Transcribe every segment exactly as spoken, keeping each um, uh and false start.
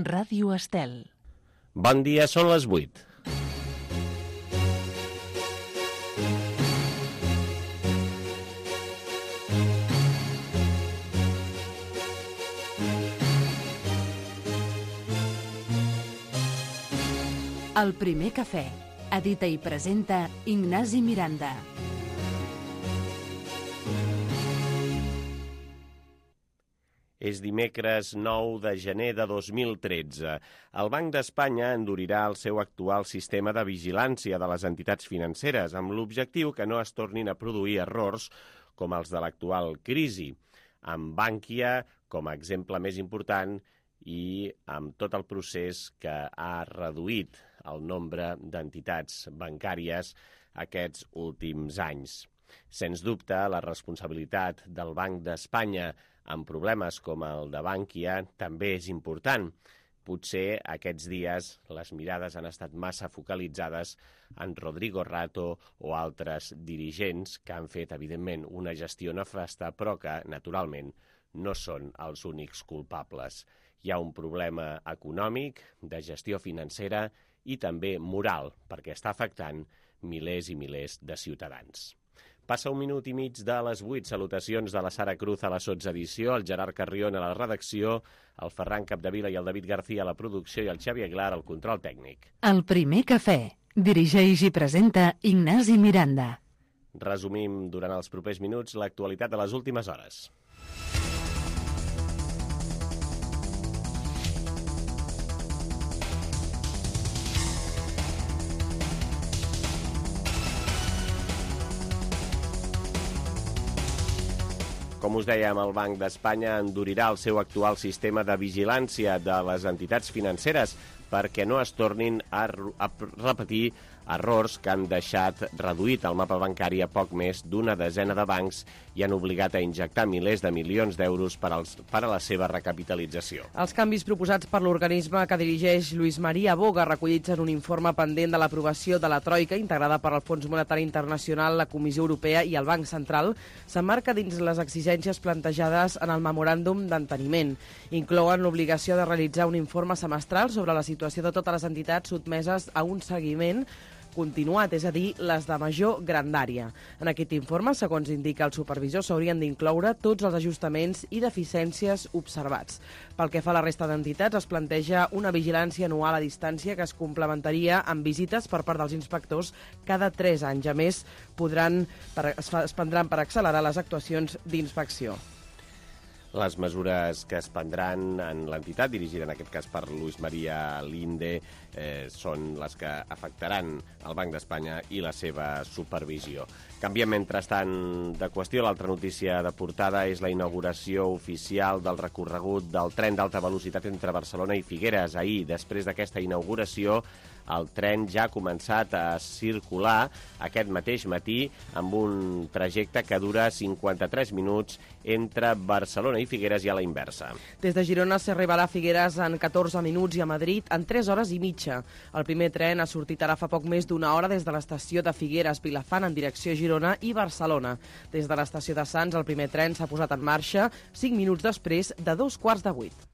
Ràdio Estel. Bon dia, són les vuit. El primer cafè. Edita i presenta Ignasi Miranda. És dimecres nou de gener de dos mil tretze. El Banc d'Espanya endurirà el seu actual sistema de vigilància de les entitats financeres amb l'objectiu que no es tornin a produir errors com els de l'actual crisi, amb Bankia com a exemple més important i amb tot el procés que ha reduït el nombre d'entitats bancàries aquests últims anys. Sens dubte, la responsabilitat del Banc d'Espanya amb problemes com el de Bankia també és important. Potser aquests dies les mirades han estat massa focalitzades en Rodrigo Rato o altres dirigents que han fet, evidentment, una gestió nefasta, però que, naturalment, no són els únics culpables. Hi ha un problema econòmic, de gestió financera i també moral, perquè està afectant milers i milers de ciutadans. Passa un minut i mig de les vuit. Salutacions de la Sara Cruz a la sotsedició, el Gerard Carrion a la redacció, el Ferran Capdevila i el David García a la producció i el Xavi Aguilar al control tècnic. El primer cafè. Dirigeix i presenta Ignasi Miranda. Resumim durant els propers minuts l'actualitat de les últimes hores. Com us dèiem, el Banc d'Espanya endurirà el seu actual sistema de vigilància de les entitats financeres perquè no es tornin a, a repetir errors que han deixat reduït el mapa bancari a poc més d'una desena de bancs i han obligat a injectar milers de milions d'euros per, als, per a la seva recapitalització. Els canvis proposats per l'organisme que dirigeix Luis María Boga, recollits en un informe pendent de l'aprovació de la Troika, integrada per el Fons Monetari Internacional, la Comissió Europea i el Banc Central, s'emmarca dins les exigències plantejades en el memoràndum d'enteniment. Inclouen l'obligació de realitzar un informe semestral sobre la situació de totes les entitats sotmeses a un seguiment continuat, és a dir, les de major grandària. En aquest informe, segons indica el supervisor, s'haurien d'incloure tots els ajustaments i deficiències observats. Pel que fa a la resta d'entitats, es planteja una vigilància anual a distància que es complementaria amb visites per part dels inspectors cada tres anys. A més, podran, per, es, fa, es prendran per accelerar les actuacions d'inspecció. Les mesures que es prendran en l'entitat, dirigida en aquest cas per Luis María Linde, eh, són les que afectaran el Banc d'Espanya i la seva supervisió. Canviem, mentrestant, de qüestió. L'altra notícia de portada és la inauguració oficial del recorregut del tren d'alta velocitat entre Barcelona i Figueres. Ahir, després d'aquesta inauguració, el tren ja ha començat a circular aquest mateix matí amb un trajecte que dura cinquanta-tres minuts entre Barcelona i Figueres i a la inversa. Des de Girona s'arribarà a Figueres en catorze minuts i a Madrid en tres hores i mitja. El primer tren ha sortit ara fa poc més d'una hora des de l'estació de Figueres-Vilafant en direcció a Girona i Barcelona. Des de l'estació de Sants el primer tren s'ha posat en marxa cinc minuts després de dos quarts de vuit.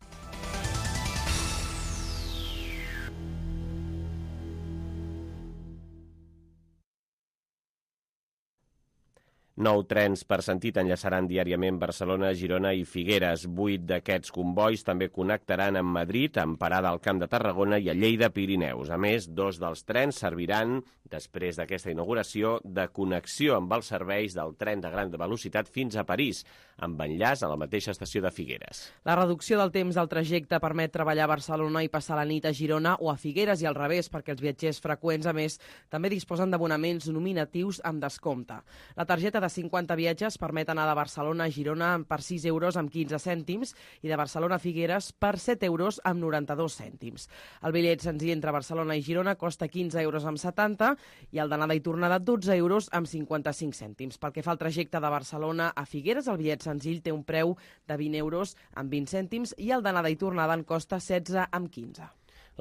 Nou trens per sentit enllaçaran diàriament Barcelona, Girona i Figueres. Vuit d'aquests combois també connectaran amb Madrid, amb parada al Camp de Tarragona i a Lleida Pirineus. A més, dos dels trens serviran, després d'aquesta inauguració, de connexió amb els serveis del tren de gran velocitat fins a París, amb enllaç a la mateixa estació de Figueres. La reducció del temps del trajecte permet treballar a Barcelona i passar la nit a Girona o a Figueres i al revés, perquè els viatgers freqüents, a més, també disposen d'abonaments nominatius amb descompte. La targeta de cinquanta viatges permet anar de Barcelona a Girona per sis euros amb quinze cèntims i de Barcelona a Figueres per set euros amb noranta-dos cèntims. El bitllet senzill entre Barcelona i Girona costa quinze euros amb setanta i el d'anada i tornada dotze euros amb cinquanta-cinc cèntims. Pel que fa al trajecte de Barcelona a Figueres, el bitllet senzill té un preu de vint euros amb vint cèntims i el d'anada i tornada en costa setze amb quinze.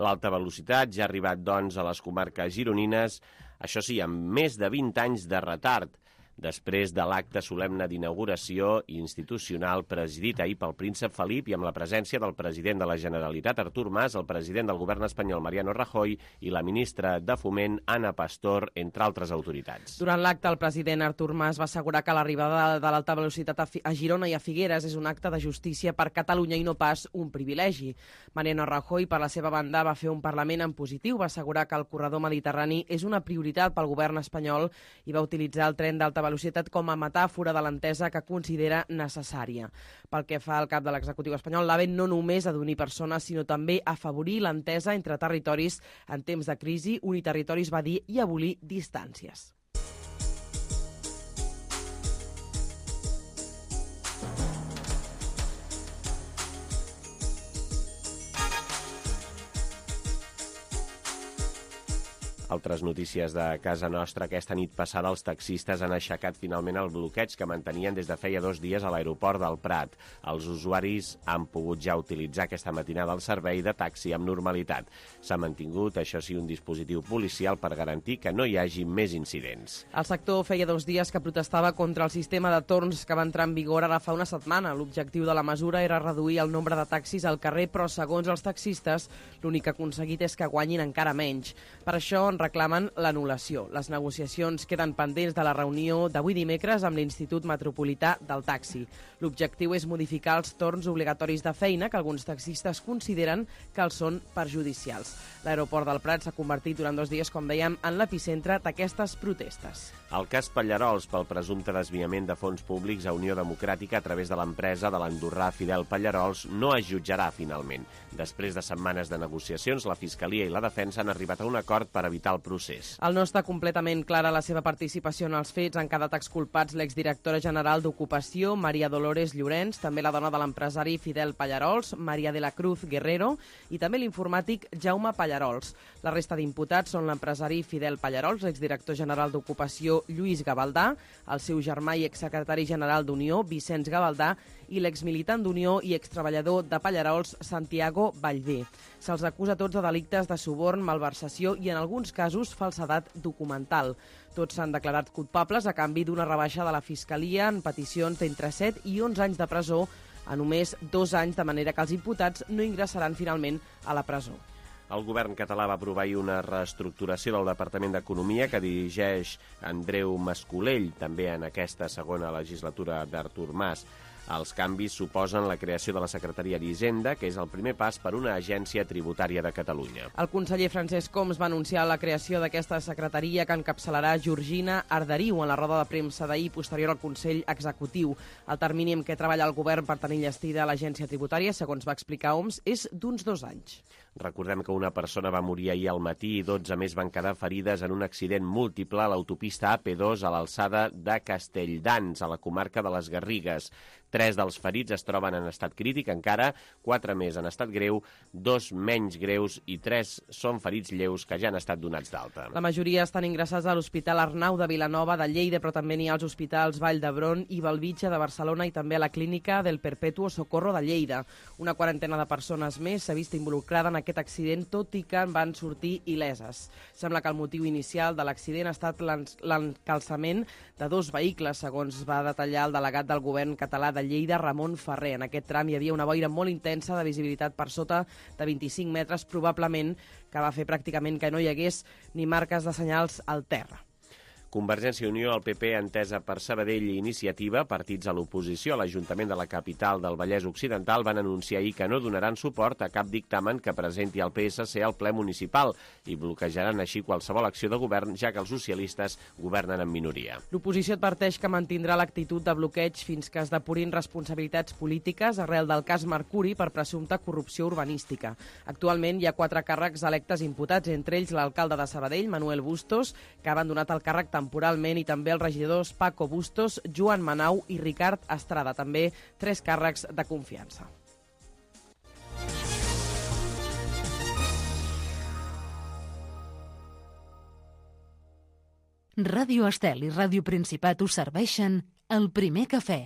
L'alta velocitat ja ha arribat, doncs, a les comarques gironines, això sí, amb més de vint anys de retard. després de l'acte solemne d'inauguració institucional presidit ahir pel príncep Felip i amb la presència del president de la Generalitat, Artur Mas, el president del govern espanyol, Mariano Rajoy, i la ministra de Foment, Ana Pastor, entre altres autoritats. Durant l'acte, el president Artur Mas va assegurar que l'arribada de l'alta velocitat a Girona i a Figueres és un acte de justícia per Catalunya i no pas un privilegi. Mariano Rajoy, per la seva banda, va fer un parlament en positiu, va assegurar que el corredor mediterrani és una prioritat pel govern espanyol i va utilitzar el tren d'alta velocitat com a metàfora de l'entesa que considera necessària. Pel que fa al cap de l'executiu espanyol, l'AVE no només ha d'unir persones, sinó també afavorir l'entesa entre territoris en temps de crisi, unir territoris, va dir, i abolir distàncies. Altres notícies de casa nostra. Aquesta nit passada els taxistes han aixecat finalment el bloqueig que mantenien des de feia dos dies a l'aeroport del Prat. Els usuaris han pogut ja utilitzar aquesta matinada el servei de taxi amb normalitat. S'ha mantingut, això sí, un dispositiu policial per garantir que no hi hagi més incidents. El sector feia dos dies que protestava contra el sistema de torns que va entrar en vigor ara fa una setmana. L'objectiu de la mesura era reduir el nombre de taxis al carrer, però segons els taxistes l'únic que ha aconseguit és que guanyin encara menys. Per això en reclamen l'anul·lació. Les negociacions queden pendents de la reunió d'avui dimecres amb l'Institut Metropolità del Taxi. L'objectiu és modificar els torns obligatoris de feina que alguns taxistes consideren que els són perjudicials. L'aeroport del Prat s'ha convertit durant dos dies, com dèiem, en l'epicentre d'aquestes protestes. El cas Pallarols pel presumpte desviament de fons públics a Unió Democràtica a través de l'empresa de l'andorrà Fidel Pallarols no es jutjarà finalment. Després de setmanes de negociacions, la Fiscalia i la Defensa han arribat a un acord per evitar el procés. Al no està completament clara la seva participació en els fets, han quedat exculpats l'exdirectora general d'Ocupació, Maria Dolores Llorenç, també la dona de l'empresari Fidel Pallarols, Maria de la Cruz Guerrero, i també l'informàtic Jaume Pallarols. La resta d'imputats són l'empresari Fidel Pallarols, l'exdirector general d'Ocupació Lluís Gavaldà, el seu germà i exsecretari general d'Unió, Vicenç Gavaldà, i l'exmilitant d'Unió i extreballador de Pallarols, Santiago Vallvé. Se'ls acusa tots de delictes de suborn, malversació i, en alguns casos, falsedat documental. Tots s'han declarat culpables a canvi d'una rebaixa de la Fiscalia en peticions d'entre set i onze anys de presó a només dos anys, de manera que els imputats no ingressaran finalment a la presó. El govern català va aprovar ahir una reestructuració del Departament d'Economia que dirigeix Andreu Mascolell, també en aquesta segona legislatura d'Artur Mas. Els canvis suposen la creació de la Secretaria d'Hisenda, que és el primer pas per una agència tributària de Catalunya. El conseller Francesc Homs va anunciar la creació d'aquesta secretaria que encapçalarà Georgina Arderiu en la roda de premsa d'ahir posterior al Consell Executiu. El termini en què treballa el govern per tenir enllestida l'agència tributària, segons va explicar Homs, és d'uns dos anys. Recordem que una persona va morir ahir al matí i dotze més van quedar ferides en un accident múltiple a l'autopista A P dos a l'alçada de Castelldans, a la comarca de les Garrigues. Tres dels ferits es troben en estat crític encara, quatre més en estat greu, dos menys greus i tres són ferits lleus que ja han estat donats d'alta. La majoria estan ingressats a l'Hospital Arnau de Vilanova de Lleida, però també n'hi ha als hospitals Vall d'Hebron i Bellvitge de Barcelona i també a la clínica del Perpetuo Socorro de Lleida. Una quarantena de persones més s'ha vist involucrada en aquest accident, tot i que en van sortir il·leses. Sembla que el motiu inicial de l'accident ha estat l'encalçament de dos vehicles, segons va detallar el delegat del govern català de Lleida, Ramon Ferrer. En aquest tram hi havia una boira molt intensa de visibilitat per sota de vint-i-cinc metres, probablement que va fer pràcticament que no hi hagués ni marques de senyals al terra. Convergència i Unió, el P P, Entesa per Sabadell i Iniciativa, partits a l'oposició a l'Ajuntament de la capital del Vallès Occidental, van anunciar ahir que no donaran suport a cap dictamen que presenti el P S C al ple municipal i bloquejaran així qualsevol acció de govern, ja que els socialistes governen en minoria. L'oposició adverteix que mantindrà l'actitud de bloqueig fins que es depurin responsabilitats polítiques arrel del cas Mercuri per presumpta corrupció urbanística. Actualment hi ha quatre càrrecs electes imputats, entre ells l'alcalde de Sabadell, Manuel Bustos, que ha abandonat el càrrec temporalment, i també els regidors Paco Bustos, Joan Manau i Ricard Estrada, també tres càrrecs de confiança. Ràdio Estel i Ràdio Principat us serveixen El Primer Cafè.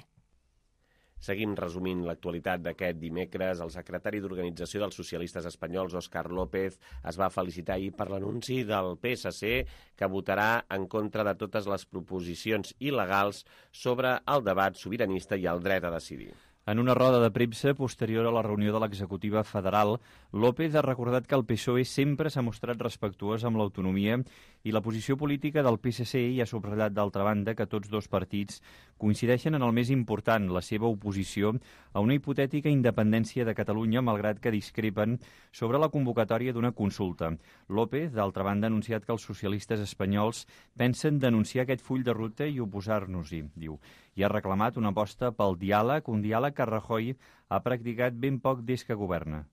Seguim resumint l'actualitat d'aquest dimecres. El secretari d'Organització dels Socialistes Espanyols, Òscar López, es va felicitar ahir per l'anunci del P S C que votarà en contra de totes les proposicions il·legals sobre el debat sobiranista i el dret a decidir. En una roda de premsa posterior a la reunió de l'executiva federal, López ha recordat que el P S O E sempre s'ha mostrat respectuós amb l'autonomia i la posició política del P S C i ha subratllat d'altra banda que tots dos partits coincideixen en el més important, la seva oposició a una hipotètica independència de Catalunya, malgrat que discrepen sobre la convocatòria d'una consulta. López, d'altra banda, ha anunciat que els socialistes espanyols pensen denunciar aquest full de ruta i oposar-nos-hi, diu, i ha reclamat una aposta pel diàleg, un diàleg que Rajoy ha practicat ben poc des que governa.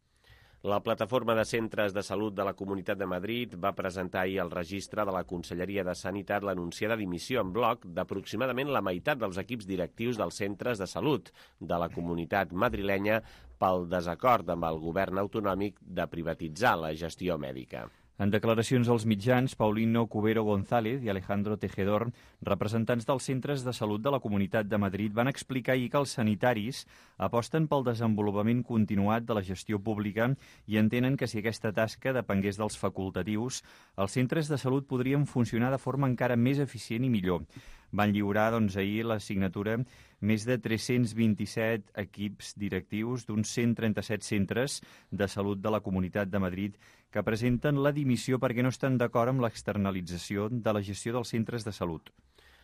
La Plataforma de Centres de Salut de la Comunitat de Madrid va presentar ahir al registre de la Conselleria de Sanitat l'anunciada dimissió en bloc d'aproximadament la meitat dels equips directius dels centres de salut de la comunitat madrilenya pel desacord amb el govern autonòmic de privatitzar la gestió mèdica. En declaracions als mitjans, Paulino Cubero González i Alejandro Tejedor, representants dels centres de salut de la Comunitat de Madrid, van explicar ahir que els sanitaris aposten pel desenvolupament continuat de la gestió pública i entenen que si aquesta tasca depengués dels facultatius, els centres de salut podrien funcionar de forma encara més eficient i millor. Van lliurar doncs, ahir la signatura més de tres-cents vint-i-set equips directius d'uns cent trenta-set centres de salut de la Comunitat de Madrid que presenten la dimissió perquè no estan d'acord amb l'externalització de la gestió dels centres de salut.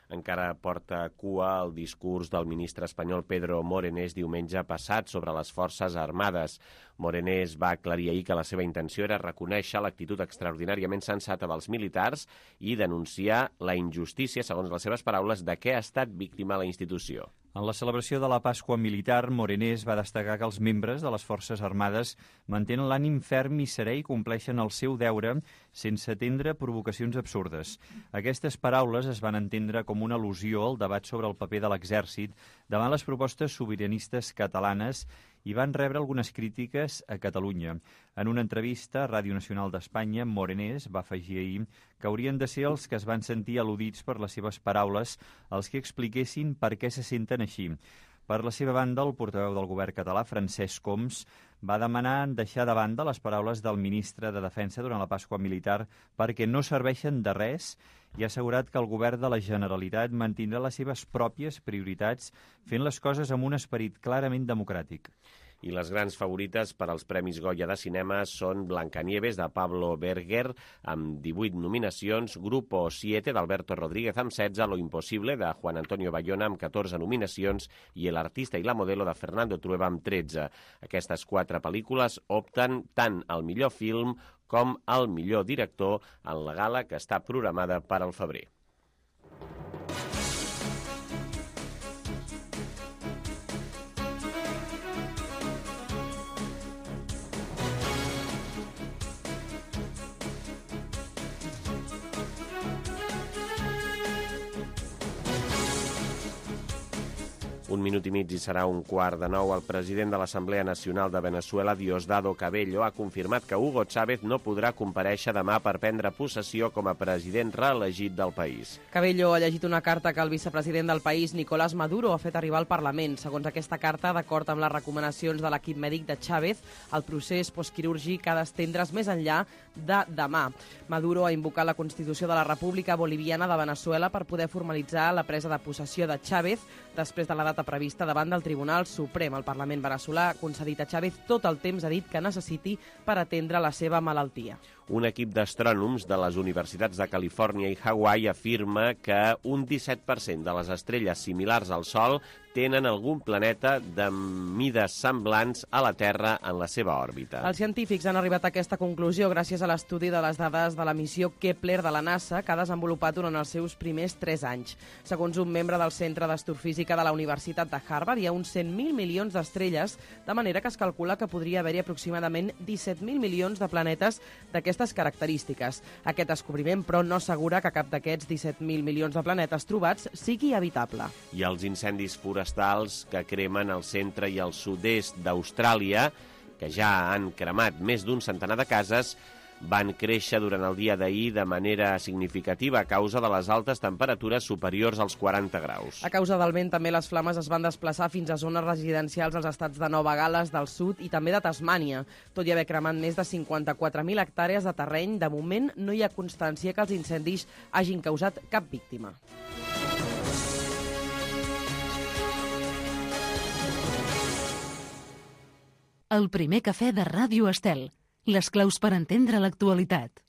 Encara porta cua el discurs del ministre espanyol Pedro Morenés diumenge passat sobre les Forces Armades. Morenés va aclarir ahir que la seva intenció era reconèixer l'actitud extraordinàriament sensata dels militars i denunciar la injustícia, segons les seves paraules, de què ha estat víctima la institució. En la celebració de la Pasqua Militar, Morenés va destacar que els membres de les Forces Armades mantenen l'ànim ferm i serè i compleixen el seu deure sense atendre provocacions absurdes. Aquestes paraules es van entendre com una al·lusió al debat sobre el paper de l'exèrcit davant les propostes sobiranistes catalanes i van rebre algunes crítiques a Catalunya. En una entrevista a Ràdio Nacional d'Espanya, Morenés va afegir ahir que haurien de ser els que es van sentir al·ludits per les seves paraules els que expliquessin per què se senten així. Per la seva banda, el portaveu del govern català, Francesc Homs, va demanar deixar de banda les paraules del ministre de Defensa durant la Pasqua Militar perquè no serveixen de res i ha assegurat que el govern de la Generalitat mantindrà les seves pròpies prioritats fent les coses amb un esperit clarament democràtic. I les grans favorites per als Premis Goya de Cinema són Blancanieves, de Pablo Berger, amb divuit nominacions, Grupo siete, d'Alberto Rodríguez, amb setze, Lo Imposible, de Juan Antonio Bayona, amb catorze nominacions, i El Artista i la Modelo, de Fernando Trueba, amb tretze. Aquestes quatre pel·lícules opten tant al millor film com al millor director en la gala que està programada per al febrer. Un minut i mig i serà un quart de nou. El president de l'Assemblea Nacional de Venezuela, Diosdado Cabello, ha confirmat que Hugo Chávez no podrà comparèixer demà per prendre possessió com a president reelegit del país. Cabello ha llegit una carta que el vicepresident del país, Nicolás Maduro, ha fet arribar al Parlament. Segons aquesta carta, d'acord amb les recomanacions de l'equip mèdic de Chávez, el procés postquirúrgic ha d'estendre's més enllà de demà. Maduro ha invocat la Constitució de la República Boliviana de Venezuela per poder formalitzar la presa de possessió de Chávez després de la data prevista davant del Tribunal Suprem. El Parlament veneçolà ha concedit a Chávez tot el temps, ha dit, que necessiti per atendre la seva malaltia. Un equip d'astrònoms de les universitats de Califòrnia i Hawaii afirma que un disset per cent de les estrelles similars al Sol tenen algun planeta de mides semblants a la Terra en la seva òrbita. Els científics han arribat a aquesta conclusió gràcies a l'estudi de les dades de la missió Kepler de la NASA que ha desenvolupat durant els seus primers tres anys. Segons un membre del Centre d'Astrofísica de la Universitat de Harvard, hi ha uns cent mil milions d'estrelles, de manera que es calcula que podria haver-hi aproximadament disset mil milions de planetes d'aquestes característiques. Aquest descobriment, però, no assegura que cap d'aquests disset mil milions de planetes trobats sigui habitable. I els incendis forestals que cremen al centre i al sud-est d'Austràlia, que ja han cremat més d'un centenar de cases, van créixer durant el dia d'ahir de manera significativa a causa de les altes temperatures superiors als quaranta graus. A causa del vent, també les flames es van desplaçar fins a zones residencials als estats de Nova Gal·les del Sud i també de Tasmània. Tot i haver cremat més de cinquanta-quatre mil hectàrees de terreny, de moment no hi ha constància que els incendis hagin causat cap víctima. El primer cafè de Ràdio Estel. Les claus per entendre l'actualitat.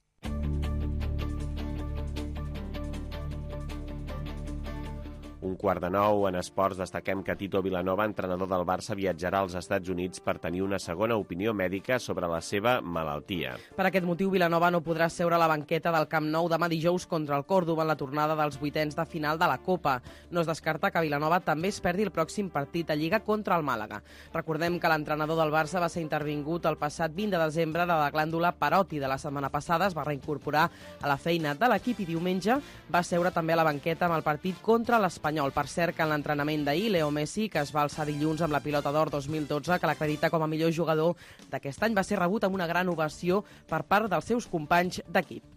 Un quart de nou, en esports, destaquem que Tito Vilanova, entrenador del Barça, viatjarà als Estats Units per tenir una segona opinió mèdica sobre la seva malaltia. Per aquest motiu, Vilanova no podrà seure a la banqueta del Camp Nou demà dijous contra el Còrdova en la tornada dels vuitens de final de la Copa. No es descarta que Vilanova també es perdi el pròxim partit a Lliga contra el Màlaga. Recordem que l'entrenador del Barça va ser intervingut el passat vint de desembre de la glàndula paròtide. La setmana passada es va reincorporar a la feina de l'equip i diumenge va seure també a la banqueta amb el partit contra l'Espanyol. Per cert, que en l'entrenament d'ahir, Leo Messi, que es va alçar dilluns amb la pilota d'or dos mil dotze, que l'acredita com a millor jugador d'aquest any, va ser rebut amb una gran ovació per part dels seus companys d'equip.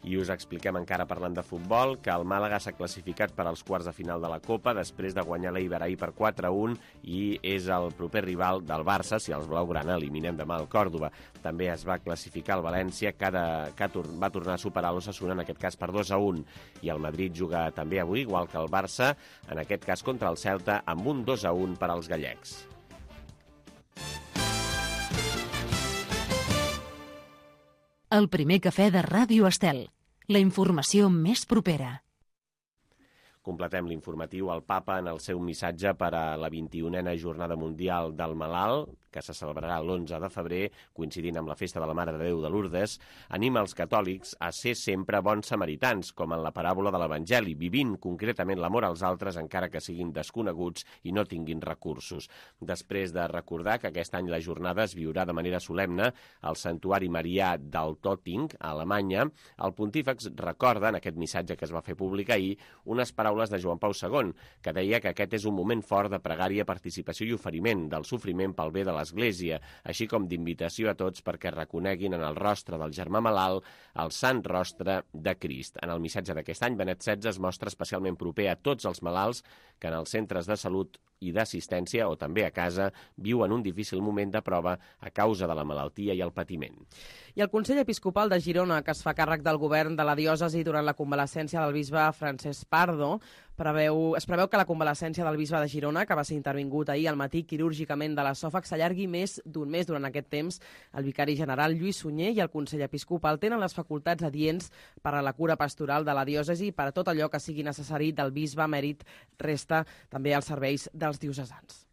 I us expliquem encara parlant de futbol que el Màlaga s'ha classificat per als quarts de final de la Copa després de guanyar l'Eibar ahir per quatre a un i és el proper rival del Barça si els blaugrana eliminen demà el Còrdova. També es va classificar el València que, de, que va tornar a superar l'Osasuna, en aquest cas per dos a un, i el Madrid juga també avui, igual que el Barça, en aquest cas contra el Celta, amb un dos a un per als gallecs. El primer cafè de Ràdio Estel. La informació més propera. Completem l'informatiu. El Papa, en el seu missatge per a la vint-i-unena Jornada Mundial del Malalt, que se celebrarà l'onze de febrer, coincidint amb la festa de la Mare de Déu de Lourdes, anima els catòlics a ser sempre bons samaritans, com en la paràbola de l'Evangeli, vivint concretament l'amor als altres encara que siguin desconeguts i no tinguin recursos. Després de recordar que aquest any la jornada es viurà de manera solemne al Santuari Marià d'Altötting, a Alemanya, el pontífex recorda, en aquest missatge que es va fer públic ahir, unes paraules de Joan Pau segon, que deia que aquest és un moment fort de pregària, participació i oferiment del sofriment pel bé de l'Església, així com d'invitació a tots perquè reconeguin en el rostre del germà malalt el sant rostre de Crist. En el missatge d'aquest any, Benet setze es mostra especialment proper a tots els malalts que en els centres de salut i d'assistència, o també a casa, viuen un difícil moment de prova a causa de la malaltia i el patiment. I el Consell Episcopal de Girona, que es fa càrrec del govern de la diòcesi durant la convalescència del bisbe Francesc Pardo, preveu, es preveu que la convalescència del bisbe de Girona, que va ser intervingut ahir al matí quirúrgicament de l'esòfag, s'allargui més d'un mes. Durant aquest temps, el vicari general Lluís Sunyer i el Consell Episcopal tenen les facultats adients per a la cura pastoral de la diòcesi i per a tot allò que sigui necessari del bisbe emèrit resta també als serveis dels diocesans.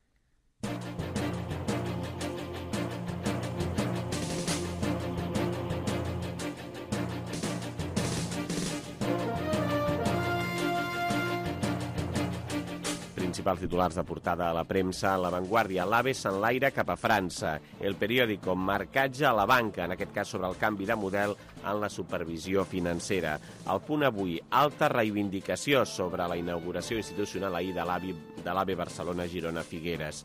Principals titulars de portada a la premsa. La Vanguardia, l'AVE s'enlaira cap a França. El periòdico, marcatge a la banca, en aquest cas sobre el canvi de model en la supervisió financera. El Punt avui, alta reivindicació sobre la inauguració institucional ahir de l'AVE Barcelona-Girona-Figueres.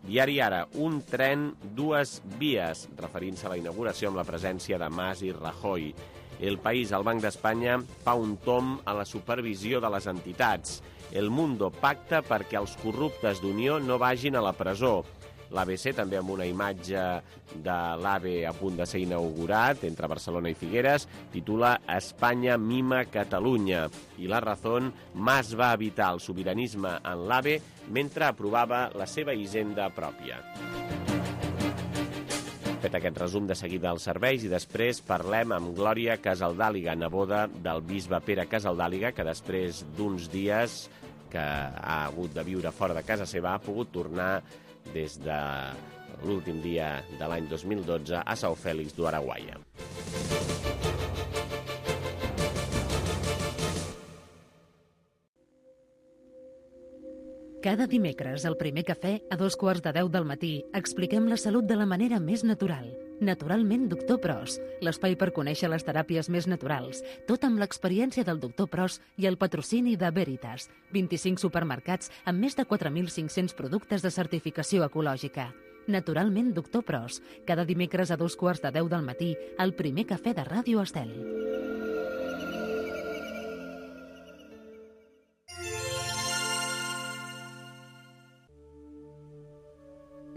Diari Ara, un tren, dues vies, referint-se a la inauguració amb la presència de Mas i Rajoy. El País, el Banc d'Espanya, fa un tomb a la supervisió de les entitats. El Mundo pacta perquè els corruptes d'Unió no vagin a la presó. L'A B C, també amb una imatge de l'AVE a punt de ser inaugurat entre Barcelona i Figueres, titula Espanya mima Catalunya. I La Razón, Mas va evitar el sobiranisme en l'AVE mentre aprovava la seva hisenda pròpia. Fet aquest resum de seguida als serveis i després parlem amb Glòria Casaldàliga, neboda del bisbe Pere Casaldàliga, que després d'uns dies que ha hagut de viure fora de casa seva ha pogut tornar des de l'últim dia de l'any dos mil dotze a São Félix do Araguaia. Cada dimecres, al primer cafè, a dos quarts de deu del matí, expliquem la salut de la manera més natural. Naturalment, doctor Pros, l'espai per conèixer les teràpies més naturals, tot amb l'experiència del doctor Pros i el patrocini de Veritas, vint-i-cinc supermercats amb més de quatre mil cinc-cents productes de certificació ecològica. Naturalment, doctor Pros. Cada dimecres a dos quarts de deu del matí, al primer cafè de Ràdio Estel.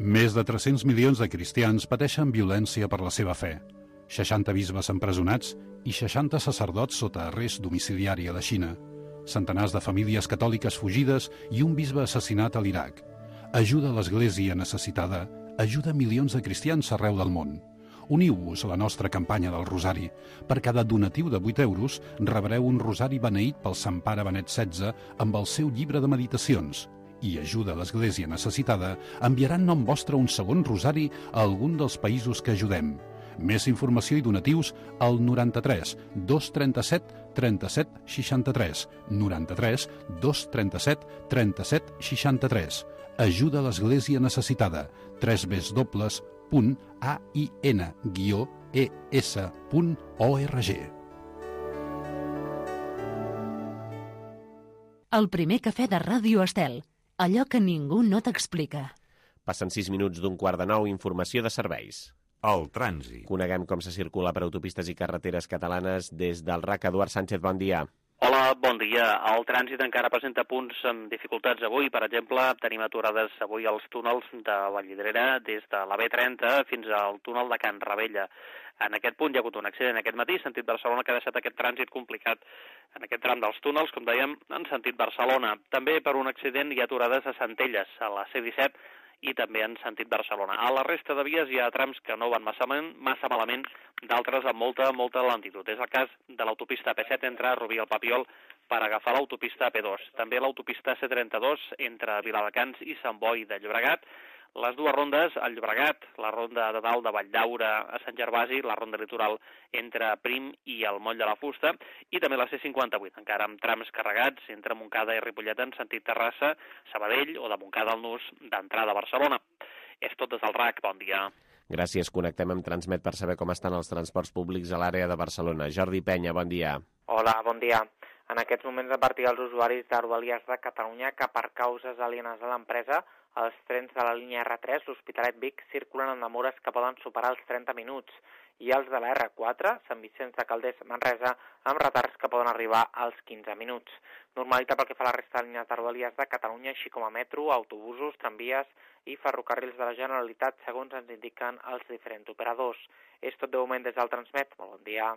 Més de tres-cents milions de cristians pateixen violència per la seva fe. seixanta bisbes empresonats i seixanta sacerdots sota arrest domiciliari a la Xina. Centenars de famílies catòliques fugides i un bisbe assassinat a l'Iraq. Ajuda a l'Església necessitada, ajuda milions de cristians arreu del món. Uniu-vos a la nostra campanya del Rosari. Per cada donatiu de vuit euros rebreu un rosari beneït pel Sant Pare Benet setze amb el seu llibre de meditacions. I ajuda a l'Església necessitada enviarà en nom vostre un segon rosari a algun dels països que ajudem. Més informació i donatius al noranta-tres dos trenta-set trenta-set seixanta-tres, noranta-tres dos trenta-set trenta-set seixanta-tres. Ajuda a l'Església necessitada. w w w punt a i n guió e s punt org. El primer cafè de Ràdio Estel. Allò que ningú no t'explica. Passen sis minuts d'un quart de nou, informació de serveis. El trànsit. Coneguem com se circula per autopistes i carreteres catalanes des del R A C. Eduard Sánchez, bon dia. Hola, bon dia. El trànsit encara presenta punts amb dificultats avui. Per exemple, tenim aturades avui als túnels de Vallvidrera des de la B trenta fins al túnel de Can Ravella. En aquest punt hi ha hagut un accident aquest matí, sentit Barcelona, que ha deixat aquest trànsit complicat en aquest tram dels túnels, com dèiem, en sentit Barcelona. També per un accident hi ha aturades a Centelles, a la C disset, i també en sentit Barcelona. A la resta de vies hi ha trams que no van massa, massa malament, d'altres amb molta, molta lentitud. És el cas de l'autopista P set entre Rubí i el Papiol per agafar l'autopista P dos. També l'autopista C trenta-dos entre Viladecans i Sant Boi de Llobregat. Les dues rondes, al Llobregat, la ronda de dalt de Valldaura a Sant Gervasi, la ronda litoral entre Prim i el Moll de la Fusta, i també la C cinquanta-vuit, encara amb trams carregats entre Montcada i Ripollet en sentit Terrassa, Sabadell o de Montcada al Nus d'entrada a Barcelona. És tot des del R A C. Bon dia. Gràcies. Connectem amb Transmet per saber com estan els transports públics a l'àrea de Barcelona. Jordi Penya, bon dia. Hola, bon dia. En aquests moments, a partir dels usuaris de Rodalies de Catalunya que per causes alienes a l'empresa, els trens de la línia R tres, l'Hospitalet Vic, circulen amb demores que poden superar els trenta minuts, i els de la R quatre, Sant Vicenç de Calders, Manresa, amb retards que poden arribar als quinze minuts. Normalitat pel que fa a la resta de línies de Rodalies de Catalunya, així com a metro, autobusos, tramvies i ferrocarrils de la Generalitat, segons ens indiquen els diferents operadors. És tot de moment des del Transmet. Molt bon dia.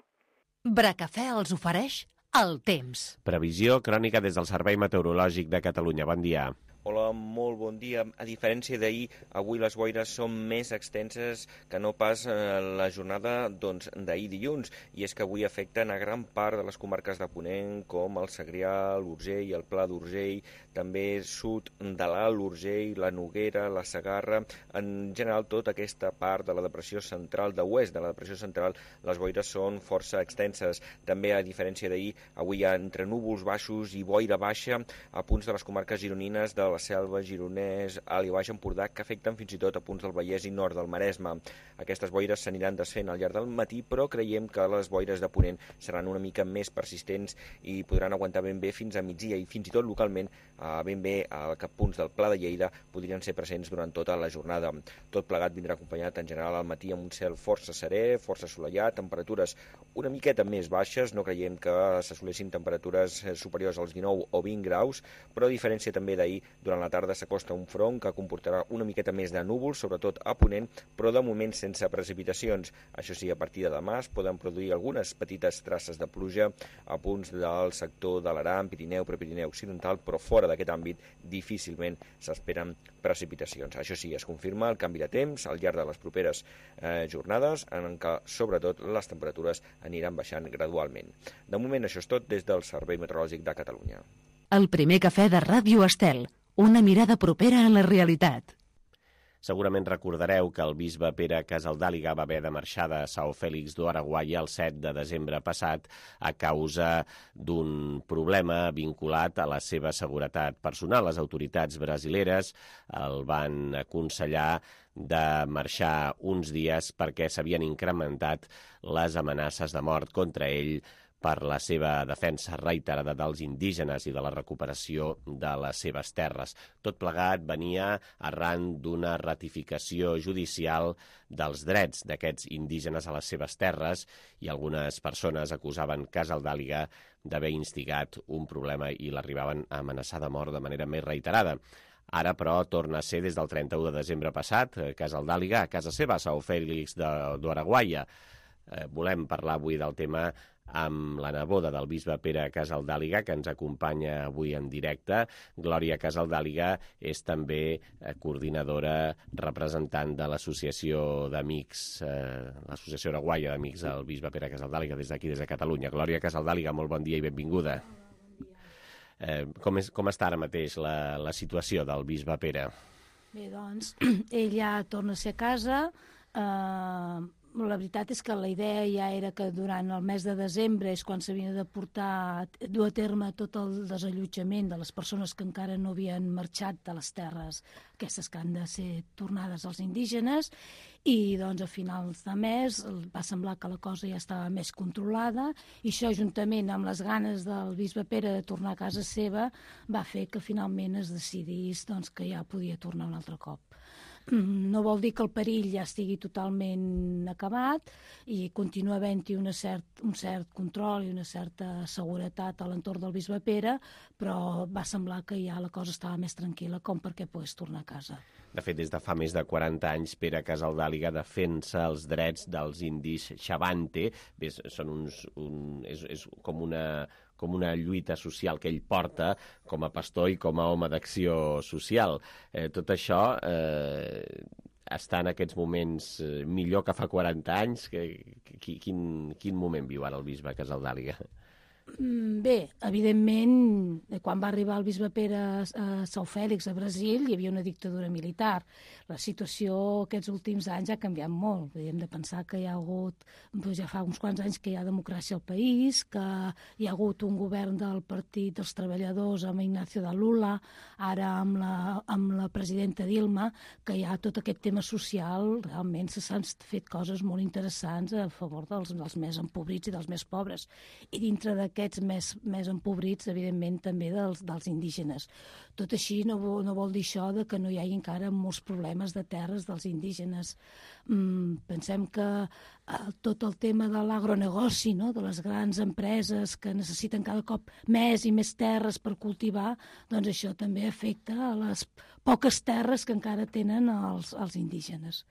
Bracafè els ofereix el temps. Previsió crònica des del Servei Meteorològic de Catalunya. Bon dia. Hola, molt bon dia. A diferència d'ahir, avui les boires són més extenses que no pas eh, la jornada doncs, d'ahir dilluns, i és que avui afecten a gran part de les comarques de Ponent, com el Segrià, l'Urgell, el Pla d'Urgell, també sud de l'Alt Urgell, la Noguera, la Segarra, en general tota aquesta part de la depressió central, de oest de la depressió central, les boires són força extenses. També, a diferència d'ahir, avui hi ha entre núvols baixos i boira baixa a punts de les comarques gironines de la la Selva, Gironès, Alt i Baix Empordà, que afecten fins i tot a punts del Vallès i nord del Maresme. Aquestes boires s'aniran desfent al llarg del matí, però creiem que les boires de Ponent seran una mica més persistents i podran aguantar ben bé fins a migdia, i fins i tot localment ben bé a punts del Pla de Lleida podrien ser presents durant tota la jornada. Tot plegat vindrà acompanyat en general al matí amb un cel força serè, força assolellat, temperatures una miqueta més baixes, no creiem que s'assoleixin temperatures superiors als dinou o vint graus, però a diferència també d'ahir, durant la tarda s'acosta un front que comportarà una miqueta més de núvols, sobretot a Ponent, però de moment sense precipitacions. Això sí, a partir de demà es poden produir algunes petites traces de pluja a punts del sector de l'Aran, Pirineu, Prepirineu Occidental, però fora d'aquest àmbit difícilment s'esperen precipitacions. Això sí, es confirma el canvi de temps al llarg de les properes eh, jornades, en què sobretot les temperatures aniran baixant gradualment. De moment això és tot des del Servei Meteorològic de Catalunya. El primer cafè de Ràdio Estel. Una mirada propera a la realitat. Segurament recordareu que el bisbe Pere Casaldàliga va haver de marxar de São Félix do Araguaia el set de desembre passat a causa d'un problema vinculat a la seva seguretat personal. Les autoritats brasileres el van aconsellar de marxar uns dies perquè s'havien incrementat les amenaces de mort contra ell per la seva defensa reiterada dels indígenes i de la recuperació de les seves terres. Tot plegat venia arran d'una ratificació judicial dels drets d'aquests indígenes a les seves terres i algunes persones acusaven Casaldàliga d'haver instigat un problema i l'arribaven a amenaçar de mort de manera més reiterada. Ara, però, torna a ser des del trenta-u de desembre passat, Casaldàliga a casa seva, a São Félix d'Araguaia. Eh, volem parlar avui del tema amb la neboda del bisbe Pere Casaldàliga, que ens acompanya avui en directe. Glòria Casaldàliga és també coordinadora representant de l'Associació d'Amics, eh, l'Associació Araguaia d'Amics del bisbe Pere Casaldàliga, des d'aquí, des de Catalunya. Glòria Casaldàliga, molt bon dia i benvinguda. Eh, com, és, com està ara mateix la, la situació del bisbe Pere? Bé, doncs, ell ja torna a ser a casa. Eh, la veritat és que la idea ja era que durant el mes de desembre és quan s'havia de portar, dur a terme tot el desallotjament de les persones que encara no havien marxat de les terres, aquestes que han de ser tornades als indígenes, i doncs a finals de mes va semblar que la cosa ja estava més controlada, i això juntament amb les ganes del bisbe Pere de tornar a casa seva va fer que finalment es decidís doncs, que ja podia tornar un altre cop. No vol dir que el perill ja estigui totalment acabat i continua havent-hi cert, un cert control i una certa seguretat a l'entorn del bisbe Pere, però va semblar que ja la cosa estava més tranquil·la com perquè pogués tornar a casa. De fet, des de fa més de quaranta anys, Pere Casaldàliga defensa els drets dels indis Xavante. Bé, són uns, un, és, és com una... com una lluita social que ell porta com a pastor i com a home d'acció social. Eh, tot això eh, està en aquests moments eh, millor que fa quaranta anys. Que, que, quin, quin moment viu ara el bisbe Casaldàliga? Bé, evidentment, quan va arribar el bisbe Pere a São Félix, a Brasil, hi havia una dictadura militar. La situació aquests últims anys ha canviat molt. Hem de pensar que hi ha hagut, doncs ja fa uns quants anys que hi ha democràcia al país, que hi ha hagut un govern del Partit dels Treballadors amb Ignacio da Lula, ara amb la, amb la presidenta Dilma, que hi ha tot aquest tema social. Realment s'han fet coses molt interessants a favor dels, dels més empobrits i dels més pobres. I dintre de aquests més, més empobrits, evidentment, també dels, dels indígenes. Tot així no vol, no vol dir això de que no hi hagi encara molts problemes de terres dels indígenes. Mm, pensem que eh, tot el tema de l'agronegoci, no?, de les grans empreses que necessiten cada cop més i més terres per cultivar, doncs això també afecta a les poques terres que encara tenen els, els indígenes.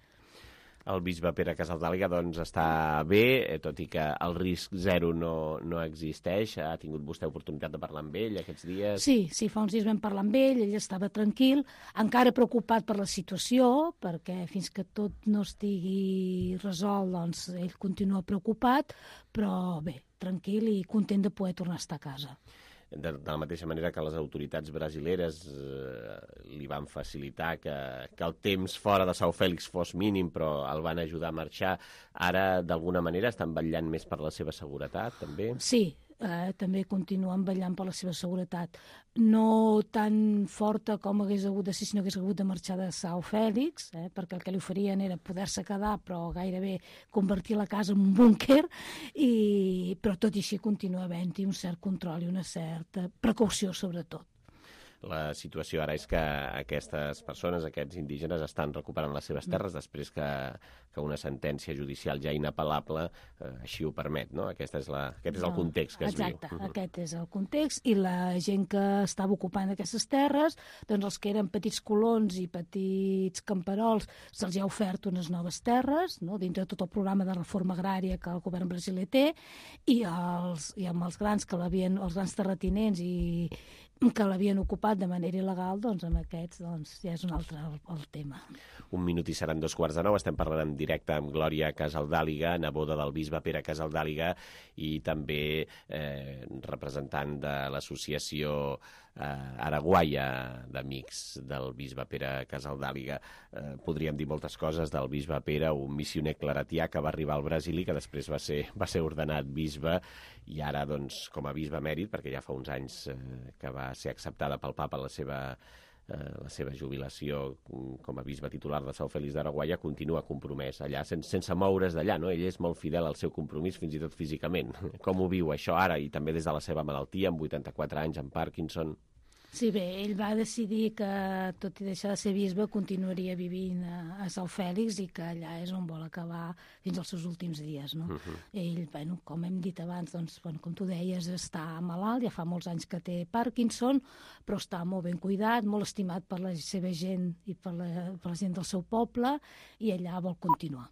El bisbe Pere Casaldàliga doncs, està bé, tot i que el risc zero no, no existeix. Ha tingut vostè oportunitat de parlar amb ell aquests dies? Sí, sí, fa uns dies vam parlar amb ell, ell estava tranquil, encara preocupat per la situació, perquè fins que tot no estigui resolt, doncs ell continua preocupat, però bé, tranquil i content de poder tornar a estar a casa. De, de la mateixa manera que les autoritats brasileres eh, li van facilitar que, que el temps fora de São Félix fos mínim, però el van ajudar a marxar. Ara, d'alguna manera, estan vetllant més per la seva seguretat, també? Sí, eh, també continuen vetllant per la seva seguretat. No tan forta com hagués hagut de ser si no hagués hagut de marxar de São Félix, eh, perquè el que li oferien era poder-se quedar, però gairebé convertir la casa en un búnquer, i, però tot i així continua havent-hi un cert control i una certa precaució, sobretot. La situació ara és que aquestes persones, aquests indígenes, estan recuperant les seves terres després que, que una sentència judicial ja inapel·lable eh, així ho permet, no? Aquesta és la, aquest és el context que es viu. Exacte, aquest és el context, i la gent que estava ocupant aquestes terres, doncs els que eren petits colons i petits camperols, se'ls ha ofert unes noves terres, no?, dintre de tot el programa de reforma agrària que el govern brasiler té, i, els, i amb els grans que l'havien, els grans terratinents i que l'havien ocupat de manera il·legal, doncs amb aquests doncs, ja és un altre el, el tema. Un minut i seran dos quarts de nou. Estem parlant en directe amb Glòria Casaldàliga, neboda del bisbe Pere Casaldàliga, i també eh, representant de l'associació eh, Araguaia d'Amics del bisbe Pere Casaldàliga. Eh, podríem dir moltes coses del bisbe Pere, un missioner claretià que va arribar al Brasil i que després va ser, va ser ordenat bisbe, i ara, doncs, com a bisbe emèrit, perquè ja fa uns anys eh, que va ser acceptada pel papa la seva la seva jubilació com a bisbe titular de Sant Fèlix d'Araguaia, continua compromès allà, sense, sense moure's d'allà, no? Ell és molt fidel al seu compromís, fins i tot físicament. Com ho viu això ara, i també des de la seva malaltia, amb vuitanta-quatre anys, amb Parkinson? Sí, bé, ell va decidir que, tot i deixar de ser bisbe, continuaria vivint a, a Sant Fèlix i que allà és on vol acabar fins als seus últims dies, no? Uh -huh. Ell, bueno, com hem dit abans, doncs, bueno, com tu deies, està malalt, ja fa molts anys que té Parkinson, però està molt ben cuidat, molt estimat per la seva gent i per la, per la gent del seu poble, i allà vol continuar.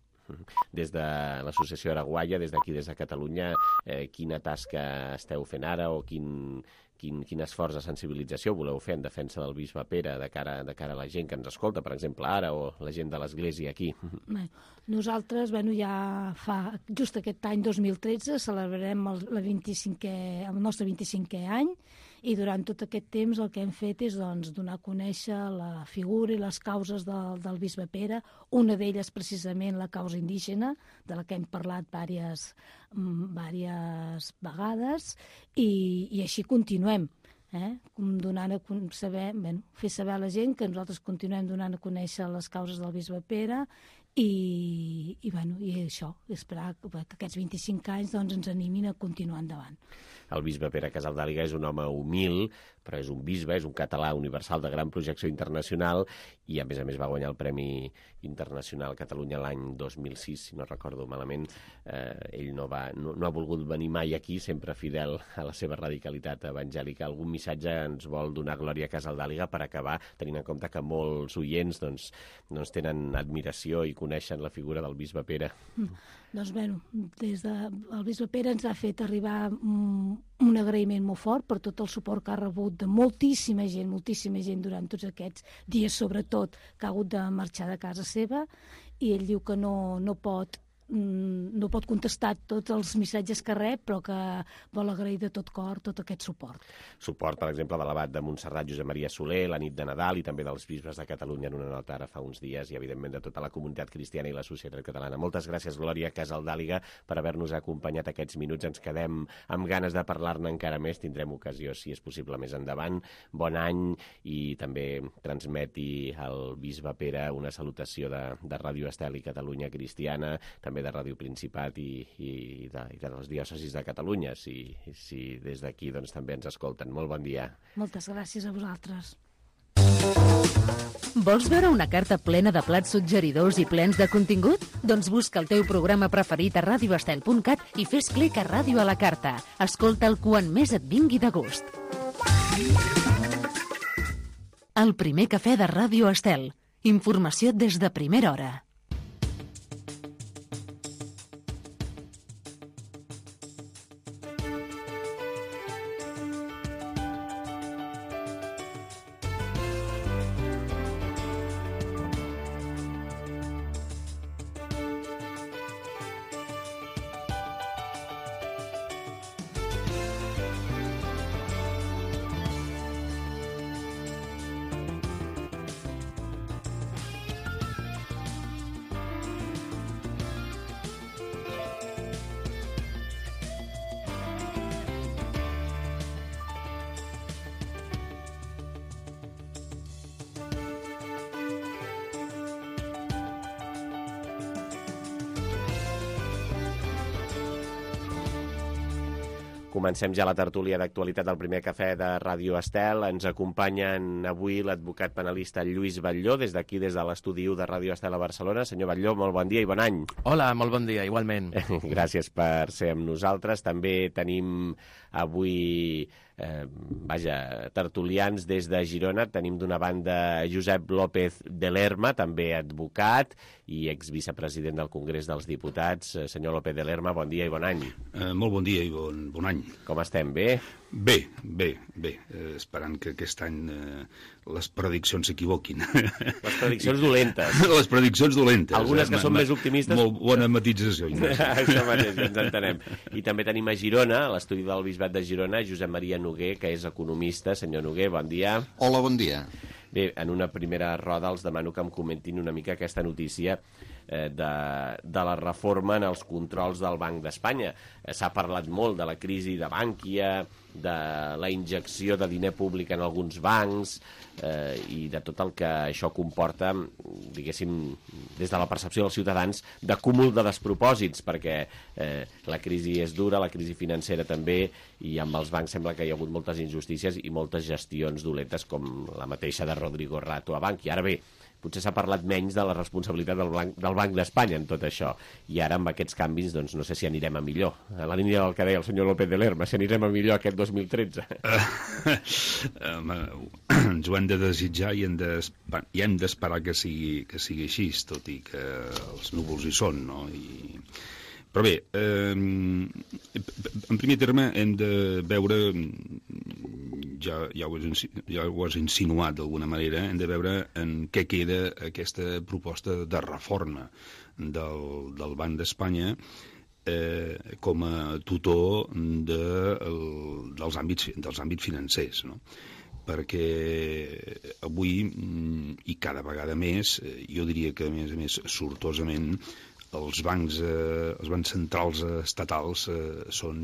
Des de l'Associació Araguaia, des d'aquí, des de Catalunya, eh, quina tasca esteu fent ara o quin... Quin, quin esforç de sensibilització voleu fer en defensa del bisbe Pere de cara, de cara a la gent que ens escolta, per exemple, ara, o la gent de l'Església aquí? Bé, nosaltres, bueno, ja fa, just aquest any dos mil tretze, celebrarem el, el, vint-i-cinquè, el nostre vint-i-cinquè any, i durant tot aquest temps el que hem fet és, doncs, donar a conèixer la figura i les causes del, del bisbe Pere, una d'elles precisament la causa indígena, de la que hem parlat diverses, diverses vegades, i, i així continuem. Eh? Donant a saber, bé, fer saber a la gent que nosaltres continuem donant a conèixer les causes del bisbe Pere i, i, bueno, i això, esperar que, que aquests vint-i-cinc anys, doncs, ens animin a continuar endavant. El bisbe Pere Casaldàliga és un home humil, però és un bisbe, és un català universal de gran projecció internacional i, a més a més, va guanyar el Premi Internacional Catalunya l'any dos mil sis, si no recordo malament. Eh, ell no, va, no, no ha volgut venir mai aquí, sempre fidel a la seva radicalitat evangèlica. Algun missatge ens vol donar Glòria Casaldàliga per acabar, tenint en compte que molts oients doncs, doncs tenen admiració i coneixen la figura del bisbe Pere? Mm. Doncs, bueno, des de, el bisbe Pere ens ha fet arribar un, un agraïment molt fort per tot el suport que ha rebut de moltíssima gent, moltíssima gent durant tots aquests dies, sobretot, que ha hagut de marxar de casa seva, i ell diu que no, no pot no pot contestar tots els missatges que rep, però que vol agrair de tot cor tot aquest suport. Suport, per exemple, de l'abat de Montserrat Josep Maria Soler, la nit de Nadal, i també dels bisbes de Catalunya en una nota ara fa uns dies, i evidentment de tota la comunitat cristiana i la societat catalana. Moltes gràcies, Glòria Casaldàliga, per haver-nos acompanyat aquests minuts. Ens quedem amb ganes de parlar-ne encara més. Tindrem ocasió, si és possible, més endavant. Bon any, i també transmeti al bisbe Pere una salutació de, de Ràdio Estel i Catalunya Cristiana, també de Ràdio Principat i, i, de, i de les diòcesis de Catalunya, si, si des d'aquí doncs, també ens escolten. Molt bon dia. Moltes gràcies a vosaltres. Vols veure una carta plena de plats suggeridors i plens de contingut? Doncs busca el teu programa preferit a radio estel punt cat i fes clic a Ràdio a la Carta. Escolta'l quan més et vingui de gust. El primer cafè de Ràdio Estel. Informació des de primera hora. Comencem ja la tertúlia d'actualitat del primer cafè de Ràdio Estel. Ens acompanyen avui l'advocat penalista Lluís Batlló, des d'aquí, des de l'estudi u de Ràdio Estel a Barcelona. Senyor Batlló, molt bon dia i bon any. Hola, molt bon dia, igualment. Gràcies per ser amb nosaltres. També tenim avui, eh, vaja, tertulians des de Girona. Tenim d'una banda Josep López de Lerma, també advocat i exvicepresident del Congrés dels Diputats. Senyor López de Lerma, bon dia i bon any. Eh, molt bon dia i bon, bon any. Com estem? Bé? Bé, bé, bé. Eh, esperant que aquest any eh, les prediccions s'equivoquin. Les prediccions dolentes. Les prediccions dolentes. Algunes que eh, són més optimistes. Molt bona matització. Això mateix, ens entenem. I també tenim a Girona, a l'estudi del Bisbat de Girona, Josep Maria Noguer, que és economista. Senyor Noguer, bon dia. Hola, bon dia. Bé, en una primera roda els demano que em comentin una mica aquesta notícia eh, de, de la reforma en els controls del Banc d'Espanya. Eh, S'ha parlat molt de la crisi de Bankia, de la injecció de diner públic en alguns bancs eh, i de tot el que això comporta, diguéssim, des de la percepció dels ciutadans, de cúmul de despropòsits, perquè eh, la crisi és dura, la crisi financera també, i amb els bancs sembla que hi ha hagut moltes injustícies i moltes gestions dolentes, com la mateixa de Rodrigo Rato a Bankia. Ara bé, potser s'ha parlat menys de la responsabilitat del Banc, del Banc d'Espanya en tot això. I ara, amb aquests canvis, doncs no sé si anirem a millor. A la línia del que deia el senyor López de Lerma, si anirem a millor aquest dos mil tretze. Uh, ens ho hem de desitjar i hem de, i hem d'esperar que sigui, que sigui així, tot i que els núvols hi són, no? I... Però bé, eh, en primer terme hem de veure, ja, ja, ho has, ja ho has insinuat d'alguna manera, hem de veure en què queda aquesta proposta de reforma del, del Banc d'Espanya eh, com a tutor de, el, dels, àmbits, dels àmbits financers, no? Perquè avui, i cada vegada més, jo diria que a més a més sortosament, els bancs, eh, els bancs centrals estatals eh, són,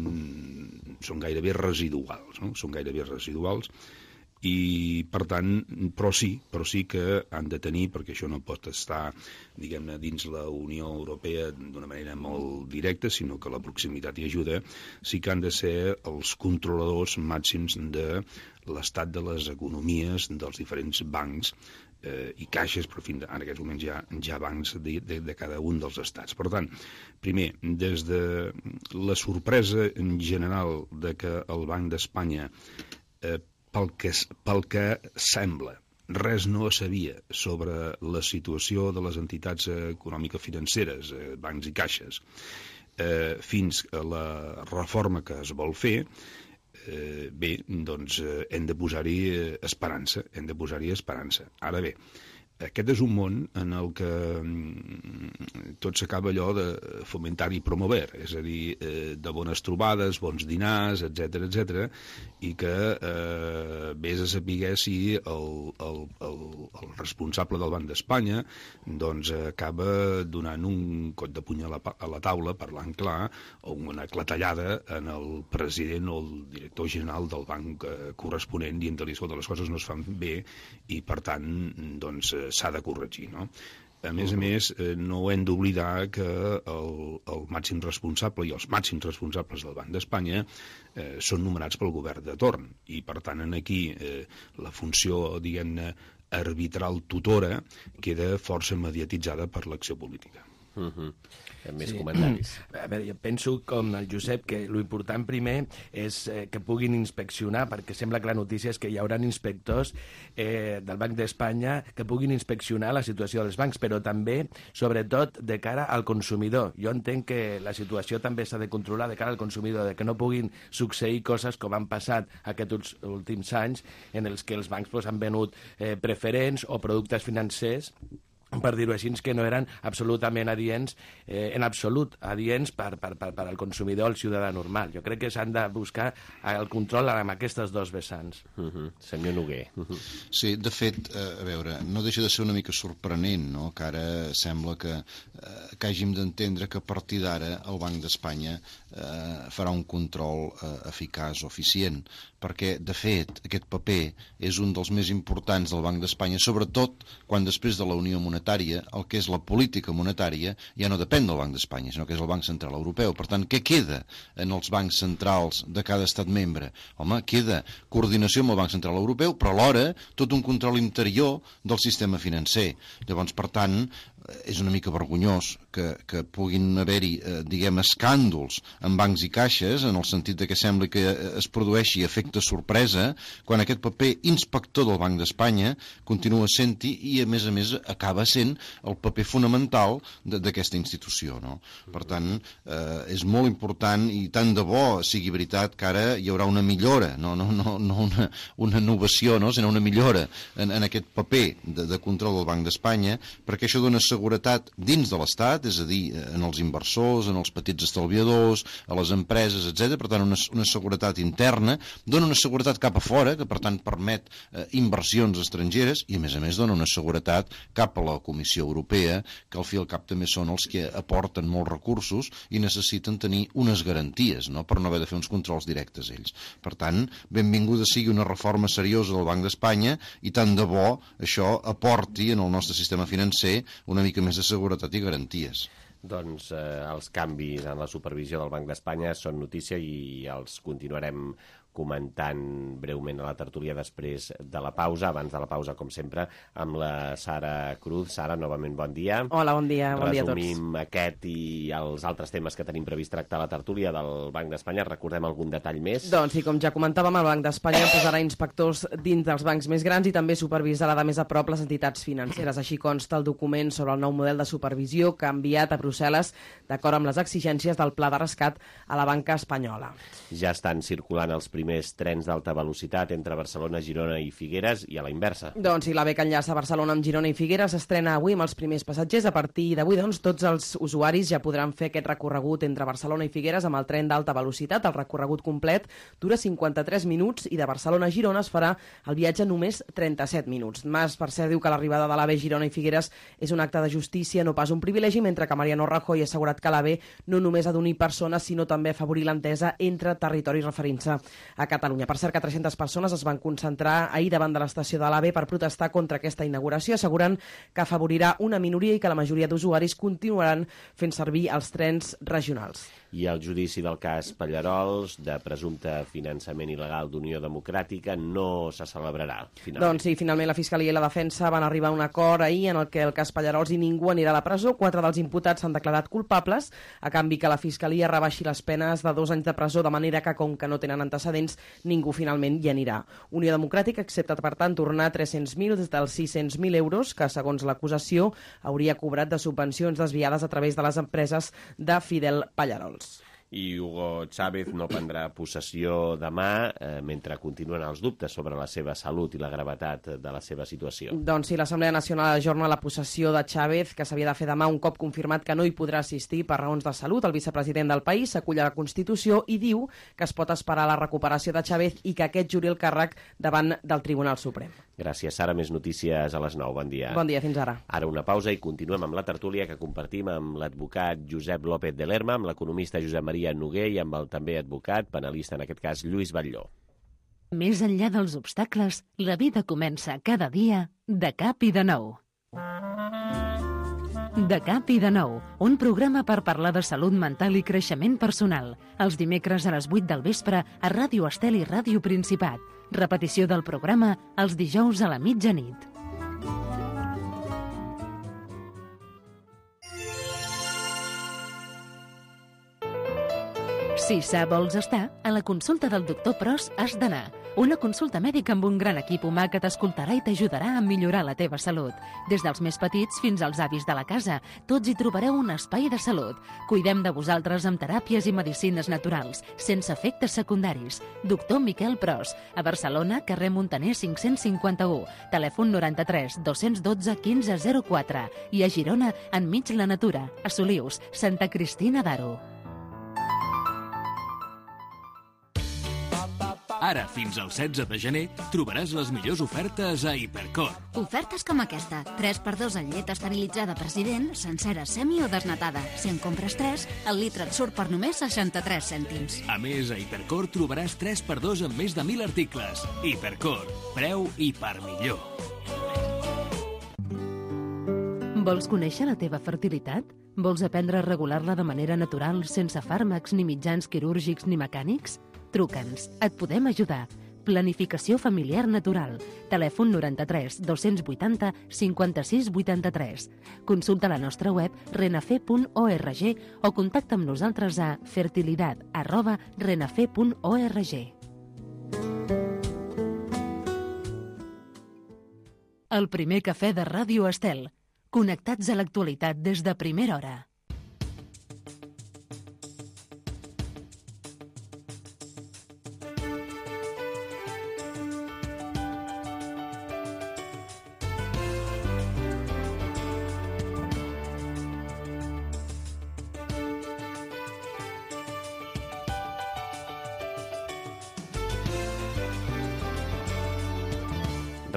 són gairebé residuals, no? Són gairebé residuals i, per tant, però sí, però sí que han de tenir, perquè això no pot estar, diguem-ne, dins la Unió Europea d'una manera molt directa, sinó que la proximitat hi ajuda, sí que han de ser els controladors màxims de l'estat de les economies dels diferents bancs eh, i caixes, però fins en aquests moments hi ha, hi ha bancs de, de, de cada un dels estats. Per tant, primer, des de la sorpresa en general de que el Banc d'Espanya, eh, pel, que, pel que sembla, res no sabia sobre la situació de les entitats econòmico-financeres, eh, bancs i caixes, eh, fins a la reforma que es vol fer, Eh, bé, doncs eh, hem de posar-hi eh, esperança, hem de posar-hi esperança. Ara bé, aquest és un món en el que mm, tot s'acaba allò de fomentar i promover, és a dir, eh, de bones trobades, bons dinars, etcètera, etcètera, i que eh, vés a saber si el, el, el, el responsable del Banc d'Espanya doncs acaba donant un cop de puny a la, a la taula, parlant clar, o una clatellada en el president o el director general del banc eh, corresponent, dient-li que les coses no es fan bé i, per tant, doncs, s'ha de corregir, no? A més a més, eh, no hem d'oblidar que el, el màxim responsable i els màxims responsables del Banc d'Espanya eh, són nomenats pel govern de torn i, per tant, aquí eh, la funció, diguem-ne, arbitral tutora queda força mediatitzada per l'acció política. Uh-huh. Més sí. Comentaris. A veure, jo penso, com el Josep, que l'important primer és eh, que puguin inspeccionar, perquè sembla que la notícia és que hi haurà inspectors eh, del Banc d'Espanya que puguin inspeccionar la situació dels bancs, però també, sobretot, de cara al consumidor. Jo entenc que la situació també s'ha de controlar de cara al consumidor, de que no puguin succeir coses com han passat aquests últims anys en els que els bancs pues, han venut eh, preferents o productes financers, per dir-ho així, que no eren absolutament adients, eh, en absolut adients per, per, per, per al consumidor, al ciutadà normal. Jo crec que s'han de buscar el control amb aquestes dos vessants. Uh-huh. Senyor Noguer. Uh-huh. Sí, de fet, eh, a veure, no deixa de ser una mica sorprenent, no?, que ara sembla que, eh, que hàgim d'entendre que a partir d'ara el Banc d'Espanya eh, farà un control eh, eficaç o eficient, perquè, de fet, aquest paper és un dels més importants del Banc d'Espanya, sobretot quan després de la Unió Monetària, el que és la política monetària ja no depèn del Banc d'Espanya, sinó que és el Banc Central Europeu. Per tant, què queda en els bancs centrals de cada estat membre? Home, queda coordinació amb el Banc Central Europeu, però alhora tot un control interior del sistema financer. Llavors, per tant, és una mica vergonyós que, que puguin haver-hi, eh, diguem, escàndols en bancs i caixes, en el sentit de que sembla que es produeixi efecte sorpresa, quan aquest paper inspector del Banc d'Espanya continua sent-hi i, a més a més, acaba sent el paper fonamental d'aquesta institució, no? Per tant, eh, és molt important i tant de bo sigui veritat que ara hi haurà una millora, no, no, no, no una, una innovació, no? Sinó una millora en, en aquest paper de, de control del Banc d'Espanya, perquè això dona seguretat seguretat dins de l'Estat, és a dir, en els inversors, en els petits estalviadors, a les empreses, etcètera. Per tant, una, una seguretat interna, dona una seguretat cap a fora, que per tant permet eh, inversions estrangeres, i a més a més dona una seguretat cap a la Comissió Europea, que al fi i al cap també són els que aporten molts recursos i necessiten tenir unes garanties, no?, per no haver de fer uns controls directes ells. Per tant, benvinguda sigui una reforma seriosa del Banc d'Espanya i tant de bo això aporti en el nostre sistema financer una mica més de seguretat i garanties. Doncs eh, els canvis en la supervisió del Banc d'Espanya són notícia i els continuarem comentant breument a la tertúlia després de la pausa. Abans de la pausa, com sempre, amb la Sara Cruz. Sara, novament bon dia. Hola, bon dia. Bon dia a tots. Resumim aquest i els altres temes que tenim previst tractar a la tertúlia del Banc d'Espanya. Recordem algun detall més? Doncs sí, com ja comentàvem, el Banc d'Espanya posarà inspectors dins dels bancs més grans i també supervisarà de més a prop les entitats financeres. Així consta el document sobre el nou model de supervisió que ha enviat a Brussel·les d'acord amb les exigències del pla de rescat a la banca espanyola. Ja estan circulant els primers trens d'alta velocitat entre Barcelona, Girona i Figueres i a la inversa. Doncs sí, la B que enllaça Barcelona amb Girona i Figueres s'estrena avui amb els primers passatgers. A partir d'avui, doncs, tots els usuaris ja podran fer aquest recorregut entre Barcelona i Figueres amb el tren d'alta velocitat. El recorregut complet dura cinquanta-tres minuts i de Barcelona a Girona es farà el viatge només trenta-set minuts. Mas, per cert, diu que l'arribada de l'A V Girona i Figueres és un acte de justícia, no pas un privilegi, mentre que Mariano Rajoy ha assegurat que l'A V no només ha d'unir persones, sinó també afavorir l'entesa entre territoris referint-se a Catalunya. Per cert, que tres-centes persones es van concentrar ahir davant de l'estació de l'A V per protestar contra aquesta inauguració, assegurant que afavorirà una minoria i que la majoria d'usuaris continuaran fent servir els trens regionals. I el judici del cas Pallarols, de presumpte finançament il·legal d'Unió Democràtica, no se celebrarà, finalment. Doncs sí, finalment la Fiscalia i la Defensa van arribar a un acord ahir en el que el cas Pallarols i ningú anirà a la presó. Quatre dels imputats s'han declarat culpables, a canvi que la Fiscalia rebaixi les penes de dos anys de presó, de manera que, com que no tenen antecedents, ningú finalment hi anirà. Unió Democràtica accepta, per tant, tornar tres-cents mil dels sis-cents mil euros que, segons l'acusació, hauria cobrat de subvencions desviades a través de les empreses de Fidel Pallarols. I Hugo Chávez no prendrà possessió demà, eh, mentre continuen els dubtes sobre la seva salut i la gravetat de la seva situació. Doncs sí, l'Assemblea Nacional ajorna la possessió de Chávez, que s'havia de fer demà un cop confirmat que no hi podrà assistir per raons de salut. El vicepresident del país s'acull a la Constitució i diu que es pot esperar la recuperació de Chávez i que aquest juri el càrrec davant del Tribunal Suprem. Gràcies, Sara. Més notícies a les nou. Bon dia. Bon dia, fins ara. Ara una pausa i continuem amb la tertúlia que compartim amb l'advocat Josep López de Lerma, amb l'economista Josep Maria Noguer i amb el també advocat, penalista en aquest cas, Lluís Batlló. Més enllà dels obstacles, la vida comença cada dia de cap i de nou. De cap i de nou, un programa per parlar de salut mental i creixement personal. Els dimecres a les vuit del vespre a Ràdio Estel i Ràdio Principat. Repetició del programa els dijous a la mitjanit. Si sa vols estar, a la consulta del doctor Pros has d'anar. Una consulta mèdica amb un gran equip humà que t'escoltarà i t'ajudarà a millorar la teva salut. Des dels més petits fins als avis de la casa, tots hi trobareu un espai de salut. Cuidem de vosaltres amb teràpies i medicines naturals, sense efectes secundaris. Doctor Miquel Pros, a Barcelona, carrer Montaner cinc-cents cinquanta-u, telèfon noranta-tres dos-cents dotze quinze zero quatre i a Girona, enmig la natura, a Solius, Santa Cristina d'Aro. Ara, fins al setze de gener, trobaràs les millors ofertes a Hipercor. Ofertes com aquesta. tres per dos en llet esterilitzada President, sencera, semi o desnatada. Si en compres tres, el litre et surt per només seixanta-tres cèntims. A més, a Hipercor trobaràs tres per dos en més de mil articles. Hipercor. Preu i per millor. Vols conèixer la teva fertilitat? Vols aprendre a regular-la de manera natural, sense fàrmacs ni mitjans quirúrgics ni mecànics? Truca'ns, et podem ajudar. Planificació familiar natural. Telèfon noranta-tres dos-cents vuitanta cinquanta-sis vuitanta-tres. Consulta la nostra web renafe punt org o contacta amb nosaltres a fertilidad arroba renafe punt org. El primer cafè de Ràdio Estel. Connectats a l'actualitat des de primera hora.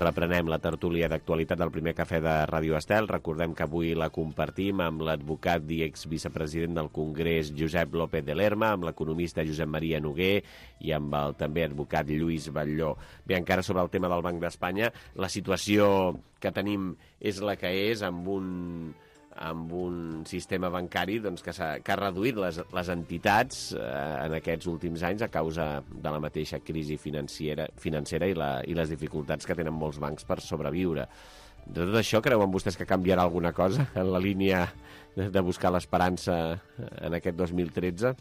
reprenem la tertúlia d'actualitat del primer cafè de Ràdio Estel. Recordem que avui la compartim amb l'advocat i exvicepresident del Congrés Josep López de Lerma, amb l'economista Josep Maria Noguer i amb el també advocat Lluís Batlló. Bé, encara sobre el tema del Banc d'Espanya, la situació que tenim és la que és, amb un amb un sistema bancari doncs, que, ha, que ha reduït les, les entitats eh, en aquests últims anys a causa de la mateixa crisi financera, financera i, la, i les dificultats que tenen molts bancs per sobreviure. De tot això, creuen vostès que canviarà alguna cosa en la línia de, de buscar l'esperança en aquest dos mil tretze?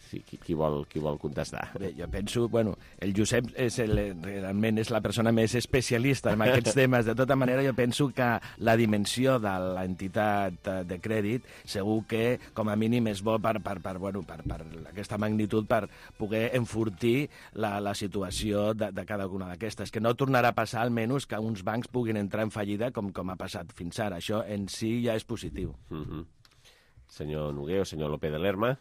Sí, qui, qui, vol, qui vol contestar? Bé, jo penso, bueno, el Josep és el, realment és la persona més especialista en aquests temes. De tota manera, jo penso que la dimensió de l'entitat de crèdit segur que, com a mínim, és bo per, per, per, bueno, per, per aquesta magnitud, per poder enfortir la, la situació de, de cada una d'aquestes. Que no tornarà a passar, almenys, que uns bancs puguin entrar en fallida com, com ha passat fins ara. Això en si ja és positiu. Mm-hmm. Senyor Noguer o senyor López de Lerma?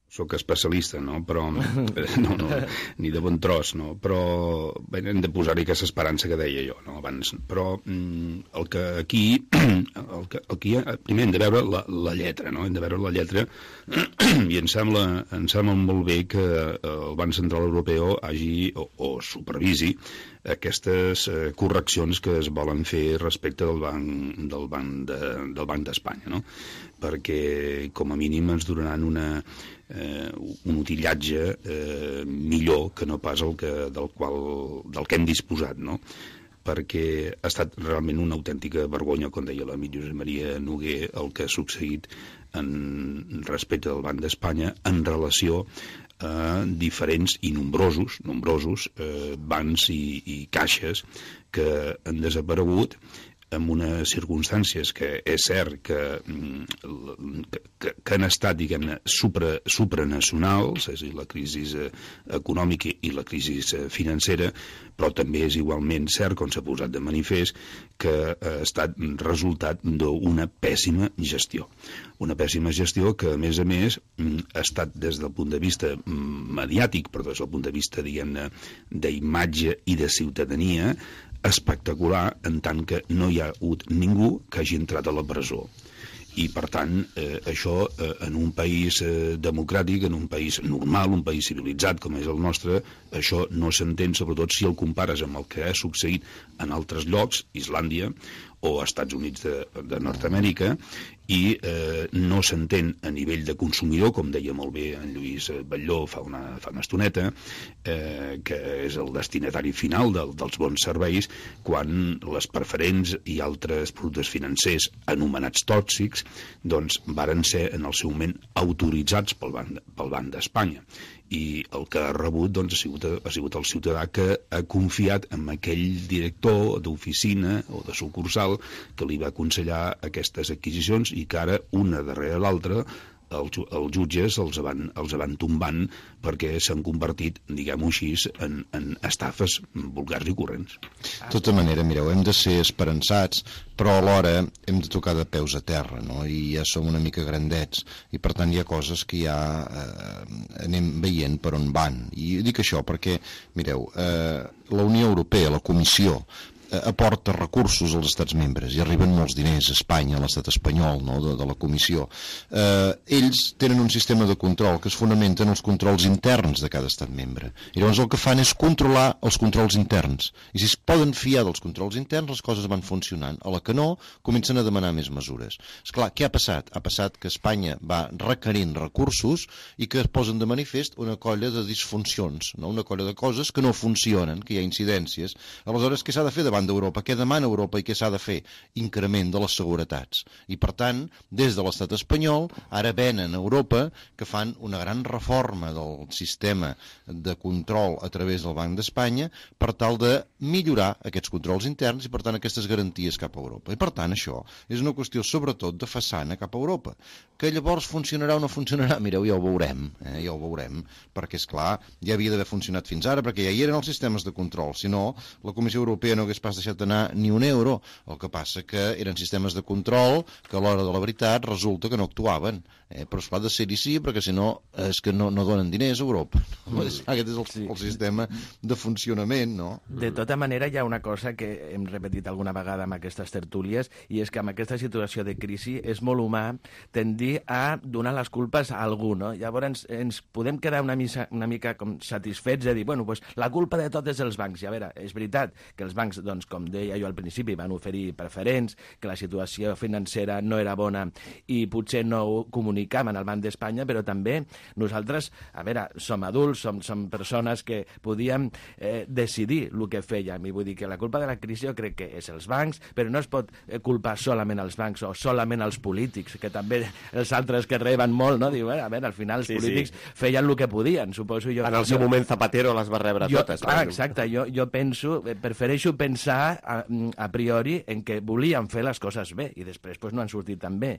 Soc especialista, no? Però no, no, ni de bon tros, no? Però bé, hem de posar-hi aquesta esperança que deia jo, no? Abans. Però mm, el que aquí, el que, el que ha, primer hem de veure la, la lletra, no? Hem de veure la lletra i em sembla, em sembla molt bé que el Banc Central Europeu hagi o, o supervisi aquestes eh, correccions que es volen fer respecte del Banc del Banc de, del Banc d'Espanya, no? Perquè com a mínim ens donaran una, eh, un utillatge eh, millor que no pas el que, del, qual, del que hem disposat, no? Perquè ha estat realment una autèntica vergonya, com deia l'amic Josep Maria Noguer, el que ha succeït en respecte del Banc d'Espanya en relació a diferents i nombrosos, nombrosos eh, bancs i, i caixes que han desaparegut en unes circumstàncies que és cert que, que, que han estat, diguem-ne, supra, supranacionals, és a dir, la crisi econòmica i la crisi financera, però també és igualment cert, com s'ha posat de manifest, que ha estat resultat d'una pèssima gestió. Una pèssima gestió que, a més a més, ha estat des del punt de vista mediàtic, però des del punt de vista, diguem-ne, d'imatge i de ciutadania, espectacular, en tant que no hi ha hagut ningú que hagi entrat a la presó. I, per tant, eh, això eh, en un país eh, democràtic, en un país normal, un país civilitzat com és el nostre, això no s'entén, sobretot si el compares amb el que ha succeït en altres llocs, Islàndia o Estats Units de, de Nord-Amèrica, i eh, no s'entén a nivell de consumidor, com deia molt bé en Lluís Batlló fa una, fa una estoneta, eh, que és el destinatari final del, dels bons serveis, quan les preferents i altres productes financers anomenats tòxics doncs varen ser en el seu moment autoritzats pel Banc, pel Banc d'Espanya. I el que ha rebut doncs, ha, sigut, ha sigut el ciutadà que ha confiat en aquell director d'oficina o de sucursal que li va aconsellar aquestes adquisicions i que ara, una darrere l'altra, els, els jutges els van, els van tombant perquè s'han convertit, diguem-ho així, en, en estafes vulgars i corrents. De tota manera, mireu, hem de ser esperançats, però alhora hem de tocar de peus a terra, no? I ja som una mica grandets, i per tant hi ha coses que ja eh, anem veient per on van. I dic això perquè, mireu, eh, la Unió Europea, la Comissió, aporta recursos als estats membres i arriben molts diners a Espanya, a l'estat espanyol, no? de, de la Comissió. Eh, ells tenen un sistema de control que es fonamenta en els controls interns de cada estat membre. I llavors el que fan és controlar els controls interns. I si es poden fiar dels controls interns, les coses van funcionant. A la que no, comencen a demanar més mesures. Esclar, què ha passat? Ha passat que Espanya va requerint recursos i que es posen de manifest una colla de disfuncions, no? Una colla de coses que no funcionen, que hi ha incidències. Aleshores, què s'ha de fer davant d'Europa? Què demana Europa i què s'ha de fer? Increment de les seguretats. I per tant, des de l'estat espanyol, ara venen a Europa que fan una gran reforma del sistema de control a través del Banc d'Espanya per tal de millorar aquests controls interns i per tant aquestes garanties cap a Europa. I per tant això és una qüestió sobretot de façana cap a Europa. Que llavors funcionarà o no funcionarà? Mireu, ja ho veurem, eh? ja ho veurem, perquè és clar, ja havia d'haver funcionat fins ara, perquè ja hi eren els sistemes de control. Si no, la Comissió Europea no hagués pas deixat anar ni un euro. El que passa que eren sistemes de control que a l'hora de la veritat resulta que no actuaven. Eh? Però esclar, de ser-hi sí, perquè si no és que no, no donen diners a Europa. Mm. Aquest és el, sí. el sistema de funcionament, no? De tota manera, hi ha una cosa que hem repetit alguna vegada amb aquestes tertúlies, i és que amb aquesta situació de crisi és molt humà tendir a donar les culpes a algú, no? Llavors ens, ens podem quedar una, misa, una mica com satisfets de dir, bueno, pues, la culpa de tot és dels bancs. I a veure, és veritat que els bancs, doncs, com deia jo al principi, van oferir preferents, que la situació financera no era bona i potser no ho comunicaven al Banc d'Espanya, però també nosaltres, a veure, som adults, som, som persones que podíem eh, decidir el que fèiem, i vull dir que la culpa de la crisi jo crec que és els bancs, però no es pot culpar solament els bancs o solament els polítics, que també els altres que reben molt, no? Diu, a veure, al final els sí, polítics sí. feien el que podien, suposo jo. En el seu jo, moment Zapatero les va rebre jo, totes. Clar, exacte, jo, jo penso, prefereixo pensar a, a priori en que volien fer les coses bé i després pues, no han sortit tan bé.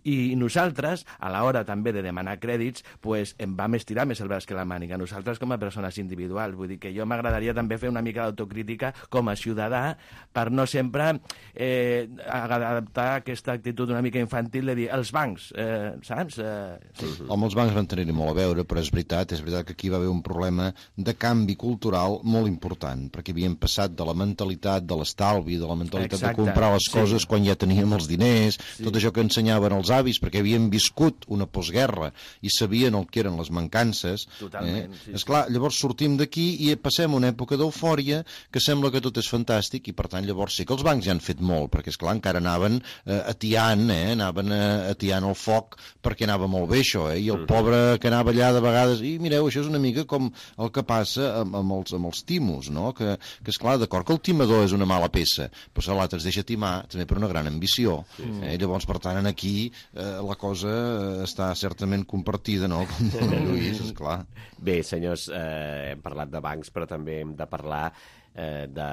I nosaltres, a l'hora també de demanar crèdits, pues, em vam estirar més el braç que la màniga. Nosaltres com a persones individuals, vull dir que jo m'agradaria també fer una mica d'autocrítica com a ciutadà per no sempre eh, adaptar aquesta actitud una mica infantil de dir els bancs, eh, saps? Eh, sí. Home, els bancs van tenir-hi molt a veure, però és veritat, és veritat que aquí va haver un problema de canvi cultural molt important, perquè havíem passat de la mentalitat de l'estalvi, de la mentalitat Exacte, de comprar les coses sí. quan ja teníem els diners, sí. tot això que ensenyaven els avis, perquè havien viscut una postguerra i sabien el que eren les mancances. Totalment, eh? sí. Esclar, llavors sortim d'aquí i passem una època d'eufòria que sembla que tot és fantàstic i per tant llavors sí que els bancs ja han fet molt, perquè esclar encara anaven eh, atiant, eh? anaven eh, atiant el foc perquè anava molt bé això, eh? I el pobre que anava allà de vegades, i mireu, això és una mica com el que passa amb, amb, els, amb els timos, no? Que, que esclar, d'acord que el timador és una mala peça, però si l'altre es deixa timar també per una gran ambició. Sí. Eh? Llavors, per tant, aquí eh, la cosa està certament compartida, no? Com Lluís, esclar. Bé, senyors, eh, hem parlat de bancs, però també hem de parlar eh, de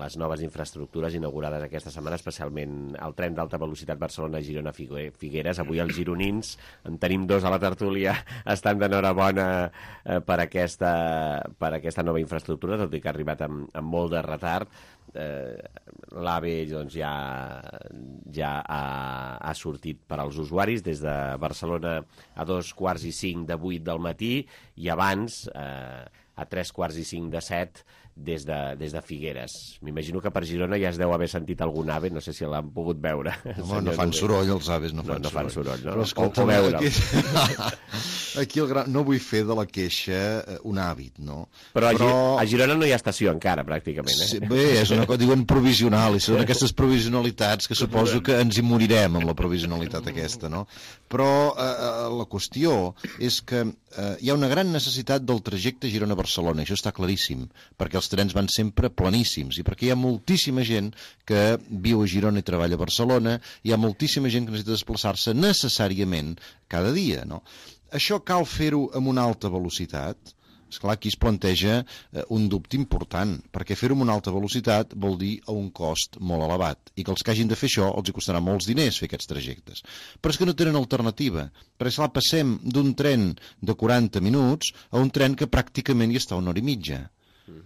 les noves infraestructures inaugurades aquesta setmana, especialment el tren d'alta velocitat Barcelona-Girona-Figueres. Avui els gironins, en tenim dos a la tertúlia, estan d'enhorabona eh, per, aquesta, per aquesta nova infraestructura, tot i que ha arribat amb, amb molt de retard. Eh, l'AVE doncs, ja, ja ha, ha sortit per als usuaris des de Barcelona a dos quarts i cinc de vuit del matí i abans eh, a tres quarts i cinc de set des de, des de Figueres. M'imagino que per Girona ja es deu haver sentit algun ave, no sé si l'han pogut veure. Home, no fan soroll els aves, no fan no, no fan soroll. No? Però escolta, o, o aquí, aquí el gran, no vull fer de la queixa un hàbit, no? Però, Però... a Girona no hi ha estació encara, pràcticament. Eh? Sí, bé, és una cosa, diuen provisional, i són aquestes provisionalitats que suposo que ens hi morirem amb la provisionalitat aquesta, no? Però eh, la qüestió és que eh, hi ha una gran necessitat del trajecte Girona-Barcelona, això està claríssim, perquè els trens van sempre planíssims i perquè hi ha moltíssima gent que viu a Girona i treballa a Barcelona, hi ha moltíssima gent que necessita desplaçar-se necessàriament cada dia, no? Això cal fer-ho amb una alta velocitat. Esclar, aquí es planteja eh, un dubte important, perquè fer-ho amb una alta velocitat vol dir a un cost molt elevat, i que els que hagin de fer això els hi costarà molts diners fer aquests trajectes. Però és que no tenen alternativa, perquè esclar, passem d'un tren de quaranta minuts a un tren que pràcticament hi està una hora i mitja.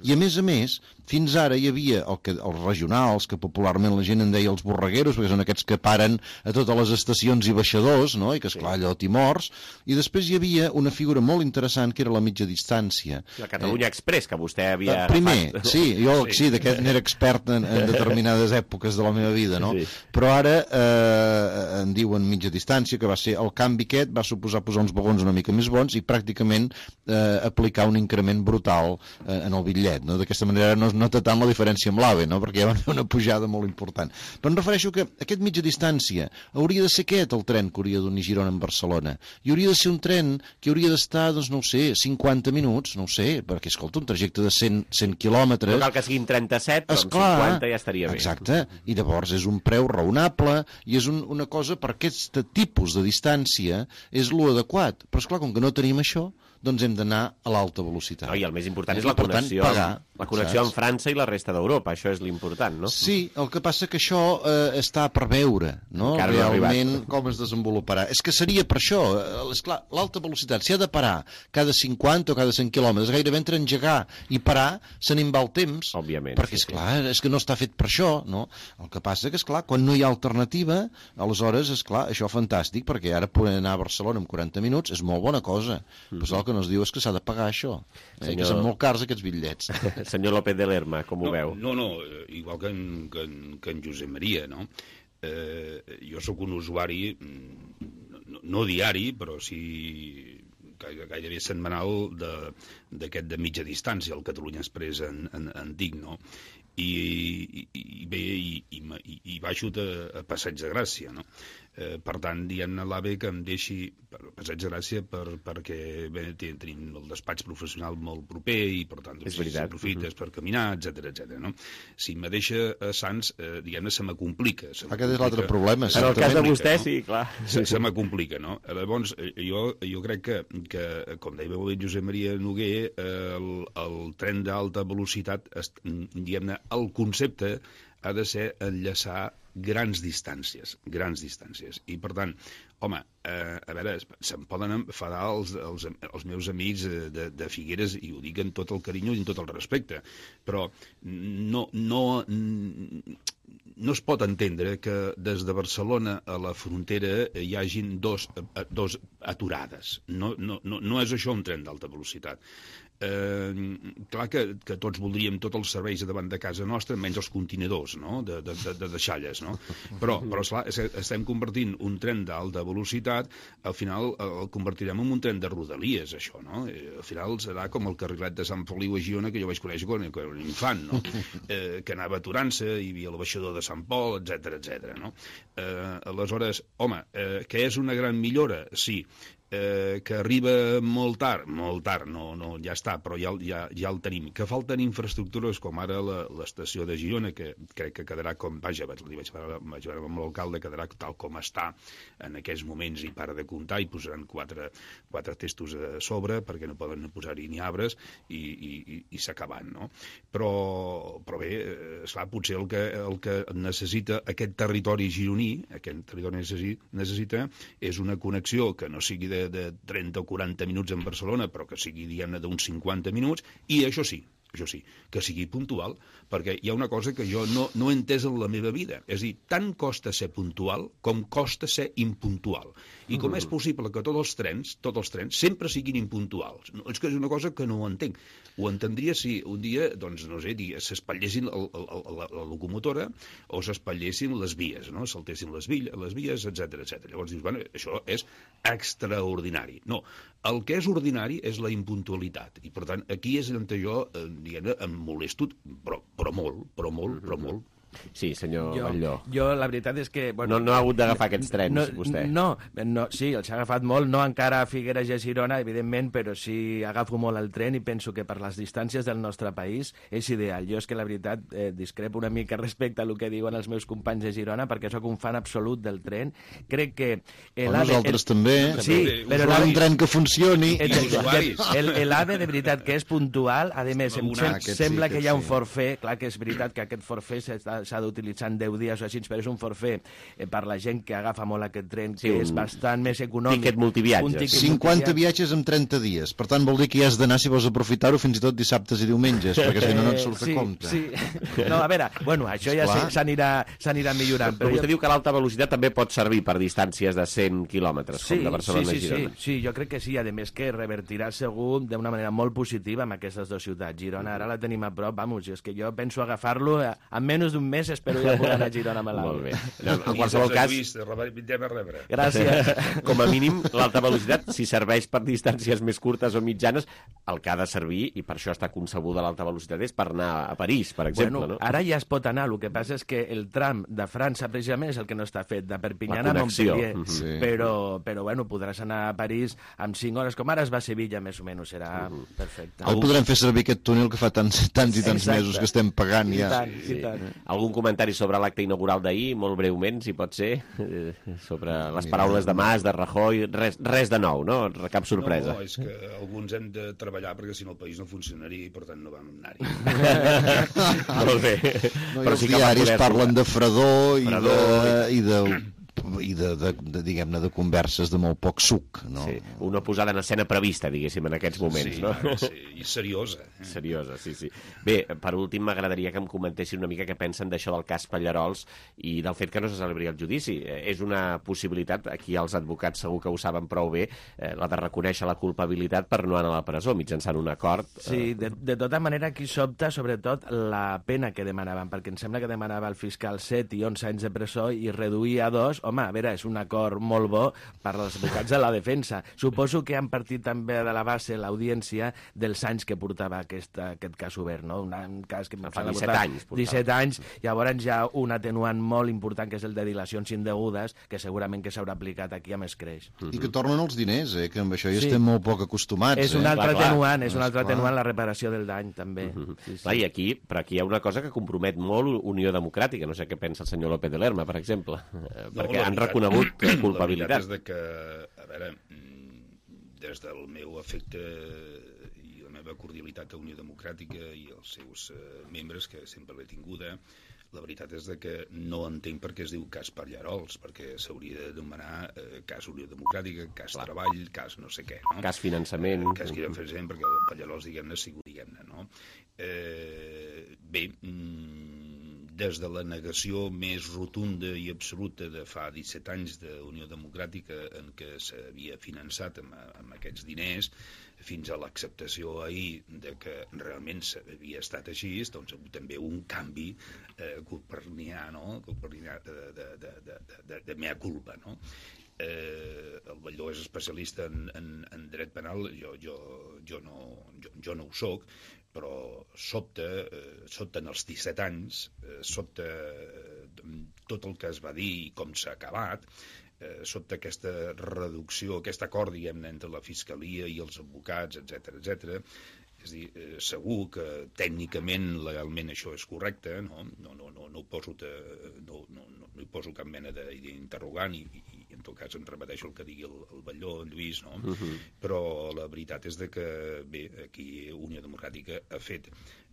I a més a més, fins ara hi havia el que, els regionals, que popularment la gent en deia els borregueros, perquè són aquests que paren a totes les estacions i baixadors, no? I que esclar allò t'hi mors, i després hi havia una figura molt interessant que era la mitja distància. La Catalunya eh, Express, que vostè havia... Primer, agafat. sí, jo sí, sí d'aquest n'era expert en, en determinades èpoques de la meva vida, no? Sí. Però ara eh, en diuen mitja distància, que va ser el canvi aquest, va suposar posar uns vagons una mica més bons i pràcticament eh, aplicar un increment brutal eh, en el bitllet, no? D'aquesta manera no es nota tant la diferència amb l'AVE, no? Perquè ja van fer una pujada molt important. Però em refereixo que aquest mitja distància hauria de ser aquest el tren que hauria d'unir Girona amb Barcelona. I hauria de ser un tren que hauria d'estar, doncs no ho sé, cinquanta minuts, no ho sé, perquè escolta, un trajecte de cent, cent quilòmetres... No cal que siguin trenta-set, però amb cinquanta ja estaria bé. Exacte, i llavors és un preu raonable i és un, una cosa per aquest tipus de distància és lo adequat. Però esclar, com que no tenim això, doncs hem d'anar a l'alta velocitat. No, I el més important és la connexió, pagar, la connexió amb França i la resta d'Europa, això és l'important, no? Sí, el que passa que això eh, està per veure, no? Encara realment no com es desenvoluparà. És que seria per això, esclar, l'alta velocitat, si ha de parar cada cinquanta o cada cent quilòmetres, gairebé entre engegar i parar se n'en va el temps. Òbviament. Perquè, esclar, és que no està fet per això, no? El que passa que, esclar, quan no hi ha alternativa, aleshores, esclar, això fantàstic, perquè ara poder anar a Barcelona en quaranta minuts és molt bona cosa. Mm -hmm. Però el que no es diu és que s'ha de pagar això. Eh? Senyor... Que són molt cars aquests bitllets. Senyor López de Lerma, com ho no, veu? No, no, igual que en, que en, que en Josep Maria, no? Eh, jo sóc un usuari, no, no diari, però sí gairebé setmanal d'aquest de, de mitja distància, el Catalunya Express en, en, en dic, no? I, i, i bé, i, i, i, i baixo a, a Passeig de Gràcia, no? Eh, per tant, diguem-ne a l'A V E que em deixi per Passeig de Gràcia per, perquè bé, tenim el despatx professional molt proper i per tant doncs, aprofites uh -huh. per caminar, etcètera etcètera. No? Si me deixa a Sants, eh, diguem-ne, se me complica. Se Aquest és l'altre problema. En el cas de vostè, no? Sí, clar. Se, se me complica, no? Llavors, jo, jo crec que, que, com deia molt bé Josep Maria Noguer, eh, el, el tren d'alta velocitat, diguem-ne, el concepte ha de ser enllaçar grans distàncies, grans distàncies. I, per tant, home, eh, a veure, se'm poden enfadar els, els, els meus amics de, de Figueres, i ho dic amb tot el carinyo i amb tot el respecte, però no, no, no es pot entendre que des de Barcelona a la frontera hi hagin dos, dos aturades. No, no, no, no és això un tren d'alta velocitat. Eh, clar que, que tots voldríem tots els serveis a davant de casa nostra, menys els contenidors, no? de, de, de, de deixalles, no? Però, però esclar, estem convertint un tren d'alta velocitat, al final el convertirem en un tren de rodalies, això, no? Eh, al final serà com el carrilet de Sant Feliu a Girona, que jo vaig conèixer quan era un infant, no? Eh, que anava aturant-se, hi havia el baixador de Sant Pol, etcètera etcètera, no? Eh, aleshores, home, eh, que és una gran millora? Sí. Eh, que arriba molt tard, molt tard, no, no, ja està, però ja, ja, ja el tenim. Que falten infraestructures com ara l'estació de Girona, que crec que quedarà com, vaja, li vaig veure amb l'alcalde, quedarà tal com està en aquests moments i para de comptar, i posaran quatre, quatre testos a sobre perquè no poden posar-hi ni arbres i, i, i s'acaben, no? Però, però bé, esclar, potser el que, el que necessita aquest territori gironí, aquest territori necessita, necessita és una connexió que no sigui de de trenta o quaranta minuts en Barcelona, però que sigui, diguem-ne, d'uns cinquanta minuts, i això sí, això sí, que sigui puntual, perquè hi ha una cosa que jo no, no he entès en la meva vida, és a dir, tant costa ser puntual com costa ser impuntual. I com és possible que tots els trens, tots els trens, sempre siguin impuntuals? No, és que és una cosa que no ho entenc. Ho entendria si un dia, doncs, no sé, s'espatllessin la locomotora o s'espatllessin les vies, no? Saltessin les, les vies, etcètera etcètera. Llavors dius, bueno, això és extraordinari. No, el que és ordinari és la impuntualitat. I, per tant, aquí és on jo, eh, diguem-ne, em molesto, però, però molt, però molt, però molt. Sí, senyor jo, Batlló. Jo, la veritat és que... Bueno, no, no ha hagut d'agafar aquests trens, no, vostè. No, no, sí, els ha agafat molt, no encara a Figueres i a Girona, evidentment, però sí agafo molt el tren i penso que per les distàncies del nostre país és ideal. Jo és que la veritat eh, discrepo una mica respecte a el que diuen els meus companys de Girona, perquè sóc un fan absolut del tren. Crec que... Nosaltres també, sí, però un tren que funcioni. L'A V E, de veritat, que és puntual, a més, em sembla que hi ha un forfait, clar que és veritat que aquest forfait s'està s'ha d'utilitzar en deu dies o així, però és un forfait eh, per la gent que agafa molt aquest tren, sí, que és bastant més econòmic. Tiquet multiviatges. cinquanta viatges en trenta dies. Per tant, vol dir que hi has d'anar si vols aprofitar-ho fins i tot dissabtes i diumenges, perquè si no no et surt sí, a compte. Sí. No, a veure, bueno, això ja s'anirà millorant. Però, però vostè jo... diu que l'alta velocitat també pot servir per distàncies de cent quilòmetres, sí, com de Barcelona sí, sí, a Girona. Sí, sí, jo crec que sí, a més que revertirà segur d'una manera molt positiva amb aquestes dues ciutats. Girona ara la tenim a prop, vamos, és que jo penso agafar-lo en menys d'un mes, espero ja poder anar a Girona amb l'A V E. Molt bé. No, en qualsevol cas... Gràcies. Com a mínim, l'alta velocitat, si serveix per distàncies més curtes o mitjanes, el que ha de servir, i per això està concebuda l'alta velocitat, és per anar a París, per exemple. Bueno, no? Ara ja es pot anar, el que passa és que el tram de França, precisament, és el que no està fet, de Perpinyana a Montpellier. Sí. Però, però, bueno, podràs anar a París amb cinc hores, com ara es va a Sevilla, més o menys, serà uh -huh. perfecte. El podrem fer servir aquest túnel que fa tants, tants i tants Exacte. mesos que estem pagant ja. I tant, i tant. Algú algun comentari sobre l'acte inaugural d'ahir, molt breument, si pot ser, sobre les paraules de Mas, de Rajoy, res, res de nou, no? Cap sorpresa. No, és que alguns hem de treballar perquè si no el país no funcionaria i per tant no vam anar-hi. Molt bé. No, i els diaris parlen de fredor i de... I de... i de, de, de diguem-ne, de converses de molt poc suc, no? Sí, una posada en escena prevista, diguéssim, en aquests moments, sí, no? Sí, i seriosa. Eh? Seriosa, sí, sí. Bé, per últim, m'agradaria que em comentessin una mica què pensen d'això del cas Pallarols i del fet que no se celebri el judici. És una possibilitat, aquí els advocats segur que ho saben prou bé, eh, la de reconèixer la culpabilitat per no anar a la presó, mitjançant un acord. Sí, de, de tota manera, aquí sobta, sobretot, la pena que demanaven, perquè em sembla que demanava el fiscal set i onze anys de presó i reduir a dos. Home, a veure, és un acord molt bo per als advocats de la defensa. Suposo que han partit també de la base l'audiència dels anys que portava aquest, aquest cas obert, no? Un cas que fa disset anys. disset anys, llavors hi ha un atenuant molt important, que és el de dilacions indegudes, que segurament que s'haurà aplicat aquí amb escreix. I que tornen els diners, eh? Que amb això ja sí. estem molt poc acostumats. És un altre eh? atenuant, és un altre atenuant la reparació del dany, també. Uh -huh. sí, sí. Clar, i aquí, però aquí hi ha una cosa que compromet molt Unió Democràtica, no sé què pensa el senyor López de Lerma, per exemple, no, perquè han reconegut culpabilitat. La veritat és de que, a veure, des del meu afecte i la meva cordialitat a Unió Democràtica i els seus uh, membres, que sempre l'he tinguda, la veritat és de que no entenc per què es diu cas Pallarols, perquè s'hauria de demanar eh, cas Unió Democràtica, cas Clar. Treball, cas no sé què, no? Cas finançament. Eh, cas finançament, perquè el Pallarols, diguem-ne, ha sigut, diguem-ne, no? Eh, bé, des de la negació més rotunda i absoluta de fa disset anys d'Unió Democràtica en què s'havia finançat amb, amb aquests diners, fins a l'acceptació ahir de que realment havia estat així, doncs també un canvi eh, copernià, no? Copernià de, de, de, de, de, de mea culpa, no? Eh, el Batlló és especialista en, en, en dret penal, jo, jo, jo, no, jo, jo no ho soc, però sobta, eh, sobta en els disset anys, eh, sobta eh, tot el que es va dir i com s'ha acabat, eh, sobta aquesta reducció, aquest acord, diguem-ne, entre la Fiscalia i els advocats, etcètera, etcètera. És a dir, eh, segur que tècnicament, legalment, això és correcte, no, no, no, no, no, ho poso te, no, no, no, no hi poso cap mena d'interrogant i, i en tot cas em repeteixo el que digui el, el Batlló, en Lluís, no? Uh-huh. Però la veritat és de que, bé, aquí Unió Democràtica ha fet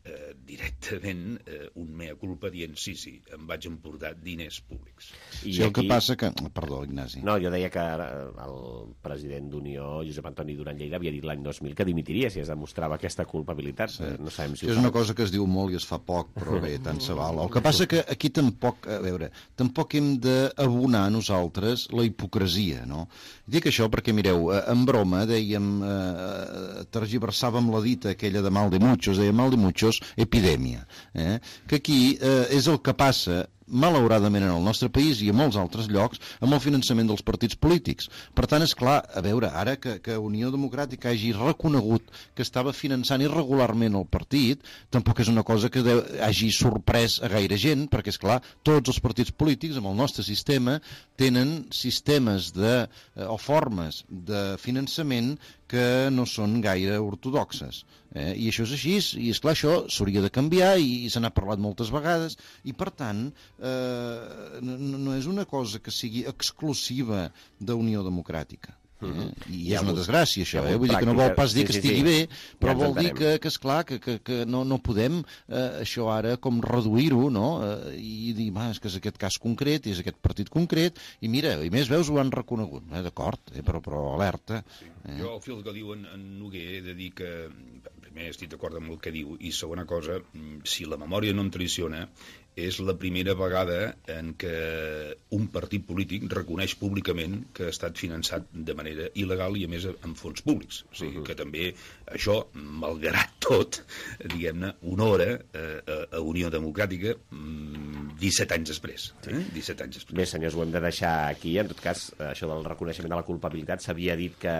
eh, directament eh, un mea culpa dient sí, sí, em vaig emportar diners públics. I sí, el aquí... que passa que... Perdó, Ignasi. No, jo deia que el president d'Unió, Josep Antoni Duran Lleida, havia dit l'any dos mil que dimitiria si es demostrava aquesta culpabilitat. Sí. No sabem si és una cosa que es diu molt i es fa poc, però bé, tant se val. El que passa que aquí tampoc, a veure, tampoc hem d'abonar nosaltres la hipocresia, no? Dic això perquè, mireu, en broma dèiem, eh, tergiversàvem la dita aquella de mal de muchos, deia mal de muchos, epidèmia, eh? Que aquí eh, és el que passa malauradament en el nostre país i a molts altres llocs amb el finançament dels partits polítics. Per tant, és clar, a veure, ara que, que Unió Democràtica hagi reconegut que estava finançant irregularment el partit, tampoc és una cosa que de, hagi sorprès a gaire gent, perquè, és clar, tots els partits polítics amb el nostre sistema tenen sistemes de, o formes de finançament que no són gaire ortodoxes. Eh? I això és així, i és clar, això s'hauria de canviar i, i se n'ha parlat moltes vegades, i per tant eh, no, no és una cosa que sigui exclusiva d'Unió Democràtica. Eh? I és una desgràcia això, eh? Vull dir que no vol pas dir que estigui bé, però vol dir que, que esclar, que, que, que no, no podem eh, això ara com reduir-ho, no? Eh, i dir, ma, és que és aquest cas concret, és aquest partit concret, i mira, i més veus ho han reconegut, eh? D'acord, eh? però, però alerta. Eh? Jo, al fil que diu en, en Noguer, he de dir que, primer, estic d'acord amb el que diu, i segona cosa, si la memòria no em traiciona, és la primera vegada en què un partit polític reconeix públicament que ha estat finançat de manera il·legal i, a més, amb fons públics. O sigui, que també això, malgrat tot, diguem-ne, honora eh, a Unió Democràtica disset anys després. Eh? disset anys després. Bé, senyors, ho hem de deixar aquí. En tot cas, això del reconeixement de la culpabilitat s'havia dit que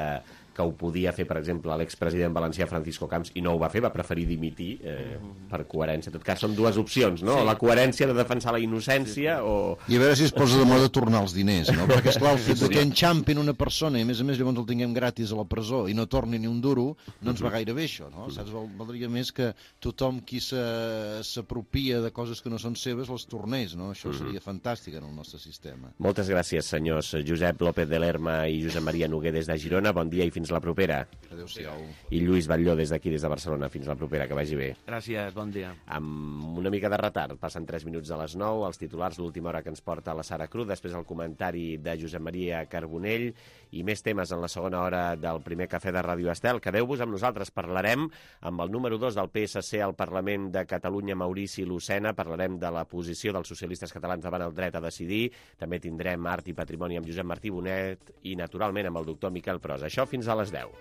que ho podia fer, per exemple, l'expresident valencià Francisco Camps, i no ho va fer, va preferir dimitir eh, per coherència. En tot cas, són dues opcions, no? Sí. La coherència de defensar la innocència sí. o... I a veure si es posa de moda tornar els diners, no? Perquè, esclar, el fet sí. que enxampin una persona i, a més a més, llavors el tinguem gratis a la presó i no torni ni un duro, no ens va gaire bé, això, no? Saps? Valdria més que tothom qui s'apropia de coses que no són seves les tornés, no? Això seria fantàstic en el nostre sistema. Moltes gràcies, senyors Josep López de Lerma i Josep Maria Noguer des de Girona. Bon dia i fins la propera. Adéu-siau. I Lluís Batlló des d'aquí, des de Barcelona. Fins la propera, que vagi bé. Gràcies, bon dia. Amb una mica de retard, passen tres minuts de les nou, els titulars, l'última hora que ens porta la Sara Cruz, després el comentari de Josep Maria Carbonell i més temes en la segona hora del primer cafè de Ràdio Estel. Quedeu-vos amb nosaltres, parlarem amb el número dos del P S C al Parlament de Catalunya, Maurici Lucena, parlarem de la posició dels socialistes catalans davant el dret a decidir, també tindrem art i patrimoni amb Josep Martí Bonet i, naturalment, amb el doctor Miquel Pros. Això fins a les deu.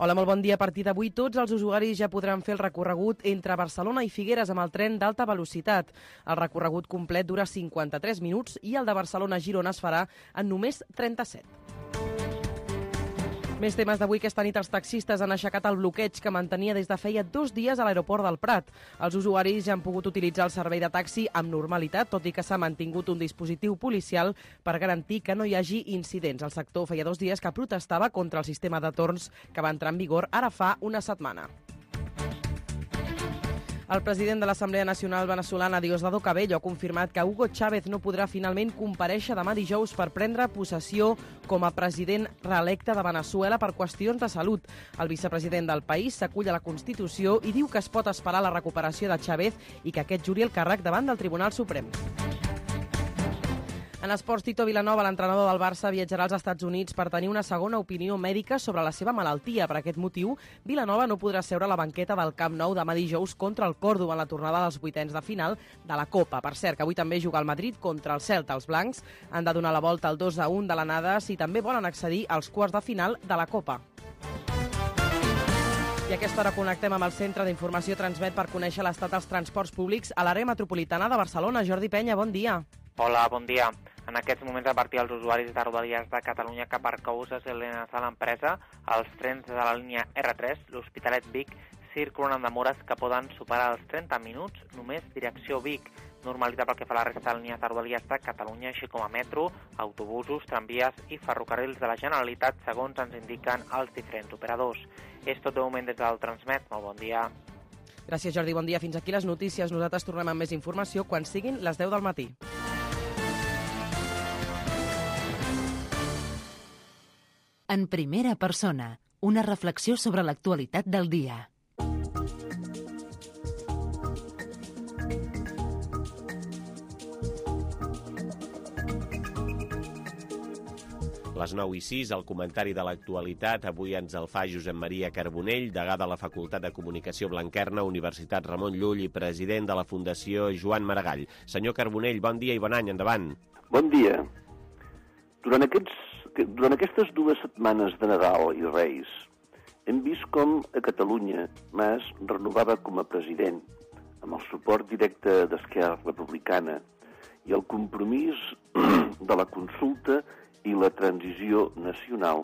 Hola, molt bon dia. A partir d'avui tots els usuaris ja podran fer el recorregut entre Barcelona i Figueres amb el tren d'alta velocitat. El recorregut complet dura cinquanta-tres minuts i el de Barcelona a Girona es farà en només trenta-set. Més temes d'avui. Aquesta nit els taxistes han aixecat el bloqueig que mantenia des de feia dos dies a l'aeroport del Prat. Els usuaris ja han pogut utilitzar el servei de taxi amb normalitat, tot i que s'ha mantingut un dispositiu policial per garantir que no hi hagi incidents. El sector feia dos dies que protestava contra el sistema de torns que va entrar en vigor ara fa una setmana. El president de l'Assemblea Nacional Venezolana, Diosdado Cabello, ha confirmat que Hugo Chávez no podrà finalment comparèixer demà dijous per prendre possessió com a president reelecte de Venezuela per qüestions de salut. El vicepresident del país s'acull a la Constitució i diu que es pot esperar la recuperació de Chávez i que aquest juri el càrrec davant del Tribunal Suprem. En esports, Tito Vilanova, l'entrenador del Barça, viatjarà als Estats Units per tenir una segona opinió mèdica sobre la seva malaltia. Per aquest motiu, Vilanova no podrà seure a la banqueta del Camp Nou demà dijous contra el Còrdova en la tornada dels vuitens de final de la Copa. Per cert, que avui també juga el Madrid contra el Celta. Els blancs han de donar la volta al dos a un de l'anada si també volen accedir als quarts de final de la Copa. I a aquesta hora connectem amb el Centre d'Informació Transmet per conèixer l'estat dels transports públics a l'àrea metropolitana de Barcelona. Jordi Penya, bon dia. Hola, bon dia. En aquests moments, a partir dels usuaris de Rodalies de Catalunya que per causes alienades a l'empresa, els trens de la línia erre tres, l'Hospitalet-Vic, circulen amb demores que poden superar els trenta minuts, només direcció Vic. Normalitat pel que fa a la resta de línies de Rodalies de Catalunya, així com a metro, autobusos, tramvies i ferrocarrils de la Generalitat, segons ens indiquen els diferents operadors. És tot de moment des del Transmet. Molt bon dia. Gràcies, Jordi. Bon dia. Fins aquí les notícies. Nosaltres tornem amb més informació quan siguin les deu del matí. En primera persona, una reflexió sobre l'actualitat del dia. Les nou i sis, el comentari de l'actualitat. Avui ens el fa Josep Maria Carbonell, degà de la Facultat de Comunicació Blanquerna, Universitat Ramon Llull i president de la Fundació Joan Maragall. Senyor Carbonell, bon dia i bon any, endavant. Bon dia. Durant, aquests, durant aquestes dues setmanes de Nadal i Reis hem vist com a Catalunya Mas renovava com a president, amb el suport directe d'Esquerra Republicana i el compromís de la consulta i la transició nacional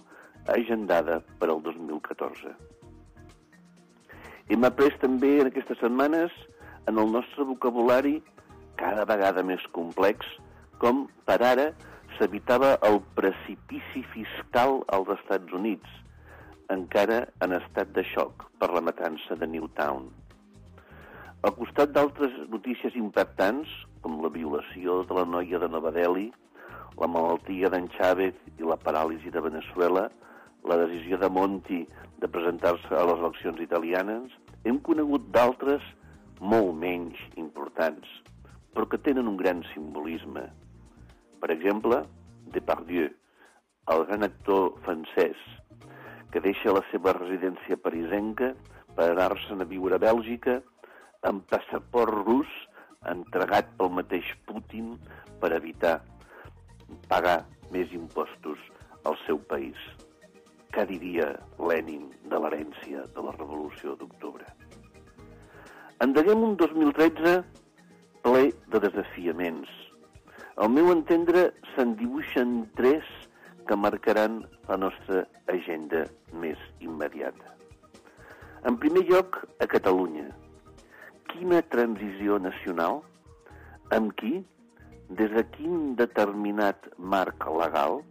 agendada per al dos mil catorze. Hem après també en aquestes setmanes en el nostre vocabulari cada vegada més complex com per ara s'evitava el precipici fiscal als Estats Units, encara en estat de xoc per la matança de Newtown. Al costat d'altres notícies impactants, com la violació de la noia de Nova Delhi, la malaltia d'en Chávez i la paràlisi de Venezuela, la decisió de Monti de presentar-se a les eleccions italianes, hem conegut d'altres molt menys importants, però que tenen un gran simbolisme. Per exemple, Depardieu, el gran actor francès, que deixa la seva residència parisenca per anar-se'n a viure a Bèlgica amb passaport rus entregat pel mateix Putin per evitar pagar més impostos al seu país. què diria Lenin de l'herència de la Revolució d'Octubre. Endeguem un dos mil tretze ple de desafiaments. Al meu entendre, se'n dibuixen tres que marcaran la nostra agenda més immediata. En primer lloc, a Catalunya. Quina transició nacional? Amb qui? Des de quin determinat marc legal?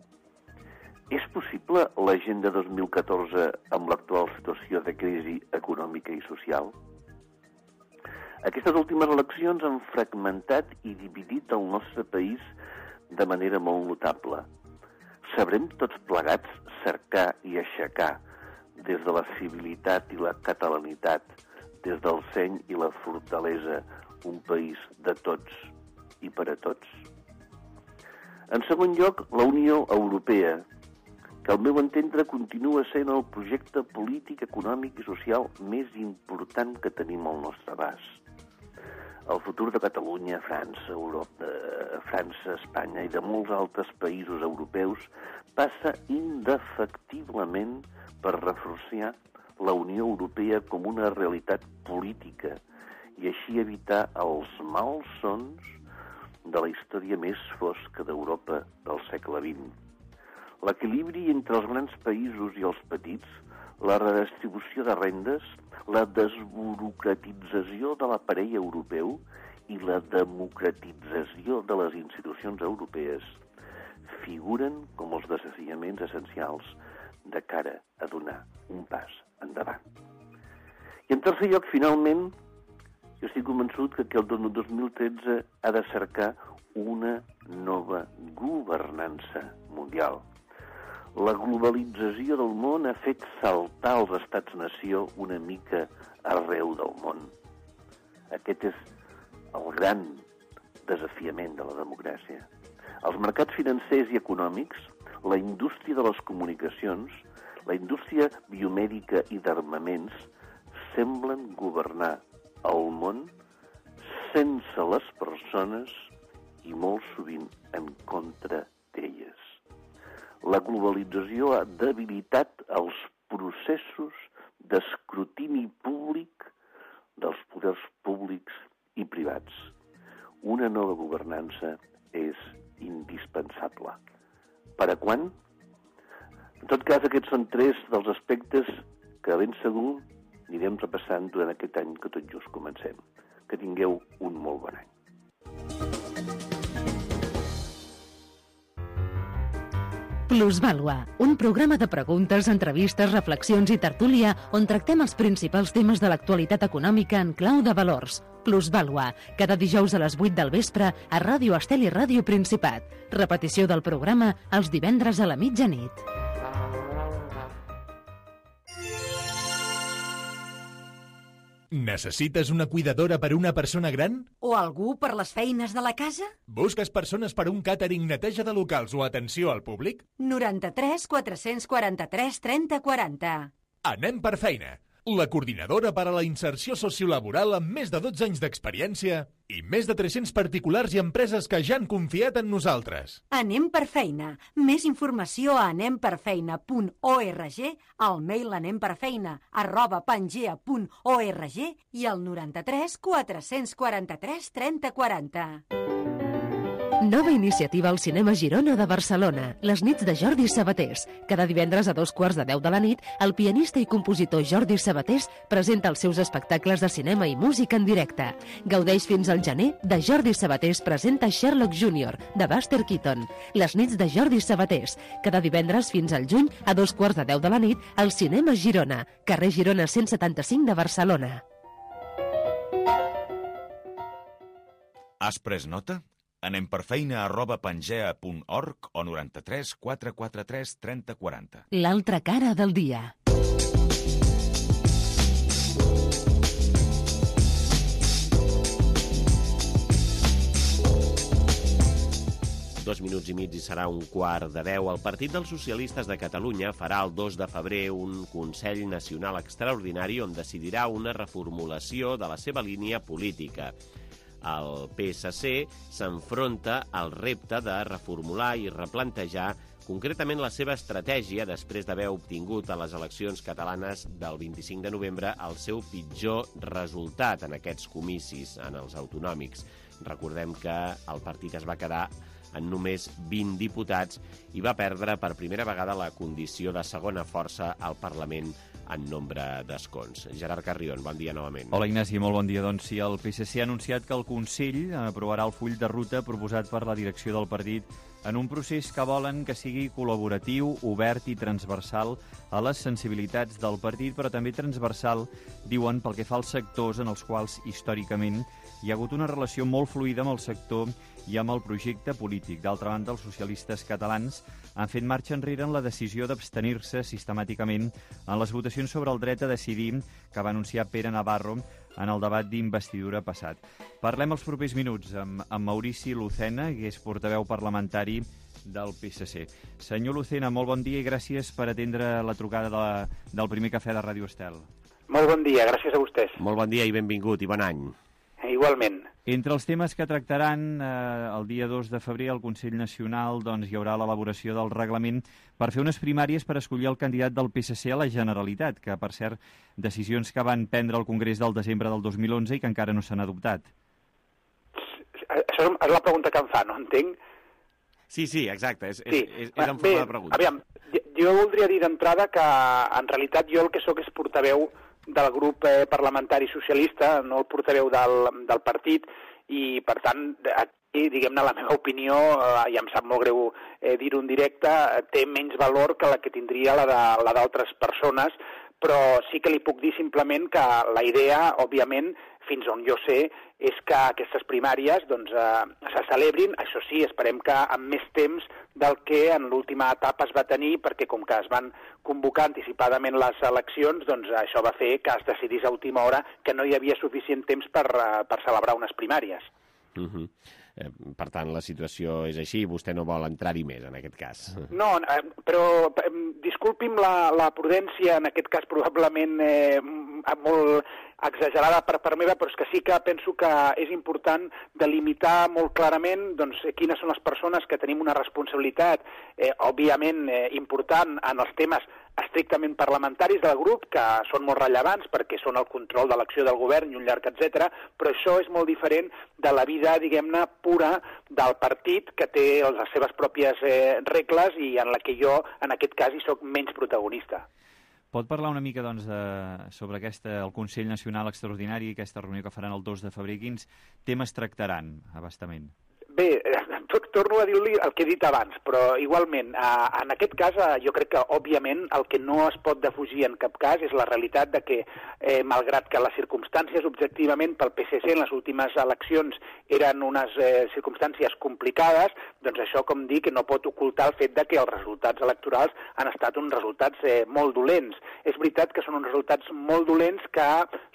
És possible l'agenda dos mil catorze amb l'actual situació de crisi econòmica i social? Aquestes últimes eleccions han fragmentat i dividit el nostre país de manera molt notable. Sabrem tots plegats cercar i aixecar des de la civilitat i la catalanitat, des del seny i la fortalesa, un país de tots i per a tots? En segon lloc, la Unió Europea, que al meu entendre continua sent el projecte polític, econòmic i social més important que tenim al nostre abast. El futur de Catalunya, França, Europa, eh, França, Espanya i de molts altres països europeus passa indefectiblement per reforçar la Unió Europea com una realitat política i així evitar els malsons de la història més fosca d'Europa del segle vint. L'equilibri entre els grans països i els petits, la redistribució de rendes, la desburocratització de l'aparell europeu i la democratització de les institucions europees figuren com els desafiaments essencials de cara a donar un pas endavant. I en tercer lloc, finalment, jo estic convençut que el dos mil tretze ha de cercar una nova governança mundial. La globalització del món ha fet saltar els estats-nació una mica arreu del món. Aquest és el gran desafiament de la democràcia. Els mercats financers i econòmics, la indústria de les comunicacions, la indústria biomèdica i d'armaments semblen governar el món sense les persones i molt sovint en contra d'elles. La globalització ha debilitat els processos d'escrutini públic dels poders públics i privats. Una nova governança és indispensable. Per a quan? En tot cas, aquests són tres dels aspectes que ben segur anirem repassant durant aquest any que tot just comencem. Que tingueu un molt bon any. Plusvàlua, un programa de preguntes, entrevistes, reflexions i tertúlia on tractem els principals temes de l'actualitat econòmica en clau de valors. Plusvàlua, cada dijous a les vuit del vespre a Ràdio Estel i Ràdio Principat. Repetició del programa els divendres a la mitjanit. Necessites una cuidadora per a una persona gran? O algú per les feines de la casa? Busques persones per a un càtering, neteja de locals o atenció al públic? noranta-tres quatre-cents quaranta-tres trenta quaranta. Anem per feina. La coordinadora per a la inserció sociolaboral amb més de dotze anys d'experiència i més de tres-cents particulars i empreses que ja han confiat en nosaltres. Anem per feina. Més informació a anem per feina punt org, al mail anemperfeina arroba pangea punt org i al noranta-tres quatre-cents quaranta-tres trenta quaranta. Nova iniciativa al Cinema Girona de Barcelona, les nits de Jordi Sabatés. Cada divendres a dos quarts de deu de la nit, el pianista i compositor Jordi Sabatés presenta els seus espectacles de cinema i música en directe. Gaudeix fins al gener de Jordi Sabatés presenta Sherlock júnior, de Buster Keaton. Les nits de Jordi Sabatés. Cada divendres fins al juny, a dos quarts de deu de la nit, al Cinema Girona, carrer Girona cent setanta-cinc de Barcelona. Has pres nota? Anem per feina arroba pangea punt org o noranta-tres quatre quaranta-tres trenta quaranta. L'altra cara del dia. Dos minuts i mig i serà un quart de deu. El Partit dels Socialistes de Catalunya farà el dos de febrer un Consell Nacional Extraordinari on decidirà una reformulació de la seva línia política. El P S C s'enfronta al repte de reformular i replantejar concretament la seva estratègia després d'haver obtingut a les eleccions catalanes del vint-i-cinc de novembre el seu pitjor resultat en aquests comicis, en els autonòmics. Recordem que el partit es va quedar en només vint diputats i va perdre per primera vegada la condició de segona força al Parlament en nombre d'escons. Gerard Carrion, bon dia novament. Hola Ignasi, molt bon dia. Doncs sí, el P S C ha anunciat que el Consell aprovarà el full de ruta proposat per la direcció del partit en un procés que volen que sigui col·laboratiu, obert i transversal a les sensibilitats del partit, però també transversal, diuen, pel que fa als sectors en els quals històricament hi ha hagut una relació molt fluida amb el sector i amb el projecte polític. D'altra banda, els socialistes catalans han fet marxa enrere en la decisió d'abstenir-se sistemàticament en les votacions sobre el dret a decidir que va anunciar Pere Navarro en el debat d'investidura passat. Parlem els propers minuts amb, amb Maurici Lucena, que és portaveu parlamentari del P S C. Senyor Lucena, molt bon dia i gràcies per atendre la trucada de la, del primer cafè de Ràdio Estel. Molt bon dia, gràcies a vostès. Molt bon dia i benvingut i bon any. Igualment. Entre els temes que tractaran eh, el dia dos de febrer al Consell Nacional doncs, hi haurà l'elaboració del reglament per fer unes primàries per escollir el candidat del P S C a la Generalitat, que, per cert, decisions que van prendre el Congrés del desembre del dos mil onze i que encara no s'han adoptat. Això és la pregunta que em fa, no entenc? Sí, sí, exacte, és, sí. és, és, és en forma Bé, de pregunta. Aviam, jo voldria dir d'entrada que en realitat jo el que sóc és portaveu del grup eh, parlamentari socialista, no el portaveu del, del partit, i per tant, aquí, diguem-ne, la meva opinió, eh, i em sap molt greu eh, dir-ho en directe, té menys valor que la que tindria la de, la d'altres persones, però sí que li puc dir simplement que la idea, òbviament, fins on jo sé, és que aquestes primàries doncs, eh, se celebrin, això sí, esperem que amb més temps del que en l'última etapa es va tenir, perquè com que es van convocar anticipadament les eleccions, doncs això va fer que es decidís a última hora que no hi havia suficient temps per, per celebrar unes primàries. Uh-huh. Eh, per tant, la situació és així i vostè no vol entrar-hi més, en aquest cas. No, eh, però eh, disculpi'm la, la prudència, en aquest cas probablement eh, molt exagerada per part meva, però és que sí que penso que és important delimitar molt clarament doncs, quines són les persones que tenim una responsabilitat, eh, òbviament eh, important en els temes estrictament parlamentaris del grup, que són molt rellevants perquè són el control de l'acció del govern i un llarg etcètera, però això és molt diferent de la vida, diguem-ne, pura del partit, que té les seves pròpies eh, regles i en la que jo, en aquest cas, hi soc menys protagonista. Pot parlar una mica doncs, de, sobre aquesta, el Consell Nacional Extraordinari, aquesta reunió que faran el dos de febrer, quins temes tractaran abastament? Bé, torno a dir-li el que he dit abans, però igualment, eh, en aquest cas eh, jo crec que, òbviament, el que no es pot defugir en cap cas és la realitat de que, eh, malgrat que les circumstàncies objectivament pel P S C en les últimes eleccions eren unes eh, circumstàncies complicades, doncs això, com dic, no pot ocultar el fet de que els resultats electorals han estat uns resultats eh, molt dolents. És veritat que són uns resultats molt dolents que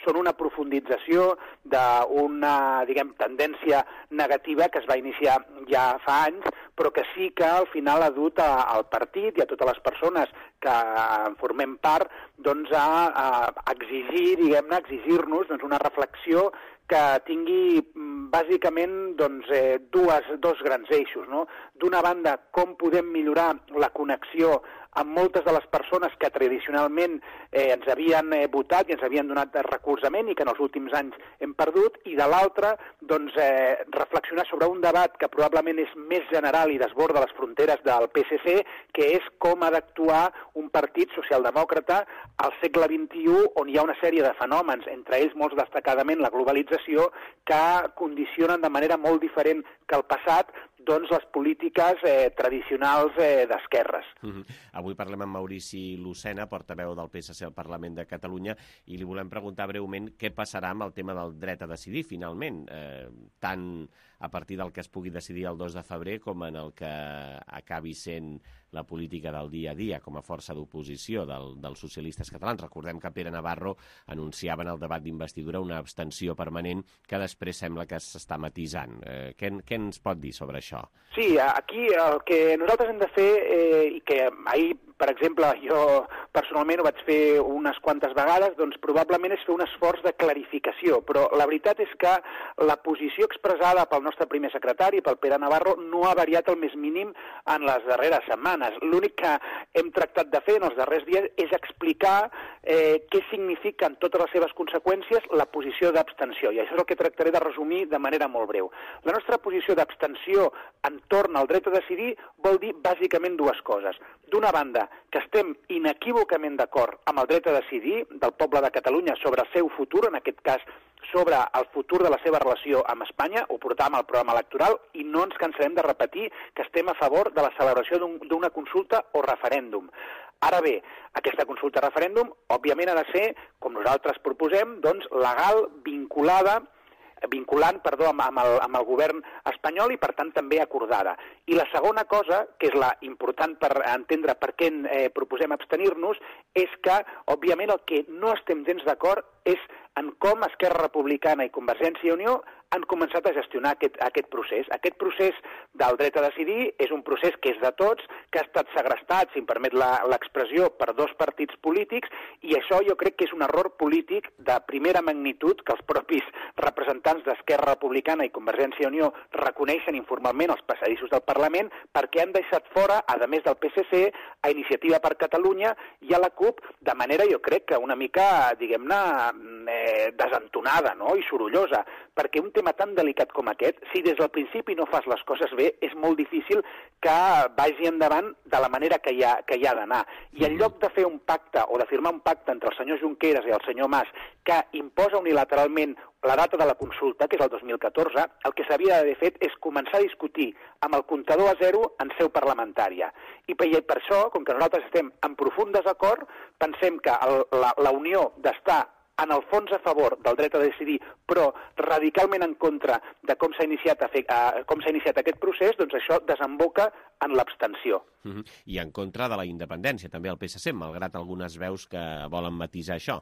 són una profundització d'una, diguem, tendència negativa que es va iniciar ja fa anys, però que sí que al final ha dut a, al partit i a totes les persones que en formem part doncs, a, a exigir, diguem-ne, exigir-nos doncs, una reflexió que tingui bàsicament doncs, eh, dues, dos grans eixos. No? D'una banda, com podem millorar la connexió amb moltes de les persones que tradicionalment eh, ens havien eh, votat i ens havien donat recolzament i que en els últims anys hem perdut, i de l'altra, doncs, eh, reflexionar sobre un debat que probablement és més general i desborda les fronteres del P S C, que és com ha d'actuar un partit socialdemòcrata al segle vint-i-u, on hi ha una sèrie de fenòmens, entre ells molt destacadament la globalització, que condicionen de manera molt diferent que el passat doncs, les polítiques eh, tradicionals eh, d'esquerres. Uh-huh. Avui parlem amb Maurici Lucena, portaveu del P S C al Parlament de Catalunya, i li volem preguntar breument què passarà amb el tema del dret a decidir, finalment, eh, tant a partir del que es pugui decidir el dos de febrer com en el que acabi sent la política del dia a dia com a força d'oposició del, dels socialistes catalans. Recordem que Pere Navarro anunciava en el debat d'investidura una abstenció permanent que després sembla que s'està matisant. Eh, què, què ens pot dir sobre això? Sí, aquí el que nosaltres hem de fer, eh, i que ahir per exemple, jo personalment ho vaig fer unes quantes vegades, doncs probablement és fer un esforç de clarificació, però la veritat és que la posició expressada pel nostre primer secretari, pel Pere Navarro, no ha variat el més mínim en les darreres setmanes. L'únic que hem tractat de fer en els darrers dies és explicar eh, què signifiquen totes les seves conseqüències la posició d'abstenció, i això és el que tractaré de resumir de manera molt breu. La nostra posició d'abstenció entorn al dret a decidir vol dir bàsicament dues coses. D'una banda, que estem inequívocament d'acord amb el dret a decidir del poble de Catalunya sobre el seu futur, en aquest cas sobre el futur de la seva relació amb Espanya, ho portàvem al programa electoral, i no ens cansarem de repetir que estem a favor de la celebració d'una consulta o referèndum. Ara bé, aquesta consulta o referèndum, òbviament, ha de ser, com nosaltres proposem, doncs, legal, vinculada, vinculant, perdó, amb, amb, el, amb el govern espanyol i, per tant, també acordada. I la segona cosa, que és la important per entendre per què eh, proposem abstenir-nos, és que, òbviament, el que no estem gens d'acord és en com Esquerra Republicana i Convergència i Unió han començat a gestionar aquest, aquest procés. Aquest procés del dret a decidir és un procés que és de tots, que ha estat segrestat, si em permet l'expressió, per dos partits polítics, i això jo crec que és un error polític de primera magnitud que els propis representants d'Esquerra Republicana i Convergència i Unió reconeixen informalment als passadissos del Parlament, perquè han deixat fora, a més del P S C, a Iniciativa per Catalunya i a la CUP, de manera, jo crec, que una mica, diguem-ne, eh, desentonada, no?, i sorollosa, perquè un tema tan delicat com aquest, si des del principi no fas les coses bé, és molt difícil que vagi endavant de la manera que hi ha, que hi ha d'anar. I en lloc de fer un pacte o de firmar un pacte entre el senyor Junqueras i el senyor Mas que imposa unilateralment la data de la consulta, que és el dos mil catorze, el que s'havia d'haver fet és començar a discutir amb el comptador a zero en seu parlamentària. I per, per això, com que nosaltres estem en profund desacord, pensem que el, la, la unió d'estar en el fons a favor del dret a decidir, però radicalment en contra de com s'ha iniciat, a fer, a, com s'ha iniciat aquest procés, doncs això desemboca en l'abstenció. Uh-huh. I en contra de la independència, també el P S C, malgrat algunes veus que volen matisar això.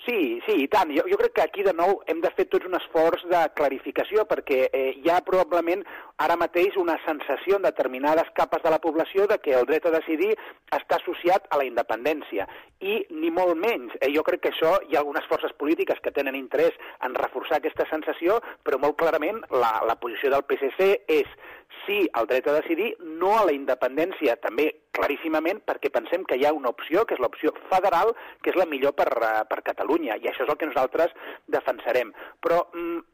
Sí, sí, i tant. Jo, jo crec que aquí, de nou, hem de fer tots un esforç de clarificació, perquè eh, hi ha probablement ara mateix una sensació en determinades capes de la població de que el dret a decidir està associat a la independència. I ni molt menys. Eh, jo crec que això hi ha algunes forces polítiques que tenen interès en reforçar aquesta sensació, però molt clarament la, la posició del P S C és sí al dret a decidir, no a la independència, també claríssimament, perquè pensem que hi ha una opció, que és l'opció federal, que és la millor per, per Catalunya, i això és el que nosaltres defensarem. Però,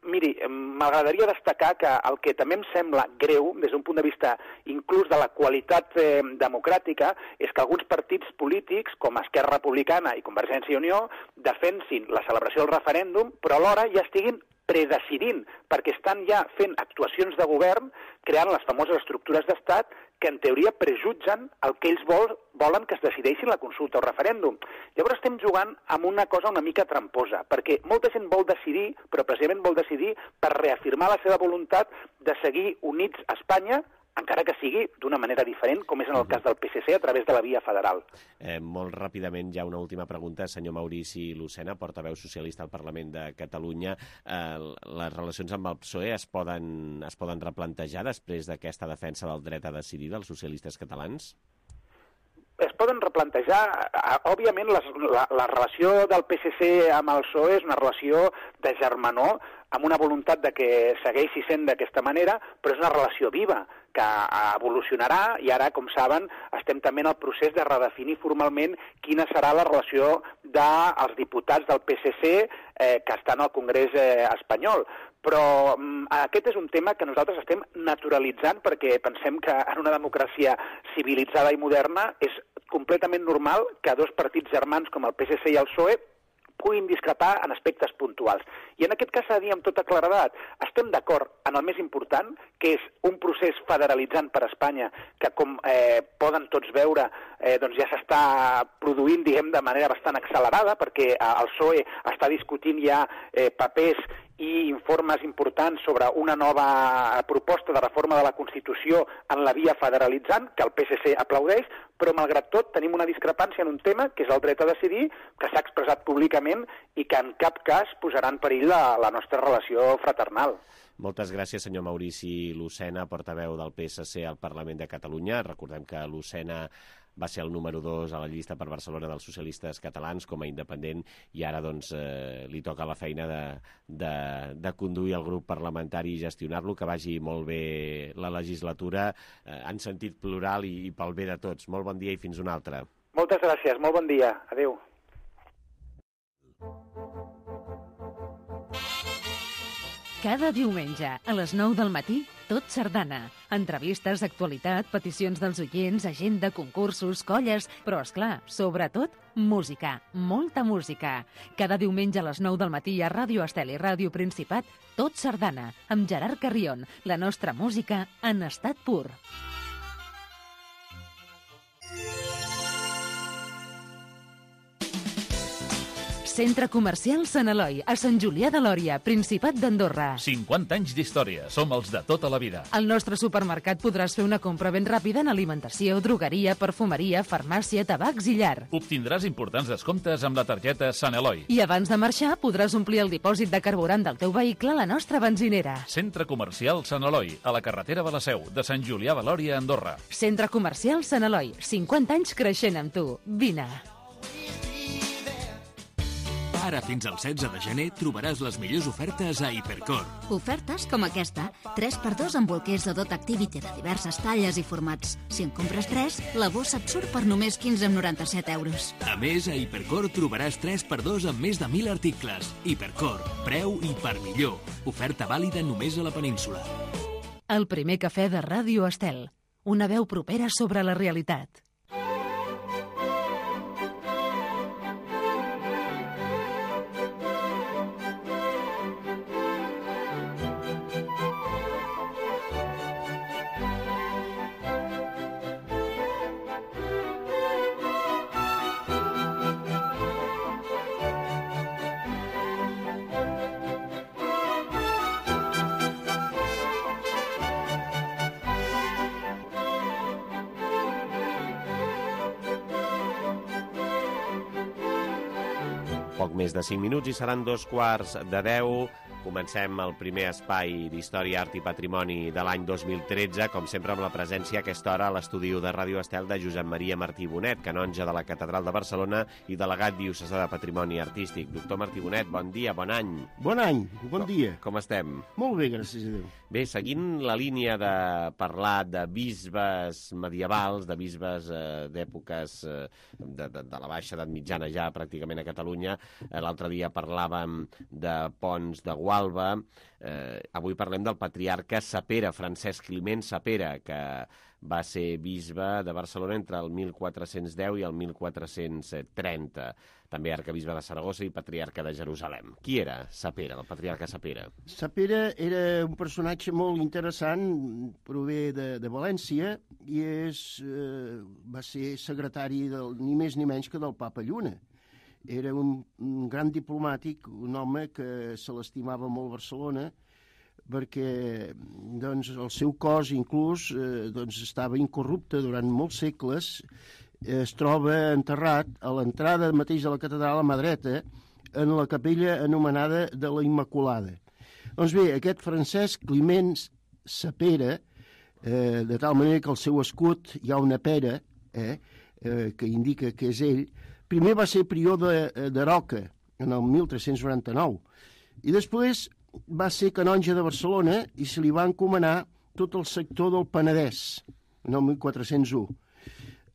miri, m'agradaria destacar que el que també em sembla greu, des d'un punt de vista inclús de la qualitat eh, democràtica, és que alguns partits polítics, com Esquerra Republicana i Convergència i Unió, defensin la celebració del referèndum, però alhora ja estiguin predecidint, perquè estan ja fent actuacions de govern, creant les famoses estructures d'estat, que en teoria prejutgen el que ells vol, volen que es decideixin la consulta o referèndum. Llavors estem jugant amb una cosa una mica tramposa, perquè molta gent vol decidir, però precisament vol decidir per reafirmar la seva voluntat de seguir units a Espanya, encara que sigui d'una manera diferent, com és en el cas del P S C, a través de la via federal. Eh, molt ràpidament, ja una última pregunta. Senyor Maurici Lucena, portaveu socialista al Parlament de Catalunya. Eh, les relacions amb el P S O E es poden, es poden replantejar després d'aquesta defensa del dret a decidir dels socialistes catalans? Es poden replantejar. Òbviament, la, la, la relació del P S C amb el P S O E és una relació de germanor, amb una voluntat de que segueixi sent d'aquesta manera, però és una relació viva, que evolucionarà, i ara, com saben, estem també en el procés de redefinir formalment quina serà la relació dels diputats del P S C eh, que estan al Congrés eh, espanyol. Però mm, aquest és un tema que nosaltres estem naturalitzant, perquè pensem que en una democràcia civilitzada i moderna és completament normal que dos partits germans com el P S C i el P S O E puguin discrepar en aspectes puntuals. I en aquest cas s'ha de dir amb tota claredat, estem d'acord en el més important, que és un procés federalitzant per a Espanya, que com eh, poden tots veure, eh, doncs ja s'està produint, diguem, de manera bastant accelerada, perquè eh, el P S O E està discutint ja eh, papers i informes importants sobre una nova proposta de reforma de la Constitució en la via federalitzant, que el P S C aplaudeix, però malgrat tot tenim una discrepància en un tema, que és el dret a decidir, que s'ha expressat públicament i que en cap cas posarà en perill la, la nostra relació fraternal. Moltes gràcies, senyor Maurici Lucena, portaveu del P S C al Parlament de Catalunya. Recordem que Lucena va ser el número dos a la llista per Barcelona dels socialistes catalans com a independent, i ara doncs, eh, li toca la feina de, de, de conduir el grup parlamentari i gestionar-lo, que vagi molt bé la legislatura eh, en sentit plural i, i pel bé de tots. Molt bon dia i fins una altra. Moltes gràcies, molt bon dia. Adéu. Cada diumenge, a les nou del matí, Tot Sardana. Entrevistes, actualitat, peticions dels oients, agenda, concursos, colles, però, esclar, sobretot, música. Molta música. Cada diumenge a les nou del matí a Ràdio Estel i Ràdio Principat, Tot Sardana, amb Gerard Carrion, la nostra música en estat pur. Centre Comercial Sant Eloi, a Sant Julià de Lòria, Principat d'Andorra. cinquanta anys d'història. Som els de tota la vida. Al nostre supermercat podràs fer una compra ben ràpida en alimentació, drogueria, perfumeria, farmàcia, tabacs i llar. Obtindràs importants descomptes amb la targeta Sant Eloi. I abans de marxar podràs omplir el dipòsit de carburant del teu vehicle a la nostra benzinera. Centre Comercial Sant Eloi, a la carretera de la Seu, de Sant Julià de Lòria, Andorra. Centre Comercial Sant Eloi, cinquanta anys creixent amb tu. Vine. Ara fins al setze de gener trobaràs les millors ofertes a Hipercor. Ofertes com aquesta. tres per dos amb bolquers de Dot Activity de diverses talles i formats. Si en compres tres, la bossa et surt per només quinze coma noranta-set euros. A més, a Hipercor trobaràs tres per dos amb més de mil articles. Hipercor, preu i per millor. Oferta vàlida només a la península. El primer cafè de Ràdio Estel. Una veu propera sobre la realitat. Poc més de cinc minuts i seran dos quarts de deu. Comencem el primer espai d'Història, Art i Patrimoni de l'any dos mil tretze, com sempre amb la presència a aquesta hora a l'estudi de Ràdio Estel de Josep Maria Martí Bonet, canonge de la Catedral de Barcelona i delegat diocesà de Patrimoni Artístic. Doctor Martí Bonet, bon dia, bon any. Bon any, bon dia. Com estem? Molt bé, gràcies a Déu. Bé, seguint la línia de parlar de bisbes medievals, de bisbes eh, d'èpoques eh, de, de, de la baixa edat mitjana ja pràcticament a Catalunya, eh, l'altre dia parlàvem de Pons de Gualba, eh, avui parlem del patriarca Sapera, Francesc Climent Sapera, que va ser bisbe de Barcelona entre el mil quatre-cents deu i el mil quatre-cents trenta. També arcabisbe de Saragossa i patriarca de Jerusalem. Qui era Sapera, el patriarca Sapera? Sapera era un personatge molt interessant, prové de, de València i és, eh, va ser secretari del, ni més ni menys que del Papa Lluna. Era un, un gran diplomàtic, un home que se l'estimava molt Barcelona, perquè doncs, el seu cos inclús eh, doncs, estava incorrupte durant molts segles. Es troba enterrat a l'entrada mateix de la catedral a mà dreta, en la capella anomenada de la Immaculada. Doncs bé, aquest Francesc Climent Sapera, eh, de tal manera que al seu escut hi ha una pera, eh, eh, que indica que és ell, primer va ser prior de, de Roca, en el mil tres-cents noranta-nou, i després va ser canonge de Barcelona i se li va encomanar tot el sector del Penedès, en el mil quatre-cents u.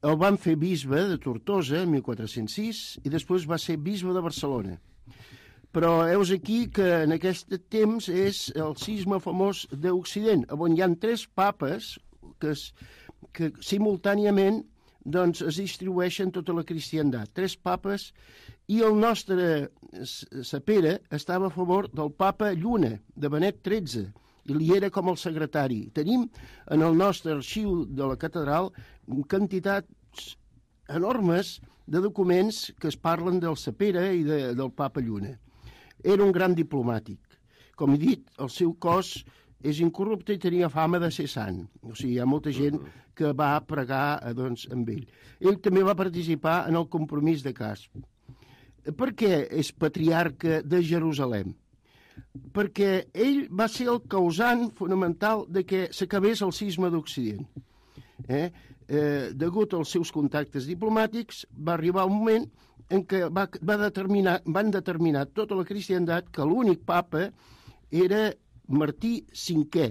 El van fer bisbe de Tortosa, en mil quatre-cents sis, i després va ser bisbe de Barcelona. Però heus aquí que en aquest temps és el cisma famós d'Occident, on hi ha tres papes que, es, que simultàniament doncs, es distribueixen tota la cristiandat. Tres papes, i el nostre Sapera estava a favor del papa Lluna, de Benet tretze, i li era com el secretari. Tenim en el nostre arxiu de la catedral quantitats enormes de documents que es parlen del Sapera i de, del papa Lluna. Era un gran diplomàtic. Com he dit, el seu cos és incorrupte i tenia fama de ser sant. O sigui, hi ha molta gent que va pregar doncs, amb ell. Ell també va participar en el compromís de Casp. Per què és patriarca de Jerusalem? Perquè ell va ser el causant fonamental de que s'acabés el cisma d'Occident. Eh? eh, degut als seus contactes diplomàtics, va arribar un moment en què va, va determinar, van determinar tota la cristiandat que l'únic papa era Martí cinquè.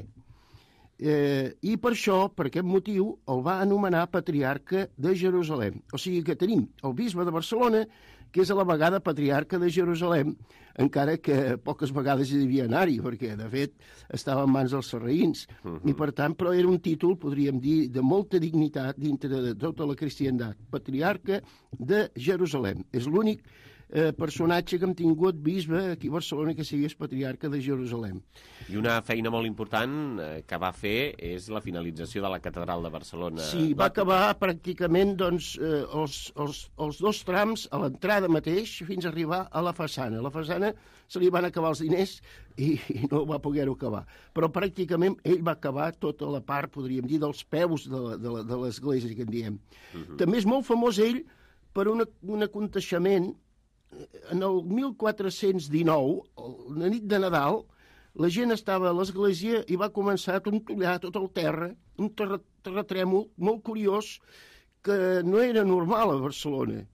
Eh, I per això, per aquest motiu, el va anomenar patriarca de Jerusalem. O sigui que tenim el bisbe de Barcelona, que és a la vegada patriarca de Jerusalem, encara que poques vegades hi devia anar-hi, perquè, de fet, estava en mans dels sarraïns. Uh-huh. I, per tant, però era un títol, podríem dir, de molta dignitat dintre de tota la cristiandat. Patriarca de Jerusalem. És l'únic eh, personatge que hem tingut bisbe aquí a Barcelona que sigués patriarca de Jerusalem. I una feina molt important eh, que va fer és la finalització de la catedral de Barcelona. Sí, va acabar pràcticament doncs, eh, els, els, els dos trams a l'entrada mateix fins a arribar a la façana. A la façana se li van acabar els diners i, i no va poder-ho acabar. Però pràcticament ell va acabar tota la part, podríem dir, dels peus de, la, de, la, de l'església, que en diem. Uh-huh. També és molt famós ell per una, un aconteixement. En el mil quatre-cents dinou, la nit de Nadal, la gent estava a l'església i va començar a tontollar tot el terra, un terra, terratrèmol molt curiós que no era normal a Barcelona,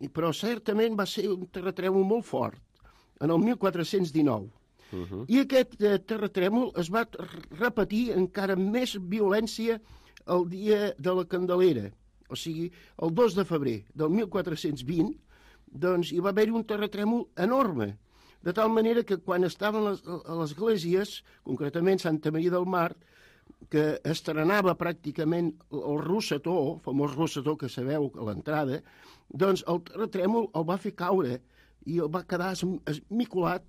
però certament va ser un terratrèmol molt fort, en el mil quatre-cents dinou. Uh-huh. I aquest eh, terratrèmol es va repetir encara amb més violència el dia de la Candelera, o sigui, el dos de febrer del mil quatre-cents vint, doncs hi va haver-hi un terratrèmol enorme, de tal manera que quan estaven les, a les esglésies, concretament Santa Maria del Mar, que estrenava pràcticament el rosetó, el famós rosetó que sabeu a l'entrada, doncs el terratrèmol el va fer caure i el va quedar esmicolat,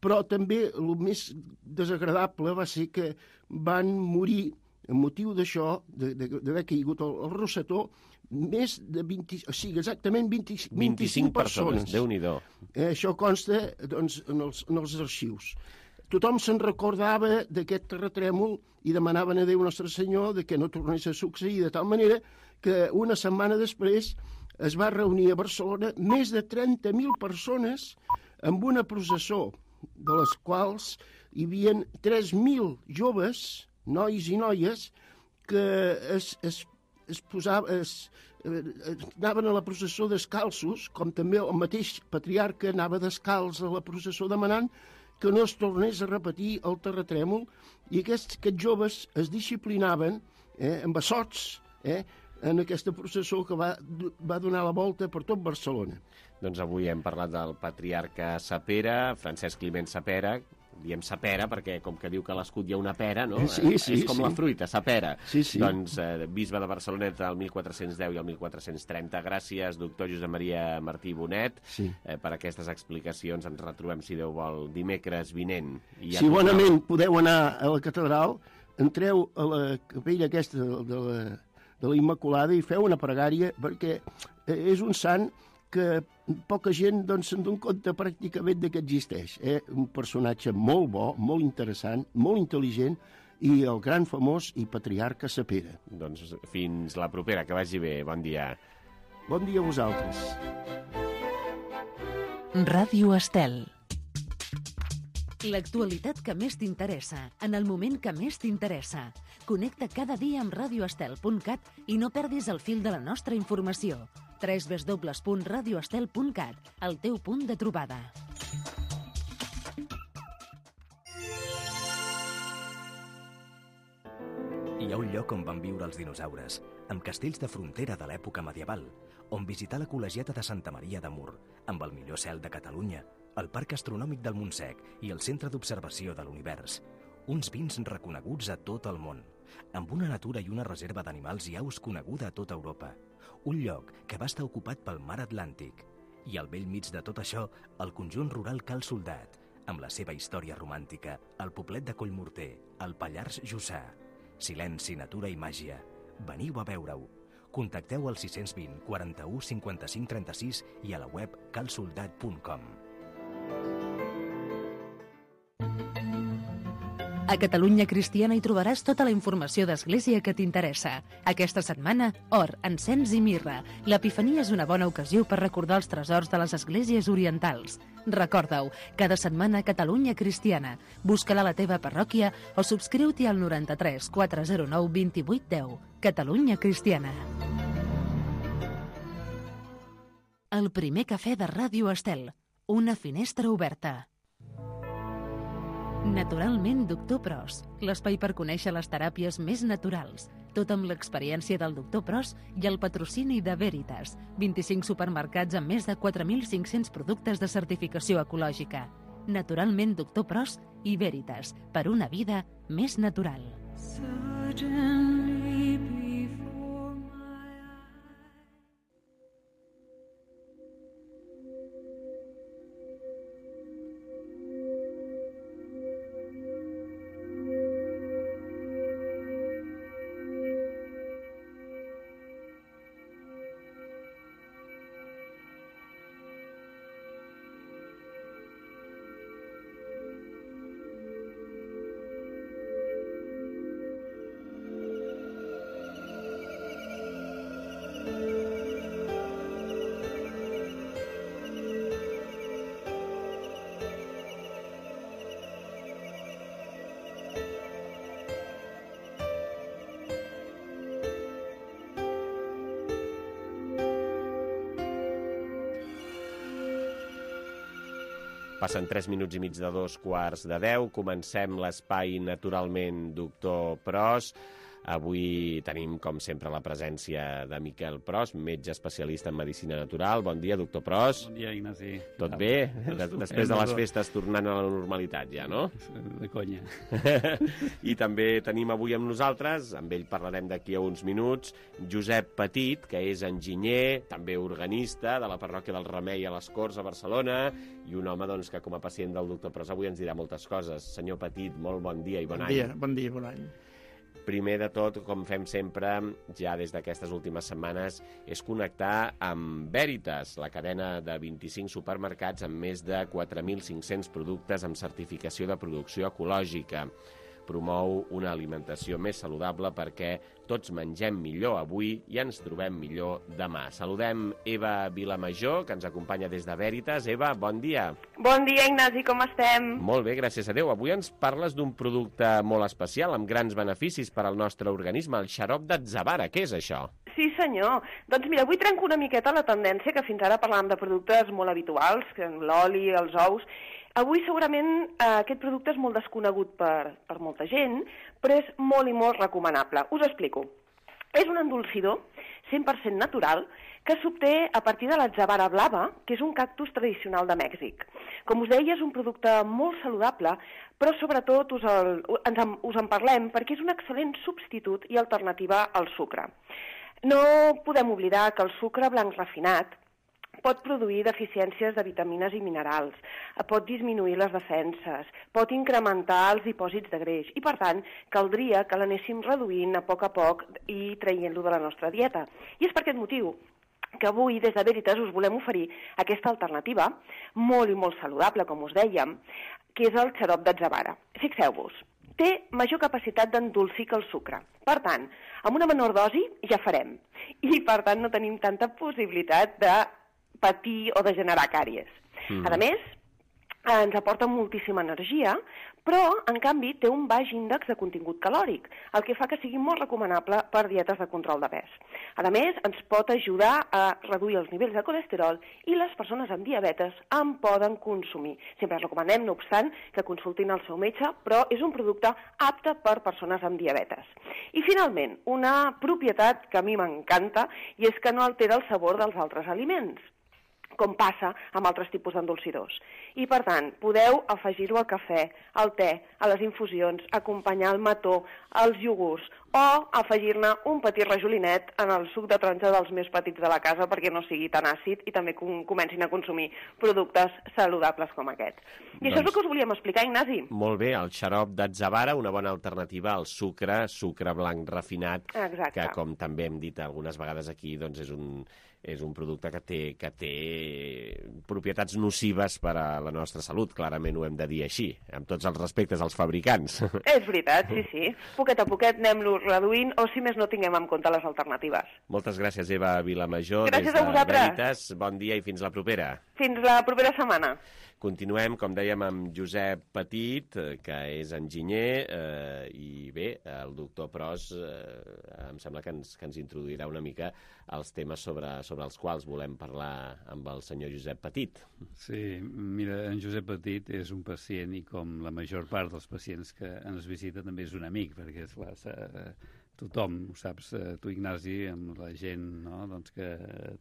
però també el més desagradable va ser que van morir, en motiu d'això, d'haver caigut el, el rosetó, més de vint, o sigui, exactament vint, vint-i-cinc, vint-i-cinc persones. persones. Déu-n'hi-do. Eh, això consta doncs, en, els, en els arxius. Tothom se'n recordava d'aquest terratrèmol i demanaven a Déu Nostre Senyor de que no tornés a succeir, de tal manera que una setmana després es va reunir a Barcelona més de trenta mil persones amb una processó, de les quals hi havia tres mil joves, nois i noies, que es, es, es posava, es, eh, anaven a la processó descalços, com també el mateix patriarca anava descalç a la processó demanant que no es tornés a repetir el terratrèmol, i aquests, aquests joves es disciplinaven eh, amb assots eh, en aquesta processó que va, va donar la volta per tot Barcelona. Doncs avui hem parlat del patriarca Sapera, Francesc Climent Sapera. Diem sapera perquè, com que diu que a l'escut hi ha una pera, no? Sí, sí, és com sí. la fruita, sapera. Sí, sí. Doncs eh, bisbe de Barcelona entre el mil quatre-cents deu i el mil quatre-cents trenta. Gràcies, doctor Josep Maria Martí Bonet, sí. eh, per aquestes explicacions. Ens retrobem, si Déu vol, dimecres vinent. I si bonament podeu anar a la catedral, entreu a la capella aquesta de la, de la Immaculada i feu una pregària, perquè és un sant que poca gent doncs, se'n dona compte pràcticament de que existeix. Eh? Un personatge molt bo, molt interessant, molt intel·ligent, i el gran famós i patriarca Sapera. Doncs fins la propera, que vagi bé. Bon dia. Bon dia a vosaltres. Ràdio Estel. L'actualitat que més t'interessa, en el moment que més t'interessa. Connecta cada dia amb radio estel punt cat i no perdis el fil de la nostra informació. w w w punt radio estel punt cat, el teu punt de trobada. Hi ha un lloc on van viure els dinosaures, amb castells de frontera de l'època medieval, on visitar la col·legiata de Santa Maria de Mur, amb el millor cel de Catalunya, el Parc Astronòmic del Montsec i el Centre d'Observació de l'Univers. Uns vins reconeguts a tot el món, amb una natura i una reserva d'animals i aus coneguda a tota Europa. Un lloc que va estar ocupat pel mar Atlàntic. I al vell mig de tot això, el conjunt rural Cal Soldat, amb la seva història romàntica, el poblet de Collmorter, el Pallars Jussà. Silenci, natura i màgia. Veniu a veure-ho. Contacteu al sis cents vint, quaranta-u, cinquanta-cinc, trenta-sis i a la web cal soldat punt com. A Catalunya Cristiana hi trobaràs tota la informació d'Església que t'interessa. Aquesta setmana, or, encens i mirra. L'Epifania és una bona ocasió per recordar els tresors de les esglésies orientals. Recorda-ho, cada setmana Catalunya Cristiana. Busca-la a la teva parròquia o subscriu-t'hi al noranta-tres quatre zero nou vint vuit deu. Catalunya Cristiana. El primer cafè de Ràdio Estel. Una finestra oberta. Naturalment, doctor Pros, l'espai per conèixer les teràpies més naturals. Tot amb l'experiència del doctor Pros i el patrocini de Veritas. vint-i-cinc supermercats amb més de quatre mil cinc-cents productes de certificació ecològica. Naturalment, doctor Pros i Veritas, per una vida més natural. Passen tres minuts i mig de dos quarts de deu. Comencem l'espai Naturalment Doctor Pros. Avui tenim, com sempre, la presència de Miquel Pros, metge especialista en medicina natural. Bon dia, doctor Pros. Bon dia, Ignasi. Tot bé? Després de les festes tornant a la normalitat ja, no? De conya. I també tenim avui amb nosaltres, amb ell parlarem d'aquí a uns minuts, Josep Petit, que és enginyer, també organista de la parròquia del Remei a les Corts a Barcelona, i un home doncs, que com a pacient del doctor Pros avui ens dirà moltes coses. Senyor Petit, molt bon dia i bon, bon any. Dia, bon dia, bon any. Primer de tot, com fem sempre, ja des d'aquestes últimes setmanes, és connectar amb Veritas, la cadena de vint-i-cinc supermercats amb més de quatre mil cinc-cents productes amb certificació de producció ecològica. Promou una alimentació més saludable perquè tots mengem millor avui i ens trobem millor demà. Saludem Eva Vilamajor, que ens acompanya des de Veritas. Eva, bon dia. Bon dia, Ignasi, com estem? Molt bé, gràcies a Déu. Avui ens parles d'un producte molt especial, amb grans beneficis per al nostre organisme, el xarop d'atzavara. Què és això? Sí, senyor. Doncs mira, avui trenco una miqueta la tendència que fins ara parlàvem de productes molt habituals, l'oli, els ous. Avui segurament eh, aquest producte és molt desconegut per, per molta gent, però és molt i molt recomanable. Us explico. És un endolcidor cent per cent natural que s'obté a partir de l'atzavara blava, que és un cactus tradicional de Mèxic. Com us deia, és un producte molt saludable, però sobretot us, el, ens en, us en parlem perquè és un excel·lent substitut i alternativa al sucre. No podem oblidar que el sucre blanc refinat pot produir deficiències de vitamines i minerals, pot disminuir les defenses, pot incrementar els dipòsits de greix i, per tant, caldria que l'anéssim reduint a poc a poc i traient-lo de la nostra dieta. I és per aquest motiu que avui, des de Veritas, us volem oferir aquesta alternativa, molt i molt saludable, com us dèiem, que és el xarop d'atzavara. Fixeu-vos, té major capacitat d'endolcir que el sucre. Per tant, amb una menor dosi ja farem. I, per tant, no tenim tanta possibilitat de patir o de generar càries. Mm. A més, ens aporta moltíssima energia, però, en canvi, té un baix índex de contingut calòric, el que fa que sigui molt recomanable per dietes de control de pes. A més, ens pot ajudar a reduir els nivells de colesterol i les persones amb diabetes en poden consumir. Sempre recomanem, no obstant, que consultin el seu metge, però és un producte apte per persones amb diabetes. I, finalment, una propietat que a mi m'encanta i és que no altera el sabor dels altres aliments, com passa amb altres tipus d'endolcidors. I, per tant, podeu afegir-ho al cafè, al te, a les infusions, acompanyar el mató, als iogurts, o afegir-ne un petit rajolinet en el suc de taronja dels més petits de la casa perquè no sigui tan àcid i també com comencin a consumir productes saludables com aquests. I doncs, això és el que us volíem explicar, Ignasi. Molt bé, el xarop d'atzavara, una bona alternativa al sucre, sucre blanc refinat, exacte, que, com també hem dit algunes vegades aquí, doncs és un... és un producte que té, que té propietats nocives per a la nostra salut, clarament ho hem de dir així, amb tots els respectes als fabricants. És veritat, sí, sí. Poquet a poquet anem-lo reduint, o si més no tinguem en compte les alternatives. Moltes gràcies, Eva Vilamajor, gràcies des de de Veritas. Bon dia i fins la propera. Fins la propera setmana. Continuem, com dèiem, amb Josep Petit, que és enginyer, eh, i bé, el doctor Pros eh, em sembla que ens, que ens introduirà una mica els temes sobre, sobre els quals volem parlar amb el senyor Josep Petit. Sí, mira, en Josep Petit és un pacient i com la major part dels pacients que ens visita també és un amic, perquè és clar, tothom, ho saps, tu Ignasi, amb la gent, no? Doncs que...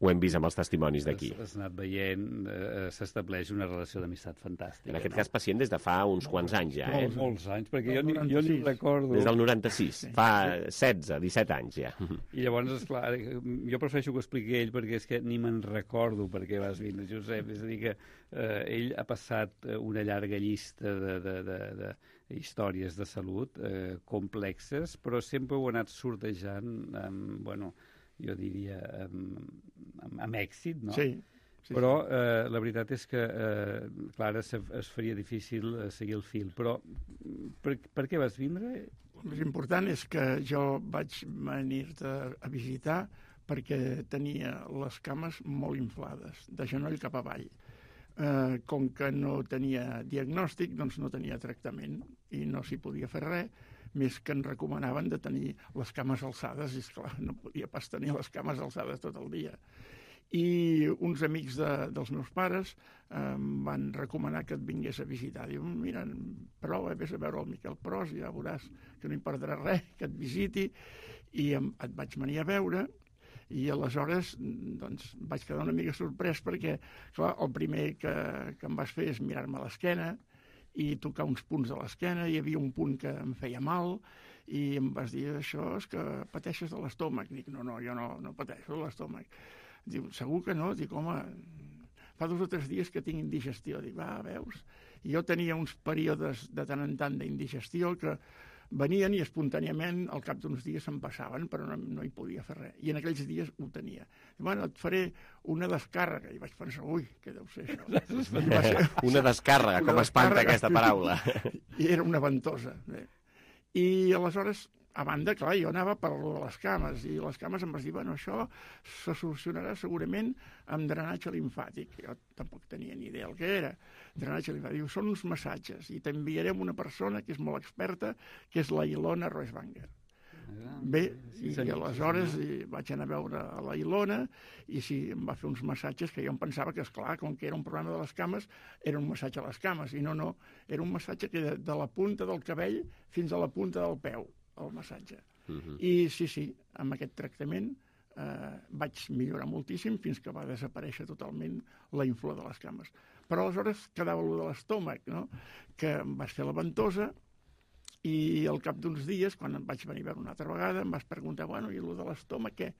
Ho hem vist amb els testimonis d'aquí. Has anat veient, eh, s'estableix una relació d'amistat fantàstica. En aquest no? cas pacient des de fa uns quants anys ja, eh? Molts, molts anys, perquè jo ni, jo ni recordo... Des del noranta-sis, sí. Fa setze, disset anys ja. I llavors, esclar, jo prefereixo que ho expliqui ell perquè és que ni me'n recordo per què vas vindre, Josep. És a dir que eh, ell ha passat una llarga llista de... de, de, de històries de salut eh, complexes, però sempre ho ha anat sortejant amb, bueno, jo diria, amb, amb, amb èxit, no? Sí. sí però eh, la veritat és que, eh, clar, es, es faria difícil eh, seguir el fil. Però per, per què vas vindre? El més important és que jo vaig venir-te a visitar perquè tenia les cames molt inflades, de genoll cap avall. Eh, com que no tenia diagnòstic, doncs no tenia tractament i no s'hi podia fer res, més que em recomanaven de tenir les cames alçades, i esclar, no podia pas tenir les cames alçades tot el dia. I uns amics de, dels meus pares eh, em van recomanar que et vingués a visitar. Diuen, mira, prova, vés a veure el Miquel Pros, ja veuràs que no hi perdrà res, que et visiti, i em, et vaig venir a veure. I aleshores doncs, vaig quedar una mica sorprès perquè, clar, el primer que, que em vas fer és mirar-me a l'esquena i tocar uns punts de l'esquena, hi havia un punt que em feia mal i em vas dir, això és que pateixes de l'estómac. Dic, no, no, jo no, no pateixo de l'estómac. Diu, segur que no? Dic, home, fa dos o tres dies que tinc indigestió. Dic, va, veus? I jo tenia uns períodes de tant en tant d'indigestió que venien i espontàniament al cap d'uns dies se'n passaven, però no, no hi podia fer res. I en aquells dies ho tenia. Bueno, et faré una descàrrega. I vaig pensar, ui, què deu ser això? Ser... Una descàrrega, com espanta aquesta paraula. I era una ventosa. Bé. I aleshores, a banda, clar, jo anava per les cames, i les cames em vas dir, bueno, això se solucionarà segurament amb drenatge limfàtic. Jo tampoc tenia ni idea el que era. Drenatge limfàtic. Diu, són uns massatges, i t'enviarem una persona que és molt experta, que és la Ilona Roesbanger. Bé, i aleshores vaig anar a veure a la Ilona i sí, em va fer uns massatges que jo em pensava que, esclar, com que era un problema de les cames, era un massatge a les cames, i no, no, era un massatge que de, de la punta del cabell fins a la punta del peu, el massatge. Uh-huh. I sí, sí, amb aquest tractament eh, vaig millorar moltíssim fins que va desaparèixer totalment la infla de les cames. Però aleshores quedava allò de l'estómac, no? Que em vas fer la ventosa. I al cap d'uns dies, quan em vaig venir a veure una altra vegada, em vas preguntar, bueno, i el de l'estómac, què?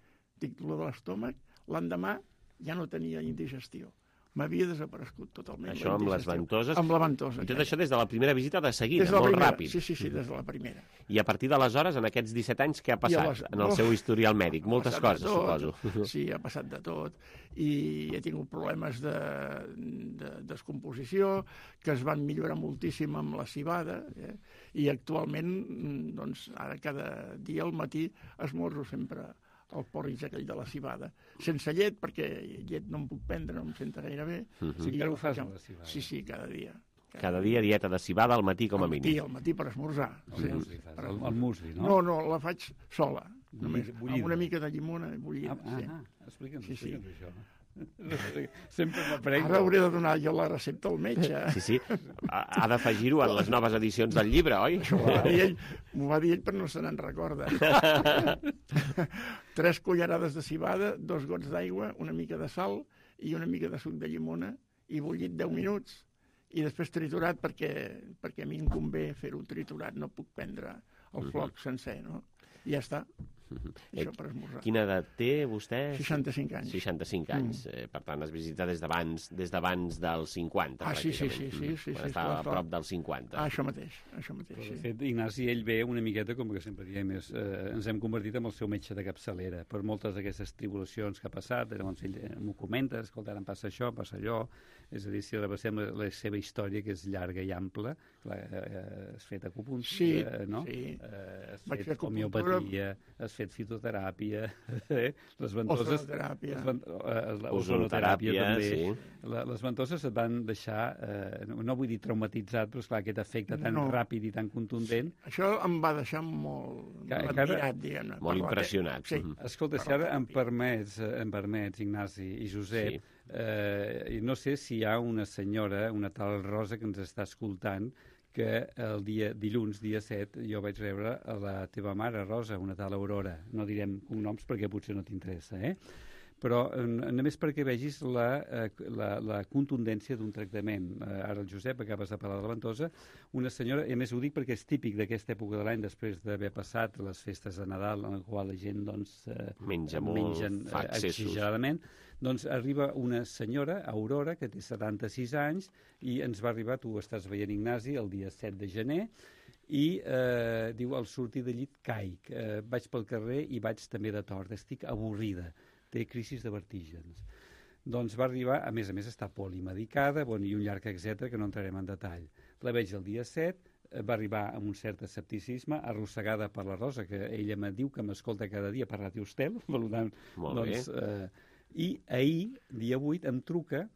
Dic, el de l'estómac, l'endemà ja no tenia indigestió. M'havia desaparegut totalment. Això amb les ventoses? Amb la ventosa. I tot això des de la primera visita de seguida, molt primera. Ràpid. Sí, sí, sí, des de la primera. I a partir d'aleshores, en aquests disset anys, què ha passat les... en el seu historial mèdic? Moltes coses, suposo. Sí, ha passat de tot. I he tingut problemes de, de descomposició, que es van millorar moltíssim amb la civada, eh? I actualment, doncs, ara cada dia al matí esmorzo sempre el porridge aquell de la civada. Sense llet, perquè llet no em puc prendre, no em senta gaire bé. Uh-huh. Sí, encara ho fas amb la civada. Sí, sí, cada dia. Cada, cada dia dieta de civada al matí, com a mínim. Sí, al matí per esmorzar. El, sí, musli, fas, per... el, el musli, no? No, no, la faig sola, només, bullida. Amb una mica de llimona bullida. Ah, sí. ah, explica'ns, sí, sí. explica'ns això. Sempre m'aprenc. Ara hauré de donar jo la recepta al metge. Sí, sí. Ha d'afegir-ho en les noves edicions del llibre, oi? Això m'ho va dir ell, m'ho va dir ell, però no se n'en recorda. Tres cullerades de civada, dos gots d'aigua, una mica de sal i una mica de suc de llimona i bullit deu minuts i després triturat perquè, perquè a mi em convé fer-ho triturat, no puc prendre el floc sencer, no? I ja està. això per esmorzar. Quina edat té vostè? seixanta-cinc anys. seixanta-cinc anys. Mm. Eh, per tant, es visita des d'abans des d'abans dels cinquanta, ah, sí, sí, pràcticament. sí, sí, sí, Quan sí, estava sí, a prop dels cinquanta. Ah, això mateix, això mateix, Però, sí. de fet, Ignasi, ell ve una miqueta, com que sempre diem, és, eh, ens hem convertit en el seu metge de capçalera per moltes d'aquestes tribulacions que ha passat. Llavors ell eh, m'ho comenta, escolta, ara em passa això, em passa allò. És a dir, si repassem la, la seva història, que és llarga i ampla, clar, eh, has fet acupuntura, sí, eh, no? Sí, eh, has vaig fet homeopatia, has fet fitoteràpia, eh? les ventoses... Ozonoteràpia. Les, vent, eh, la ozonoteràpia, també. Sí. La, les ventoses et van deixar, eh, no, no vull dir traumatitzat, però esclar, aquest efecte tan No. ràpid i tan contundent... Sí. Això em va deixar molt Que- admirat, diguem-ne. Molt per la- impressionat. Sí. Mhm. Escolta, si ara em permets, eh, em permets, Ignasi i Josep, Sí. eh, i no sé si hi ha una senyora, una tal Rosa, que ens està escoltant, que el dia dilluns, dia set, jo vaig rebre a la teva mare, Rosa, una tal Aurora. No direm cognoms perquè potser no t'interessa, eh? Però eh, només perquè vegis la, eh, la, la contundència d'un tractament. Eh, ara el Josep, acabes de parlar de la ventosa, una senyora, i a més ho dic perquè és típic d'aquesta època de l'any, després d'haver passat les festes de Nadal, en la qual la gent doncs, eh, Menja molt, mengen fa eh, excessos. exageradament, doncs arriba una senyora, Aurora, que té setanta-sis anys, i ens va arribar, tu estàs veient, Ignasi, el dia set de gener, i eh, diu, al sortir de llit caic, eh, vaig pel carrer i vaig també de tort, estic avorrida, té crisis de vertígens. Doncs va arribar, a més a més està polimedicada, bueno, i un llarg etcètera que no entrarem en detall. La veig el dia set, eh, va arribar amb un cert escepticisme, arrossegada per la Rosa, que ella me diu que m'escolta cada dia per Ràdio Estel, valorant, Molt doncs, bé. eh, i ahir, dia vuit, em truca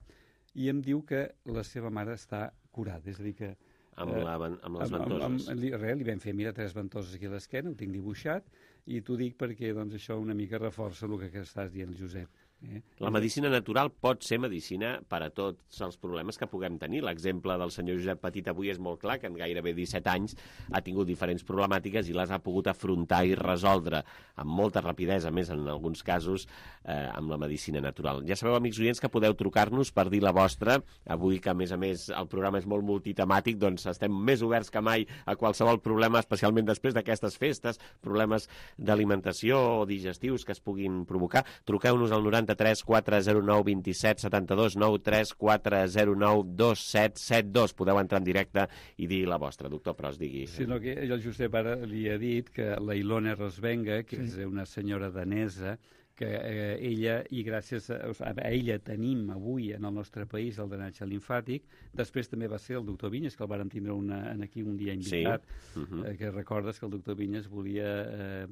i em diu que la seva mare està curada, és a dir que... Amb, la, amb les ventoses. Amb, amb, li, res, li vam fer, mira, tres ventoses aquí a l'esquena, ho tinc dibuixat, i t'ho dic perquè doncs, això una mica reforça el que estàs dient, Josep. Eh? La medicina natural pot ser medicina per a tots els problemes que puguem tenir. L'exemple del senyor Josep Petit avui és molt clar, que en gairebé disset anys ha tingut diferents problemàtiques i les ha pogut afrontar i resoldre amb molta rapidesa, més en alguns casos, eh, amb la medicina natural. Ja sabeu, amics oients, que podeu trucar-nos per dir la vostra. Avui, que a més a més el programa és molt multitemàtic, doncs estem més oberts que mai a qualsevol problema, especialment després d'aquestes festes, problemes d'alimentació o digestius que es puguin provocar. Truqueu-nos al noranta-tres quatre zero nou dos set set dos nou tres quatre zero nou dos set set dos. Podeu entrar en directe i dir la vostra. Doctor Pros, digui. Sinó que el Josep ara li ha dit que la Ilona Rosvenga, que sí. és una senyora danesa, que eh, ella, i gràcies a, a ella tenim avui en el nostre país el drenatge limfàtic. Després també va ser el doctor Vinyes, que el vàrem tindre una, en aquí un dia invitat, sí. uh-huh. eh, que recordes que el doctor Vinyes volia eh,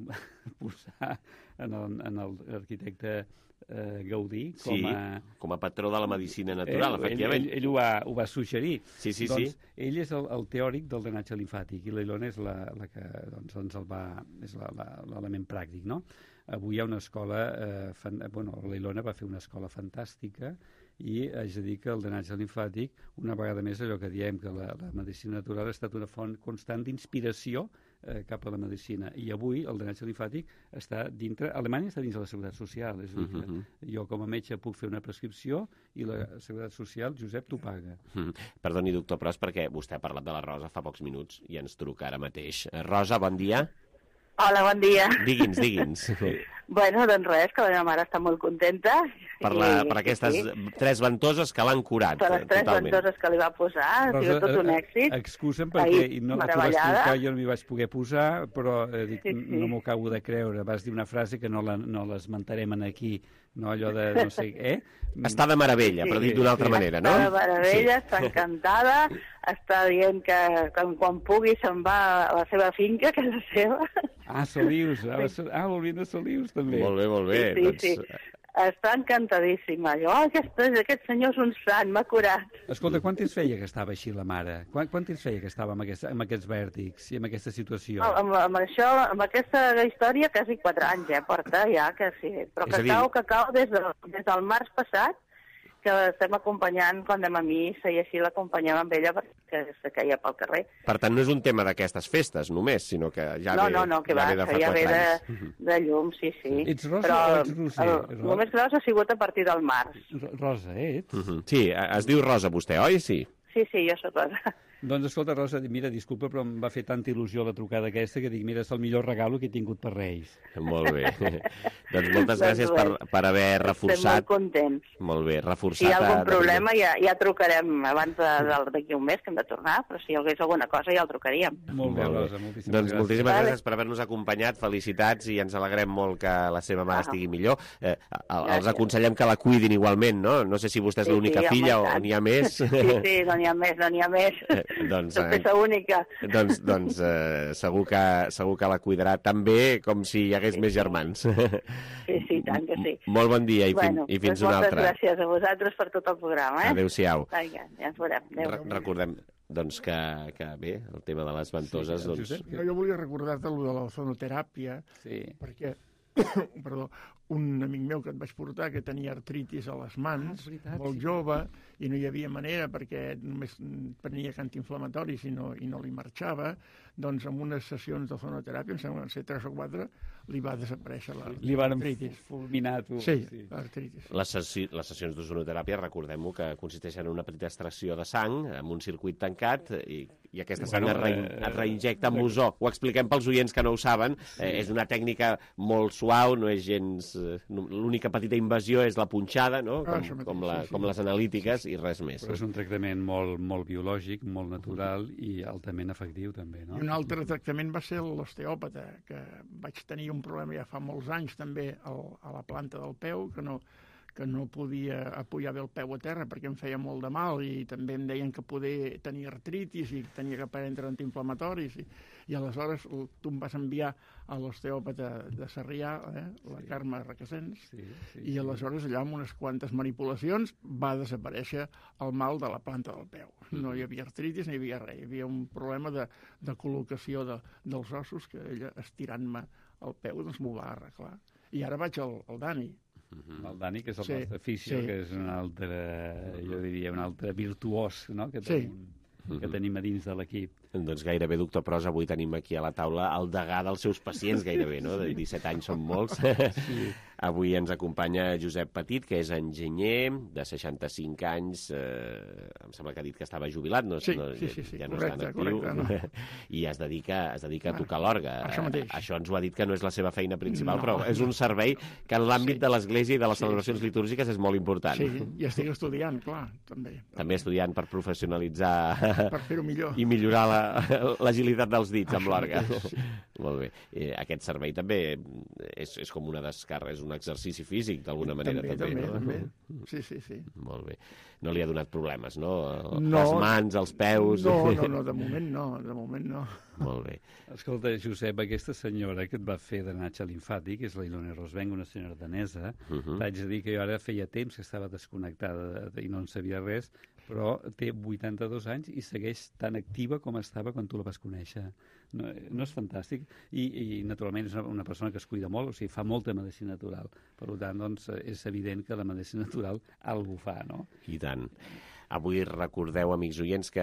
posar en l'arquitecte eh, Gaudí com, sí, a, com a patró de la medicina natural, ell, efectivament. Ell, ell, ell ho, va, ho va suggerir. Sí, sí, doncs, sí. Ell és el, el teòric del drenatge limfàtic i la Ilona és la, la que doncs, doncs el va, és l'element pràctic, no? Avui hi ha una escola, eh, fan, bueno, la Ilona va fer una escola fantàstica i haig de dir que el drenatge limfàtic, una vegada més allò que diem, que la, la medicina natural ha estat una font constant d'inspiració eh, cap a la medicina. I avui el drenatge limfàtic està dintre, Alemanya està dins de la Seguretat Social, és a dir, que uh-huh. jo com a metge puc fer una prescripció i la Seguretat Social, Josep, t'ho paga. Uh-huh. Perdoni, doctor Pros, perquè vostè ha parlat de la Rosa fa pocs minuts i ens truca ara mateix. Rosa, bon dia. Hola, bon dia. Digui'ns, digui'ns. Bueno, doncs res, que la meva mare està molt contenta. Per, la, i, per aquestes sí. tres ventoses que l'han curat. Per les tres totalment. ventoses que li va posar, ha sigut tot un èxit. Excusa'm perquè Ahir, no, tu vas trucar, jo no m'hi vaig poder posar, però eh, dic, sí, sí. no m'ho acabo de creure. Vas dir una frase que no la, no l'esmentarem aquí, no allò de no sé... Eh? Està de meravella, sí, però dit d'una altra sí. manera, no? Està de meravella, sí. està encantada, està dient que, que quan pugui se'n va a la seva finca, que és la seva. Ah, Solius, ah, ah volvint de Solius també. Molt bé, molt bé. Sí, sí, doncs... sí. Està encantadíssima. Jo, oh, aquest, aquest senyor és un sant, m'ha curat. Escolta, quant temps feia que estava així la mare? Quant, quant temps feia que estava amb, aquest, amb aquests vèrtics i amb aquesta situació? No, amb, amb això, amb aquesta història, quasi quatre anys, eh, porta ja, que sí. Però que cau, que cau des, de, des del març passat, que estem acompanyant quan anem a missa i així l'acompanyem amb ella perquè se queia pel carrer. Per tant, no és un tema d'aquestes festes només, sinó que ja no, ve, no, no, que ja va, ve de fa ja quatre ve anys. de, de llum, sí, sí. Ets rosa Però o ets roser? El, el més gros ha sigut a partir del març. Rosa, ets? Uh -huh. Sí, es diu Rosa vostè, oi? Sí. Sí, sí, jo sóc rosa. Doncs escolta, Rosa, mira, disculpa, però em va fer tanta il·lusió la trucada aquesta que dic, mira, és el millor regalo que he tingut per Reis. Molt bé. Doncs moltes gràcies per, per haver reforçat. Estem molt contents. Molt bé, reforçat. Si hi ha algun problema ja, ja trucarem abans d'aquí un mes, que hem de tornar, però si hi hagués alguna cosa ja el trucaríem. Molt bé, Rosa, moltíssimes doncs gràcies. moltíssimes vale. gràcies per haver-nos acompanyat, felicitats i ens alegrem molt que la seva mare Ah. estigui millor. Eh, els aconsellem que la cuidin igualment, no? No sé si vostè és Sí, l'única sí, filla o home, i tant. n'hi ha més. Sí, sí, no n'hi ha més, no n'hi ha més. Eh, doncs, Soc peça única. Doncs, doncs eh, segur, que, segur que la cuidarà tan bé com si hi hagués sí, més germans. Sí, sí, tant que sí. Molt bon dia i, bueno, fin, i fins doncs una altra. Moltes gràcies a vosaltres per tot el programa. Eh? Adéu-siau. Vinga, ja ens veurem. Adéu, Re recordem doncs, que, que bé, el tema de les ventoses... Sí, doncs... jo, jo volia recordar-te el de la sonoteràpia, sí. perquè perdó, un amic meu que et vaig portar que tenia artritis a les mans, ah, veritat, molt sí. jove, i no hi havia manera perquè només prenia antiinflamatoris i no, i no li marxava, doncs amb unes sessions de sonoteràpia, em sembla que van ser tres o quatre, li va desaparèixer l'artritis. Li van fulminar tu. Sí, sí. l'artritis. Les, sessi les sessions d'ozonoteràpia, recordem-ho, que consisteixen en una petita extracció de sang amb un circuit tancat i, i aquesta sang bueno, es, re eh, es reinjecta amb ozó. Ho expliquem pels oients que no ho saben. Sí. Eh, és una tècnica molt suau, no és gens... Eh, l'única petita invasió és la punxada, no? Com, ah, com, la, sí, sí. com les analítiques sí, sí. i res més. Però és un tractament molt, molt biològic, molt natural i altament efectiu també, no? I un altre tractament va ser l'osteòpata, que vaig tenir un problema ja fa molts anys també al, a la planta del peu, que no, que no podia apoyar bé el peu a terra perquè em feia molt de mal i també em deien que poder tenir artritis i tenia que prendre antiinflamatoris i, i aleshores tu em vas enviar a l'osteòpata de Sarrià, eh, la sí. Carme Requesens, sí, sí, i aleshores allà amb unes quantes manipulacions va desaparèixer el mal de la planta del peu. No hi havia artritis, no hi havia res, hi havia un problema de, de col·locació de, dels ossos que ella estirant-me el peu doncs m'ho va arreglar. I ara vaig al, al Dani. El Dani, que és el sí, nostre fisio, sí. que és un altre, jo diria, un altre virtuós, no?, que tenim, sí. que tenim a dins de l'equip. Doncs gairebé, doctor Pros, avui tenim aquí a la taula el degà dels seus pacients, gairebé, no? De disset anys són molts. Sí. Avui ens acompanya Josep Petit, que és enginyer, de seixanta-cinc anys, eh, em sembla que ha dit que estava jubilat, no, sí, no, sí, sí, sí. ja no correcte, està en actiu, correcte, no. i es dedica, es dedica a tocar l'orgue. Això mateix. Això ens ho ha dit que no és la seva feina principal, no. però és un servei que en l'àmbit sí. de l'Església i de les sí, celebracions sí. litúrgiques és molt important. Sí, i estic estudiant, clar, també. També estudiant per professionalitzar... Per fer-ho millor. I millorar l'agilitat dels dits amb l'orgue. Sí. Molt bé. Eh, aquest servei també és, és com una descàrrega, és un exercici físic, d'alguna manera. També, també, també, no? també. Sí, sí, sí. Molt bé. No li ha donat problemes, no? no Les mans, els peus... No, no, no, de moment no, de moment no. Molt bé. Escolta, Josep, aquesta senyora que et va fer drenatge limfàtic, que és la Ilona Rosvenc, una senyora danesa, uh -huh. t'haig de dir que jo ara feia temps que estava desconnectada i no en sabia res, però té vuitanta-dos anys i segueix tan activa com estava quan tu la vas conèixer. No, no és fantàstic? I, i naturalment, és una, una persona que es cuida molt, o sigui, fa molta medicina natural. Per tant, doncs, és evident que la medicina natural algú fa, no? I tant. Avui recordeu, amics oients, que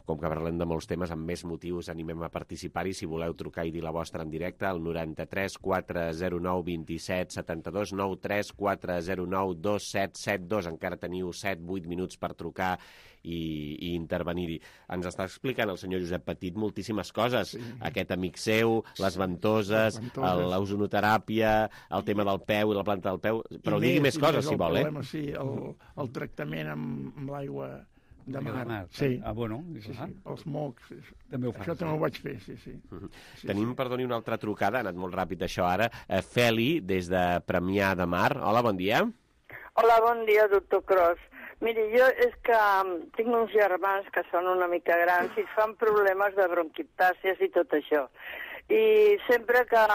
com que parlem de molts temes, amb més motius animem a participar-hi. Si voleu trucar i dir la vostra en directe, al noranta-tres quatre zero nou vint-i-set setanta-dos, nou tres quatre zero nou dos set set dos. Encara teniu set vuit minuts per trucar i, i intervenir-hi. Ens està explicant el senyor Josep Petit moltíssimes coses. Sí. Aquest amic seu, les ventoses, l'ozonoteràpia, el tema del peu i la planta del peu. Però digui més coses, si vol, eh? Problema, sí, el, el tractament amb, amb l'aigua de mar. De mar. Sí. Ah, bueno. Sí, sí, els mocs. També ho fas, això també ho vaig fer, sí, sí. Uh -huh. sí Tenim, sí. perdoni, una altra trucada, ha anat molt ràpid això ara. Uh, Feli, des de Premià de Mar. Hola, bon dia. Hola, bon dia, doctor Cros. Miri, jo és que tinc uns germans que són una mica grans i fan problemes de bronquiptàcies i tot això. I sempre que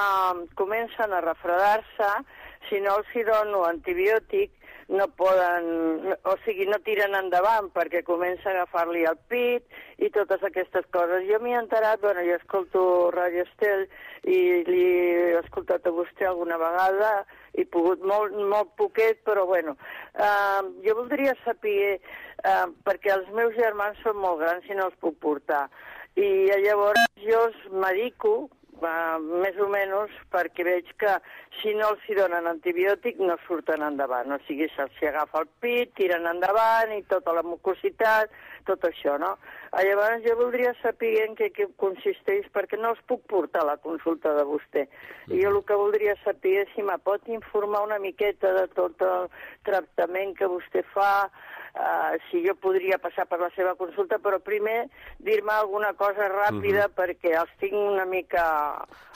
comencen a refredar-se, si no els hi dono antibiòtic, no poden, o sigui, no tiren endavant perquè comença a agafar-li el pit i totes aquestes coses. Jo m'hi he enterat, bueno, jo escolto Radio Estel i li he escoltat a vostè alguna vegada, he pogut molt, molt poquet, però bueno, uh, jo voldria saber, uh, perquè els meus germans són molt grans i no els puc portar, i llavors jo els medico uh, més o menys, perquè veig que si no els hi donen antibiòtic no surten endavant. O sigui, se'ls agafa el pit, tiren endavant i tota la mucositat, tot això, no? Llavors jo voldria saber en què, què consisteix, perquè no els puc portar a la consulta de vostè. I jo el que voldria saber és si me pot informar una miqueta de tot el tractament que vostè fa, uh, si jo podria passar per la seva consulta, però primer dir-me alguna cosa ràpida, uh-huh. perquè els tinc una mica,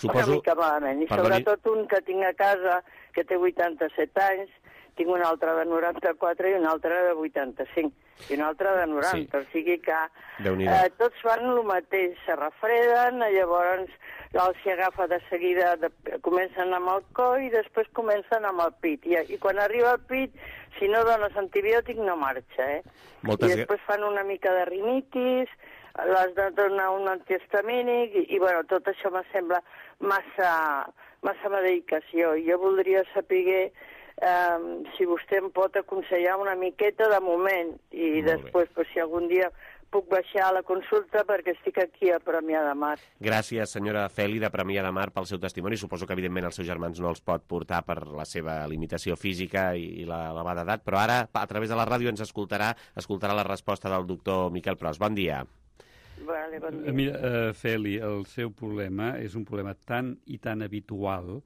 Suposo... una mica malament. I Perdoni... sobretot un que tinc a casa, que té vuitanta-set anys, tinc un altre de noranta-quatre i un altre de vuitanta-cinc, i un altre de noranta, sí. O sigui que eh, tots fan el mateix, se refreden, llavors els s'hi agafa de seguida, de, comencen amb el coll i després comencen amb el pit, i, i quan arriba el pit, si no dones antibiòtic no marxa, eh? Moltes... I després fan una mica de rinitis, les de donar un antihistamínic, i, i bueno, tot això me sembla massa, massa medicació, i jo voldria saber Um, si vostè em pot aconsellar una miqueta de moment i Molt després, pues, si algun dia puc baixar a la consulta perquè estic aquí a Premià de Mar. Gràcies, senyora Feli, de Premià de Mar, pel seu testimoni. Suposo que, evidentment, els seus germans no els pot portar per la seva limitació física i la elevada edat, però ara, a través de la ràdio, ens escoltarà, escoltarà la resposta del doctor Miquel Pros. Bon dia. Vale, bon dia. Mira, uh, Feli, el seu problema és un problema tan i tan habitual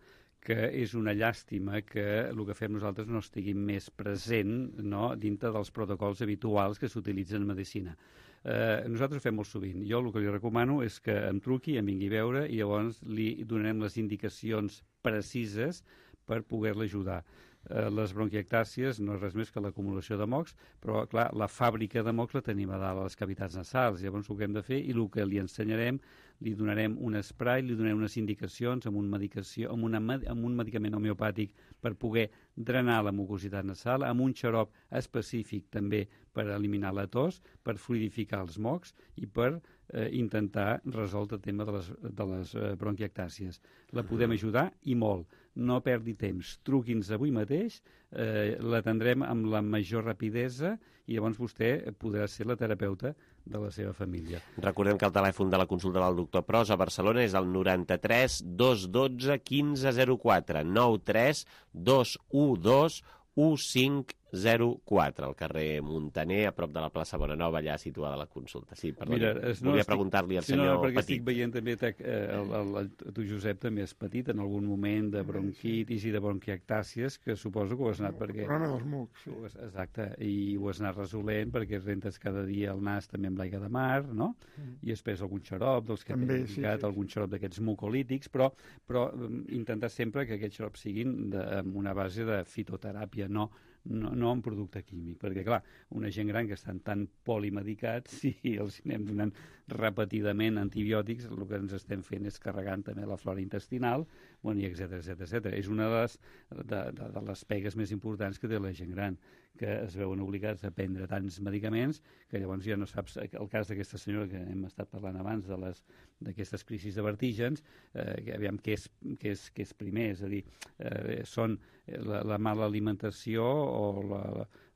que és una llàstima que el que fem nosaltres no estigui més present, no?, dintre dels protocols habituals que s'utilitzen en medicina. Eh, nosaltres ho fem molt sovint. Jo el que li recomano és que em truqui, em vingui a veure i llavors li donarem les indicacions precises per poder-la ajudar. Eh, les bronquiectàcies no és res més que l'acumulació de mocs, però, clar, la fàbrica de mocs la tenim a dalt a les cavitats nasals. Llavors, el que hem de fer i el que li ensenyarem, li donarem un spray, li donarem unes indicacions amb un, medicació, amb una, amb un medicament homeopàtic per poder drenar la mucositat nasal, amb un xarop específic també per eliminar la tos, per fluidificar els mocs i per eh, intentar resoldre el tema de les, de les eh, bronquiectàcies. La podem ajudar i molt. No perdi temps. Truqui'ns avui mateix, eh, l'atendrem amb la major rapidesa i llavors vostè podrà ser la terapeuta de la seva família. Recordem que el telèfon de la consulta del doctor Pros a Barcelona és el noranta-tres dos dotze quinze zero quatre, nou tres dos u dos u cinc zero quatre, al carrer Muntaner, a prop de la plaça Bonanova, allà situada la consulta. Sí, perdó, Mira, no, volia estic... preguntar-li al sí, senyor no, no, perquè Petit. Estic veient també, eh, el, el, el, tu, Josep, també és petit en algun moment de bronquitis i de bronquiectàcies, que suposo que ho has anat perquè... Problema dels mocs, sí. Exacte, i ho has anat resolent perquè rentes cada dia el nas també amb l'aigua de mar, no? Mm. I després algun xarop dels que hem indicat, sí, sí. algun xarop d'aquests mucolítics, però, però intentar sempre que aquests xarops siguin de, amb una base de fitoteràpia, no No, no un producte químic, perquè, clar, una gent gran que estan tan polimedicats, si els anem donant repetidament antibiòtics, el que ens estem fent és carregant també la flora intestinal, bueno, i etcètera, etcètera, etcètera. És una de les, de, de, de les pegues més importants que té la gent gran, que es veuen obligats a prendre tants medicaments que llavors ja no saps, el cas d'aquesta senyora que hem estat parlant abans de les d'aquestes crisis de vertígens, eh, que aviam què és, què, és, què és primer, és a dir, eh, són la, la mala alimentació o la,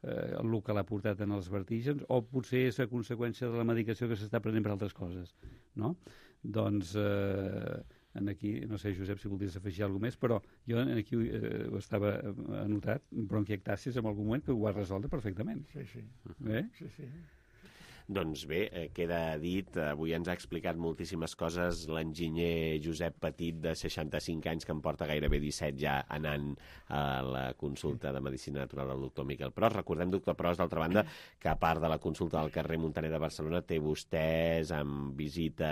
eh, el que l'ha portat en els vertígens, o potser és a conseqüència de la medicació que s'està prenent per altres coses, no? Doncs eh, en aquí, no sé, Josep, si voldries afegir alguna més, però jo aquí eh, ho estava anotat, bronquiectàcies en algun moment que ho has resoldre perfectament. Sí, sí. Eh? Sí, sí. Doncs bé, eh, queda dit, avui ens ha explicat moltíssimes coses l'enginyer Josep Petit, de seixanta-cinc anys, que em porta gairebé disset ja anant a la consulta de Medicina Natural del doctor Miquel Pros. Recordem, doctor Pros, d'altra banda, que a part de la consulta del carrer Muntaner de Barcelona, té vostès amb visita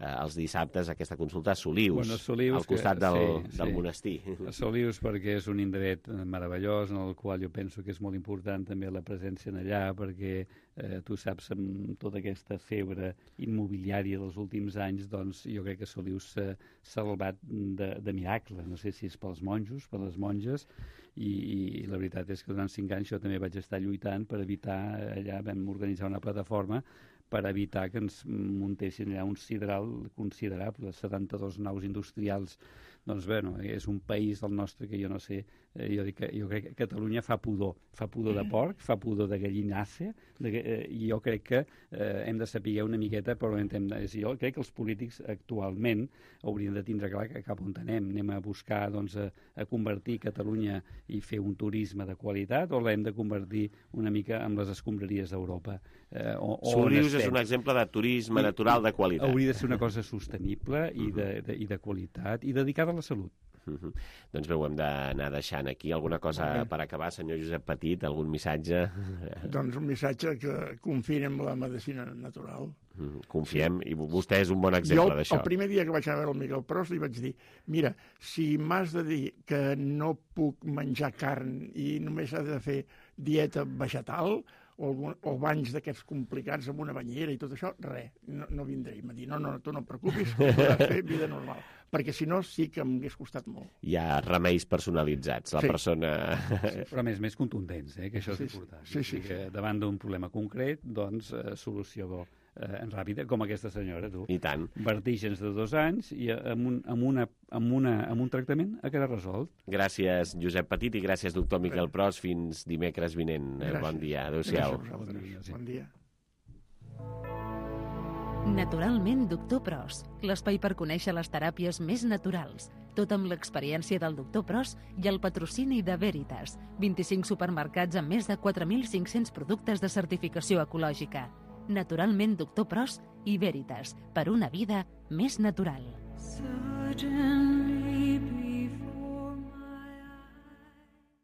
eh, els dissabtes aquesta consulta a Solius, bueno, Solius al costat que, del, sí, del sí. monestir. A Solius perquè és un indret meravellós en el qual jo penso que és molt important també la presència en allà, perquè eh, tu saps, amb tota aquesta febre immobiliària dels últims anys, doncs jo crec que Solius s'ha salvat de, de miracle. No sé si és pels monjos, per les monges, i, i la veritat és que durant cinc anys jo també vaig estar lluitant per evitar, allà vam organitzar una plataforma per evitar que ens muntessin allà un sidral considerable, setanta-dos naus industrials. Doncs bé, no, és un país del nostre que jo no sé, eh, jo, dic que, jo crec que Catalunya fa pudor, fa pudor de porc, fa pudor de gallinasse, de, eh, i jo crec que eh, hem de saber una miqueta, però hem de, jo crec que els polítics actualment haurien de tindre clar que cap on anem, anem a buscar doncs, a, a convertir Catalunya i fer un turisme de qualitat, o l'hem de convertir una mica amb les escombraries d'Europa. Eh, Solius és un exemple de turisme I, natural de qualitat. Hauria de ser una cosa sostenible i de, de, i de qualitat, i dedicada a la salut. Uh -huh. Doncs bé, ho hem d'anar deixant aquí. Alguna cosa per acabar, senyor Josep Petit? Algun missatge? Doncs un missatge que confien en la medicina natural. Uh -huh. Confiem, i vostè és un bon exemple d'això. El primer dia que vaig anar a veure el Miguel Pros li vaig dir, mira, si m'has de dir que no puc menjar carn i només has de fer dieta vegetal o, algun, o banys d'aquests complicats amb una banyera i tot això, res, no, no vindré. I m'ha dit, no, no, tu no et preocupis, podràs fer vida normal. Perquè si no sí que m'hagués costat molt. Hi ha remeis personalitzats, la sí. persona... Sí, però més més contundents, eh, que això és sí, important. Sí, sí, sí. Que davant d'un problema concret, doncs, eh, solució eh, ràpida, com aquesta senyora, tu. I tant. Vertigens de dos anys i amb un, amb una, amb una, amb un tractament ha quedat resolt. Gràcies, Josep Petit, i gràcies, doctor Miquel Pros. Fins dimecres vinent. Gràcies. Bon dia. Adéu-siau. Bon dia. Bon dia. Naturalment, doctor Pros, l'espai per conèixer les teràpies més naturals. Tot amb l'experiència del doctor Pros i el patrocini de Veritas. vint-i-cinc supermercats amb més de quatre mil cinc-cents productes de certificació ecològica. Naturalment, doctor Pros i Veritas, per una vida més natural.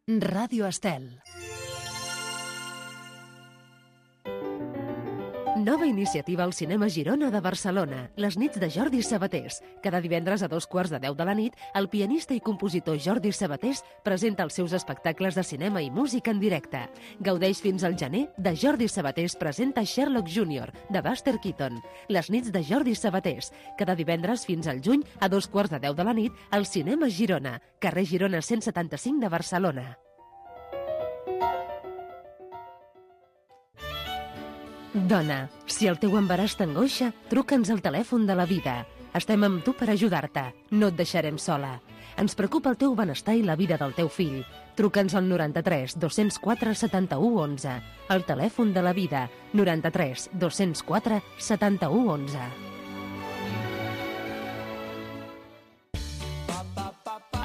Ràdio Estel. Nova iniciativa al Cinema Girona de Barcelona, les nits de Jordi Sabatés. Cada divendres a dos quarts de deu de la nit, el pianista i compositor Jordi Sabatés presenta els seus espectacles de cinema i música en directe. Gaudeix fins al gener de Jordi Sabatés presenta Sherlock júnior, de Buster Keaton. Les nits de Jordi Sabatés. Cada divendres fins al juny, a dos quarts de deu de la nit, al Cinema Girona, carrer Girona cent setanta-cinc de Barcelona. Dona, si el teu embaràs t'angoixa, truca'ns al telèfon de la vida. Estem amb tu per ajudar-te. No et deixarem sola. Ens preocupa el teu benestar i la vida del teu fill. Truca'ns al noranta-tres dos-cents quatre setanta-u onze. El telèfon de la vida, noranta-tres dos-cents quatre setanta-u onze.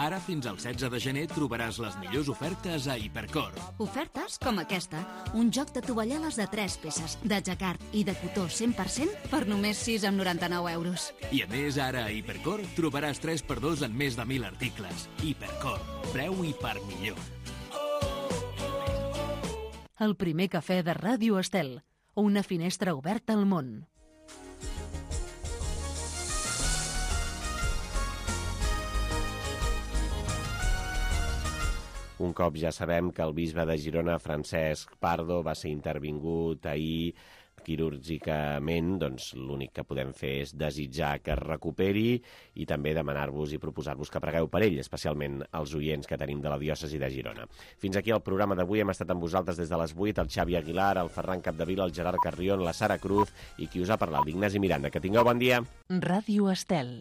Ara fins al setze de gener trobaràs les millors ofertes a Hipercor. Ofertes com aquesta. Un joc de tovalloles de tres peces, de jacquard i de cotó cent per cent per només sis coma noranta-nou euros. I a més, ara a Hipercor trobaràs tres per dos en més de mil articles. Hipercor. Preu i per millor. El primer cafè de Ràdio Estel. Una finestra oberta al món. Un cop ja sabem que el bisbe de Girona, Francesc Pardo, va ser intervingut ahir quirúrgicament, doncs l'únic que podem fer és desitjar que es recuperi i també demanar-vos i proposar-vos que pregueu per ell, especialment els oients que tenim de la diòcesi de Girona. Fins aquí el programa d'avui. Hem estat amb vosaltres des de les vuit, el Xavi Aguilar, el Ferran Capdevila, el Gerard Carrion, la Sara Cruz i qui us ha parlat, l'Ignasi Miranda. Que tingueu bon dia. Ràdio Estel.